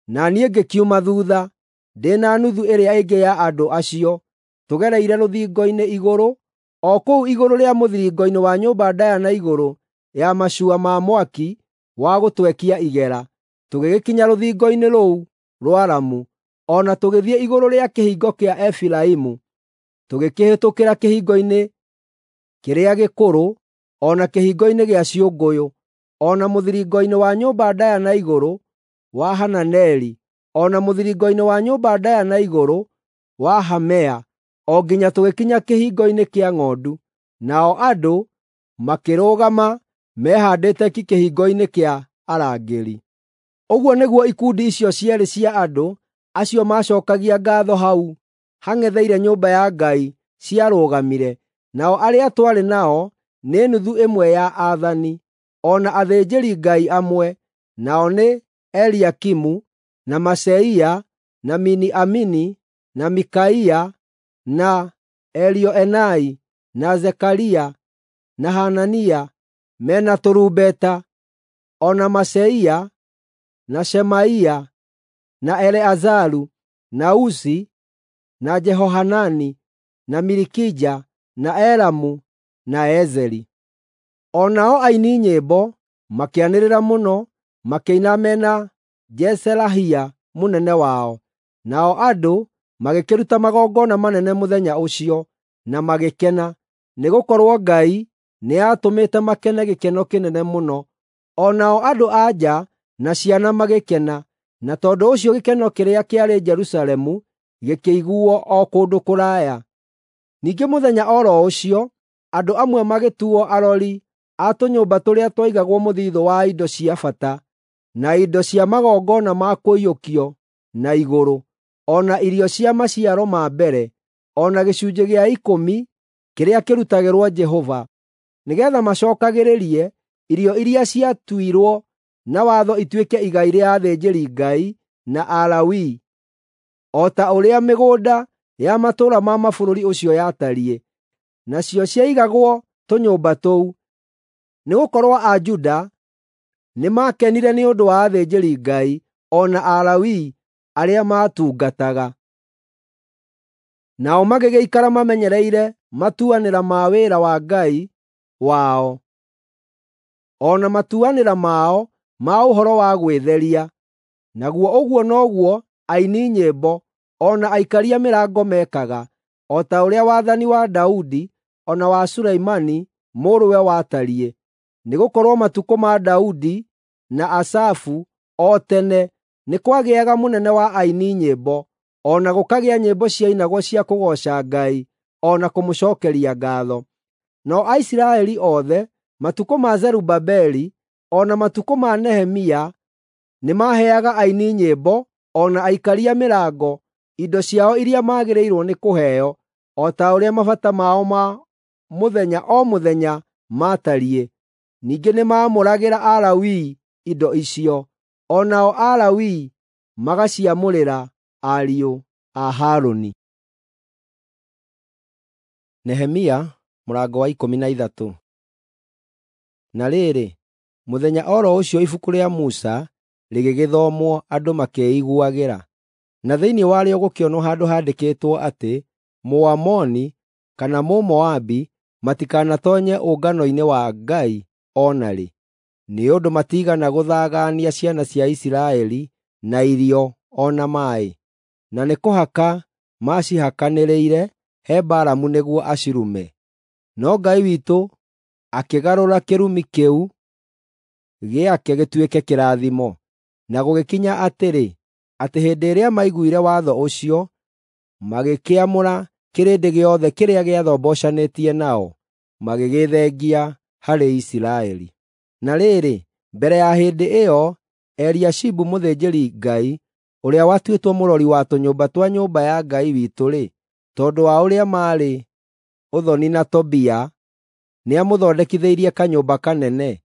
na niĩ ngĩkiuma thuutha, ndĩ na nuthu ĩrĩa ĩngĩ ya andũ acio, tũgereire rũthingo-inĩ igũrũ, o kũu igũrũ rĩa mũthiringo-inĩ wa nyũmba ndaaya na igũrũ ya macua ma mwaki wa gũtwekia igera, tũgĩgĩkinya rũthingo-inĩ rũu rwaramu, o na tũgĩthiĩ igũrũ rĩa kĩhingo kĩa Efiraimu, tũgĩkĩhĩtũkĩra kĩhingo-inĩ kĩrĩa gĩkũrũ, o na kĩhingo-inĩ gĩa ciũngũyũ, o na mũthiringo-inĩ wa nyũmba ndaaya na igũrũ wa Hananeli, o na mũthiringo-inĩ wa nyũmba ndaaya na igũrũ wa Hamea, o nginya tũgĩkinya kĩhingo-inĩ kĩa ng'ondu. Nao andũ makĩrũgama mehaandĩte ki kĩhingo-inĩ kĩa arangĩri. Ũguo nĩguo ikundi icio cierĩ cia andũ acio maacookagia ngaatho hau hang'etheire nyũmba ya Ngai ciarũgamire, nao arĩa twarĩ nao nĩ nuthu ĩmwe ya aathani, o na athĩnjĩri-Ngai amwe, nao nĩ Eliakimu, na Maseia, na Mini-Amini, na Mikaia, na Elioenai, na Zekaria, na Hanania, me na tũrumbeta, o na Maseia, na Shemaia, na Eleazaru, na Uzi, na Jehohanani, na Milikija, na Elamu, na Ezeri. O nao aini nyĩmbo makĩanĩrĩra mũno, makĩina me na Jezerahia mũnene wao. Nao andũ magĩkĩruta magongona manene mũthenya ũcio na magĩkena, nĩgũkorwo Ngai nĩatũmĩte makene gĩkeno kĩnene mũno. O nao andũ-a-nja na ciana magĩkena, na tondũ ũcio gĩkeno kĩrĩa kĩarĩ Jerusalemu gĩkĩiguuo o kũndũ kũraya. Ningĩ mũthenya o ro ũcio andũ amwe magĩtuuo arori a tũnyũmba tũrĩa twaigagwo mũthiithũ wa indo cia bata, na indo cia magongona ma kũiyũkio na igũrũ, o na irio cia maciaro ma mbere, o na gĩcunjĩ gĩa ikũmi kĩrĩa kĩrutagĩrwo Jehova, nĩgeetha macookagĩrĩrie irio iria ciatuirwo na watho ituĩke igai rĩa athĩnjĩri-Ngai na Alawii, o ta ũrĩa mĩgũnda ya matũũra ma mabũrũri ũcio yatariĩ. Nacio ciaigagwo tũnyũmba tũu, nĩgũkorwo Ajuda nĩmakenire nĩ ũndũ wa athĩnjĩri-Ngai o na Alawii arĩa maatungataga. Nao magĩgĩikara mamenyereire matuanĩra ma wĩra wa Ngai wao, o na matuanĩra mao ma ũhoro wa gwĩtheria. Naguo ũguo noguo aini nyĩmbo o na aikaria mĩrango meekaga, o ta ũrĩa wathani wa Daudi o na wa Sulaimani mũrũwe watariĩ. Nĩgũkorwo matukũ ma Daudi na Asafu o tene nĩ kwagĩaga mũnene wa aini nyĩmbo, o na gũkagĩa nyĩmbo ciainagwo cia kũgooca Ngai o na kũmũcookeria ngaatho. Nao Aisiraeli othe matukũ ma Zerubabeli o na matukũ ma Nehemia nĩmaheaga aini nyĩmbo o na aikaria mĩrango indo ciao iria maagĩrĩirwo nĩ kũheo, o ta ũrĩa mabata mao ma mũthenya o mũthenya maatariĩ. Ningĩ nĩmaamũragĩra Alawii indo icio, o nao Alawii magaciamũrĩra ariũ a Harũni. Nehemia mũrango wa 13. Na rĩrĩ, mũthenya o ro ũcio ibuku rĩa Musa rĩgĩgĩthomwo andũ makĩĩiguagĩra, na thĩinĩ warĩo gũkĩonwo handũ handĩkĩtwo atĩ Mũamoni kana Mũmoabi matikanatoonye ũngano-inĩ wa Ngai o na rĩ, nĩ ũndũ matiigana gũthagaania ciana cia Isiraeli na irio o na maaĩ, na nĩ kũhaka maacihakanĩrĩire he Balamu nĩguo acirume. No Ngai witũ akĩgarũra kĩrumi kĩu gĩake gĩtuĩke kĩrathimo. Na gũgĩkinya atĩrĩ, atĩ hĩndĩ ĩrĩa maiguire watho ũcio, magĩkĩamũra kĩrĩndĩ gĩothe kĩrĩa gĩathombocanĩtie nao, magĩgĩthengia harĩ Isiraeli. Na rĩrĩ, mbere ya hĩndĩ ĩyo, Eliashibu mũthĩnjĩri-Ngai, ũrĩa watuĩtwo mũrori wa tũnyũmba twa nyũmba ya Ngai witũ-rĩ, tondũ wa ũrĩa maarĩ ũthoni na Tobia, nĩamũthondekithĩirie kanyũmba kanene.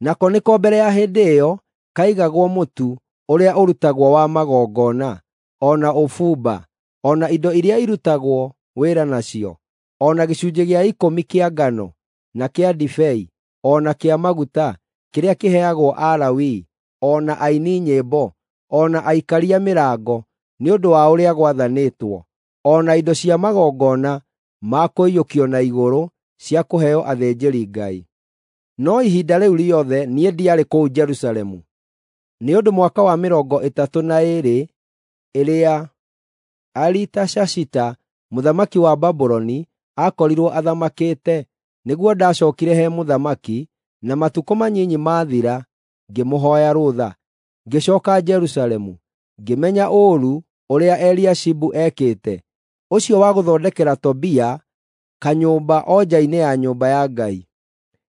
Nako nĩko mbere ya hĩndĩ ĩyo kaigagwo mũtu ũrĩa ũrutagwo wa magongona, o na ũbumba, o na indo iria irutagwo wĩra nacio, o na gĩcunjĩ gĩa ikũmi kĩa ngano, na kĩa ndibei, o na kĩa maguta, kĩrĩa kĩheagwo Alawii, o na aini nyĩmbo, o na aikaria mĩrango, nĩ ũndũ wa ũrĩa gwathanĩtwo, o na indo cia magongona ma kũiyũkio na igũrũ cia kũheo athĩnjĩri-Ngai. No ihinda rĩu rĩothe niĩ ndiarĩ kũu Jerusalemu, nĩ ũndũ mwaka wa 32 ĩrĩa Aritashashita mũthamaki wa Babuloni aakorirwo athamakĩte, nĩguo ndacookire he mũthamaki, na matukũ manyinyi maathira ngĩmũhooya rũtha. Ngĩcooka Jerusalemu, ngĩmenya ũũru ũrĩa Eliashibu ekĩte, ũcio wa gũthondekera Tobia kanyũmba o nja-inĩ ya nyũmba ya Ngai.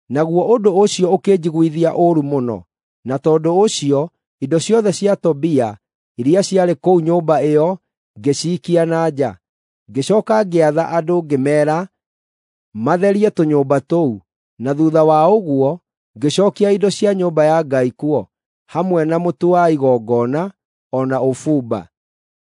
Naguo ũndũ ũcio ũkĩnjiguithia ũũru mũno, na tondũ ũcio indo ciothe cia Tobia iria ciarĩ kũu nyũmba ĩyo ngĩciikia na nja. Ngĩcooka ngĩatha andũ ngĩmeera matherie tũnyũmba tũu, na thuutha wa ũguo ngĩcookia indo cia nyũmba ya Ngai kuo, hamwe na mũtu wa igongona o na ũbumba.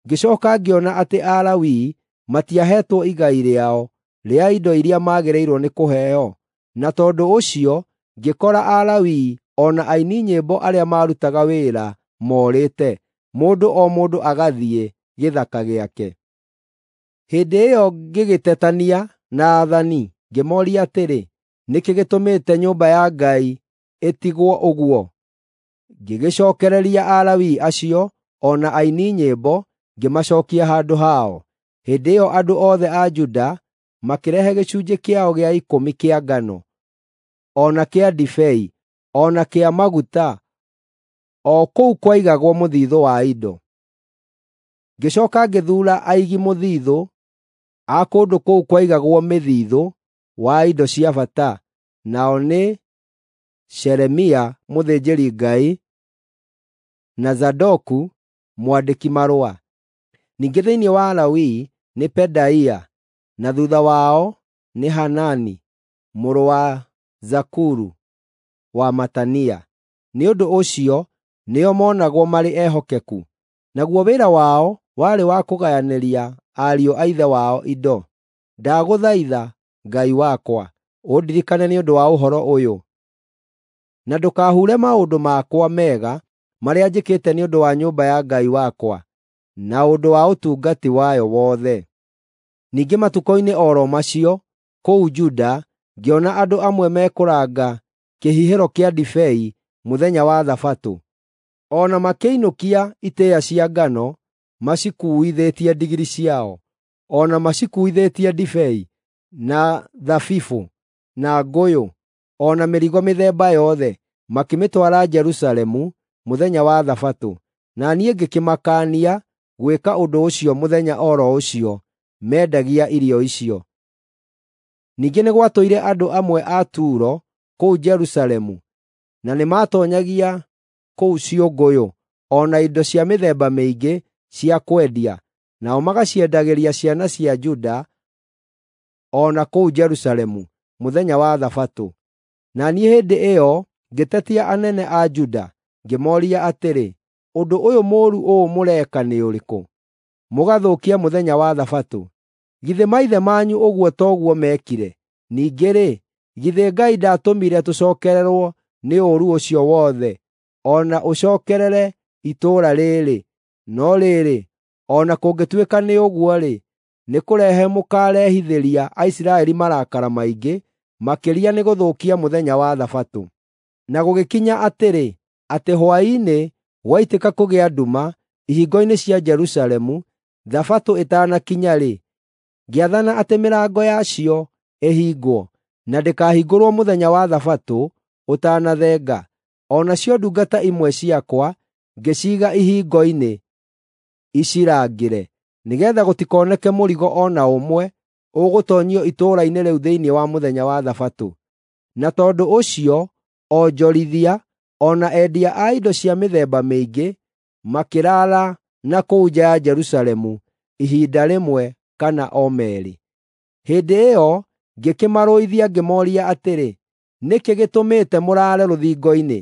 Ngĩcooka ngĩona atĩ Alawii matiaheetwo igai rĩao rĩa indo iria maagĩrĩirwo nĩ kũheo, na tondũ ũcio ngĩkora Alawii o na aini nyĩmbo arĩa maarutaga wĩra moorĩte, mũndũ o mũndũ agathiĩ gĩthaka gĩake. Hĩndĩ ĩyo ngĩgĩtetania na aathani, ngĩmooria atĩrĩ, “Nĩ kĩĩ gĩtũmĩte nyũmba ya Ngai ĩtigwo ũguo?” Ngĩgĩcookereria Alawii acio o na aini nyĩmbo, ngĩmacookia handũ hao. Hĩndĩ ĩyo andũ othe a Juda makĩrehe gĩcunjĩ kĩao gĩa ikũmi kĩa ngano, o na kĩa ndibei, o na kĩa maguta, o kũu kwaigagwo mũthiithũ wa indo. Ngĩcooka ngĩthuura aigi mũthiithũ a kũndũ kũu kwaigagwo mĩthiithũ wa indo cia bata, nao nĩ Shelemia mũthĩnjĩri-Ngai, na Zadoku mwandĩki-marũa. Ningĩ thĩinĩ wa Alawii nĩ Pedaia, na thuutha wao nĩ Hanani mũrũ wa Zakuru wa Matania. Nĩ ũndũ ũcio nĩo moonagwo marĩ ehokeku. Naguo wĩra wao warĩ wa kũgayanĩria ariũ a ithe wao indo. Ndagũthaitha, Ngai wakwa, ũndirikane nĩ ũndũ wa ũhoro ũyũ, na ndũkahure maũndũ makwa mega marĩa njĩkĩte nĩ ũndũ wa nyũmba ya Ngai wakwa, na ũndũ wa ũtungati wayo wothe. Ningĩ matukũ-inĩ o ro macio, kũu Juda, ngĩona andũ amwe mekũranga kĩhihĩro kĩa ndibei mũthenya wa Thabatũ, o na makĩinũkia itĩĩa cia ngano macikuuithĩtie ndigiri ciao, o na macikuuithĩtie ndibei, na thabibũ, na ngũyũ, o na mĩrigo mĩthemba yothe, makĩmĩtwara Jerusalemu mũthenya wa Thabatũ. Na niĩ ngĩkĩmakaania gwĩka ũndũ ũcio mũthenya o ro ũcio mendagia irio icio. Ningĩ nĩ gwatũire andũ amwe a Turo kũu Jerusalemu, na nĩmatoonyagia kũu ciũngũyũ o na indo cia mĩthemba mĩingĩ cia kwendia, nao magaciendagĩria ciana cia Juda o na kũu Jerusalemu mũthenya wa Thabatũ. Na niĩ hĩndĩ ĩyo ngĩtetia anene a Juda, ngĩmooria atĩrĩ, “Ũndũ ũyũ mũũru ũũ mũreka nĩ ũrĩkũ, mũgathũkia mũthenya wa Thabatũ? Githĩ maithe manyu ũguo toguo meekire? Ningĩ-rĩ, githĩ Ngai ndaatũmire tũcookererwo nĩ ũũru ũcio wothe, o na ũcookerere itũũra rĩĩrĩ? No rĩrĩ, o na kũngĩtuĩka nĩ ũguo-rĩ, nĩkũrehe mũkaarehithĩria Aisiraeli marakara maingĩ makĩria nĩ gũthũkia mũthenya wa Thabatũ.” Na gũgĩkinya atĩrĩ, atĩ hwaĩ-inĩ gwaitĩka kũgĩa nduma ihingo-inĩ cia Jerusalemu, Thabatũ ĩtanakinya-rĩ, ngĩathana atĩ mĩrango yacio ĩhingwo, na ndĩkahingũrwo mũthenya wa Thabatũ ũtanathenga. O nacio ndungata imwe ciakwa ngĩciiga ihingo-inĩ icirangĩre, nĩgeetha gũtikoneke mũrigo o na ũmwe ũgũtoonyio itũũra-inĩ rĩu thĩinĩ wa mũthenya wa Thabatũ. Na tondũ ũcio onjorithia o na endia a indo cia mĩthemba mĩingĩ makĩraara na kũu nja ya Jerusalemu ihinda rĩmwe kana o meerĩ. Hĩndĩ ĩyo ngĩkĩmarũithia ngĩmooria atĩrĩ, “Nĩ kĩĩ gĩtũmĩte mũraare rũthingo-inĩ?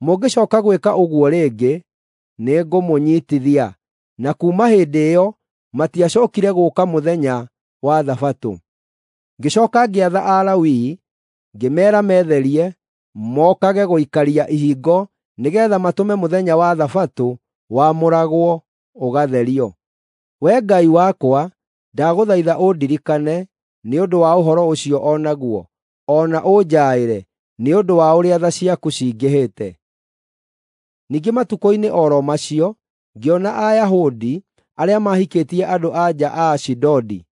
Mũngĩcooka gwĩka ũguo rĩngĩ, nĩngũmũnyiitithia.” Na kuuma hĩndĩ ĩyo matiacookire gũũka mũthenya wa Thabatũ. Ngĩcooka ngĩatha Alawii, ngĩmeera metherie, mokage gũikaria ihingo nĩgeetha matũme mũthenya wa Thabatũ wamũragwo ũgatherio. Wee Ngai wakwa, ndagũthaitha ũndirikane nĩ ũndũ wa ũhoro ũcio o naguo, o na ũnjaĩre nĩ ũndũ wa ũrĩa tha ciaku cingĩhĩte. Ningĩ matukũ-inĩ o ro macio, ngĩona Ayahudi arĩa maahikĩtie andũ-a-nja a Ashidodi,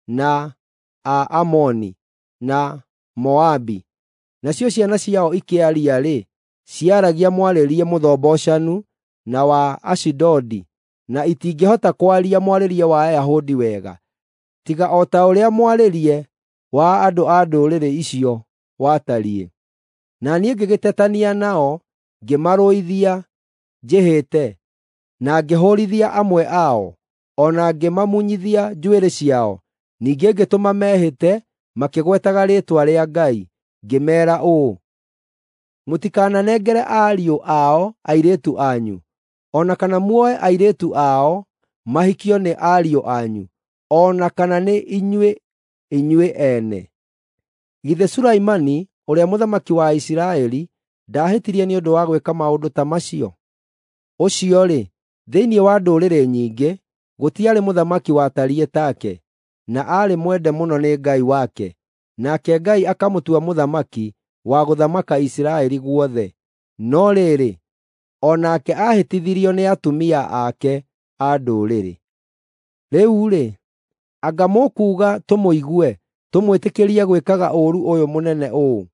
na a Amoni, na Moabi. Nacio ciana ciao ikĩaria-rĩ, ciaragia mwarĩrie mũthombocanu na wa Ashidodi, na itingĩhota kwaria mwarĩrie wa Ayahudi wega, tiga o ta ũrĩa mwarĩrie wa andũ a ndũrĩrĩ icio watariĩ. Na niĩ ngĩgĩtetania nao, ngĩmarũithia njĩhĩte, na ngĩhũũrithia amwe ao, o na ngĩmamunyithia njuĩrĩ ciao. Ningĩ ngĩtũma mehĩte makĩgwetaga rĩĩtwa rĩa Ngai, ngĩmeera ũũ: “Mũtikananengere ariũ ao airĩtu anyu, o na kana muoe airĩtu ao mahikio nĩ ariũ anyu, o na kana nĩ inyuĩ inyuĩ ene. Githĩ Sulaimani ũrĩa mũthamaki wa Isiraeli ndaahĩtirie nĩ ũndũ wa gwĩka maũndũ ta macio? Ũcio-rĩ, thĩinĩ wa ndũrĩrĩ nyingĩ, gũtiarĩ mũthamaki watariĩ take, na aarĩ mwende mũno nĩ Ngai wake, nake Ngai akamũtua mũthamaki wa gũthamaka Isiraeli guothe. No rĩrĩ, o nake aahĩtithirio nĩ atumia ake a ndũrĩrĩ. Rĩu-rĩ, anga mũkuuga tũmũigue tũmwĩtĩkĩrie gwĩkaga ũũru ũyũ mũnene ũũ,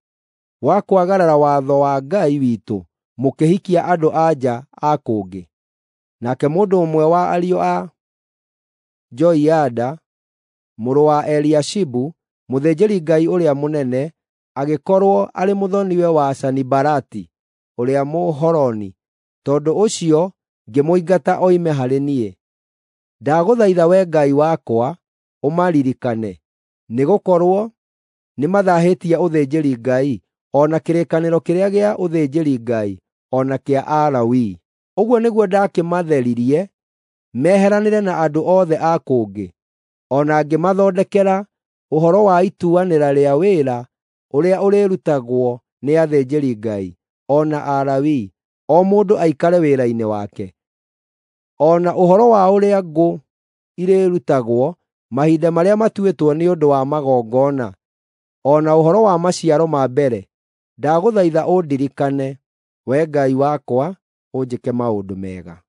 wa kwagarara watho wa Ngai witũ mũkĩhikia andũ-a-nja a kũngĩ?” Nake mũndũ ũmwe wa ariũ a Joiada mũrũ wa Eliashibu, mũthĩnjĩri-Ngai ũrĩa mũnene, agĩkorwo arĩ mũthoni-we wa Sanibalati ũrĩa Mũhoroni, tondũ ũcio ngĩmũingata oime harĩ niĩ. Ndagũthaitha Wee Ngai wakwa ũmaririkane, nĩgũkorwo nĩmathaahĩtie ũthĩnjĩri-Ngai, o na kĩrĩkanĩro kĩrĩa gĩa ũthĩnjĩri-Ngai, o na kĩa Alawii. Ũguo nĩguo ndakĩmatheririe meheranĩre na andũ othe a kũngĩ, o na ngĩmathondekera ũhoro wa ituanĩra rĩa wĩra ũrĩa ũrĩrutagwo nĩ athĩnjĩri-Ngai o na Alawii, o mũndũ aikare wĩra-inĩ wake. O na ũhoro wa ũrĩa ngũ irĩrutagwo mahinda marĩa matuĩtwo nĩ ũndũ wa magongona, o na ũhoro wa maciaro ma mbere, ndagũthaitha ũndirikane, Wee Ngai wakwa, ũnjĩke maũndũ mega.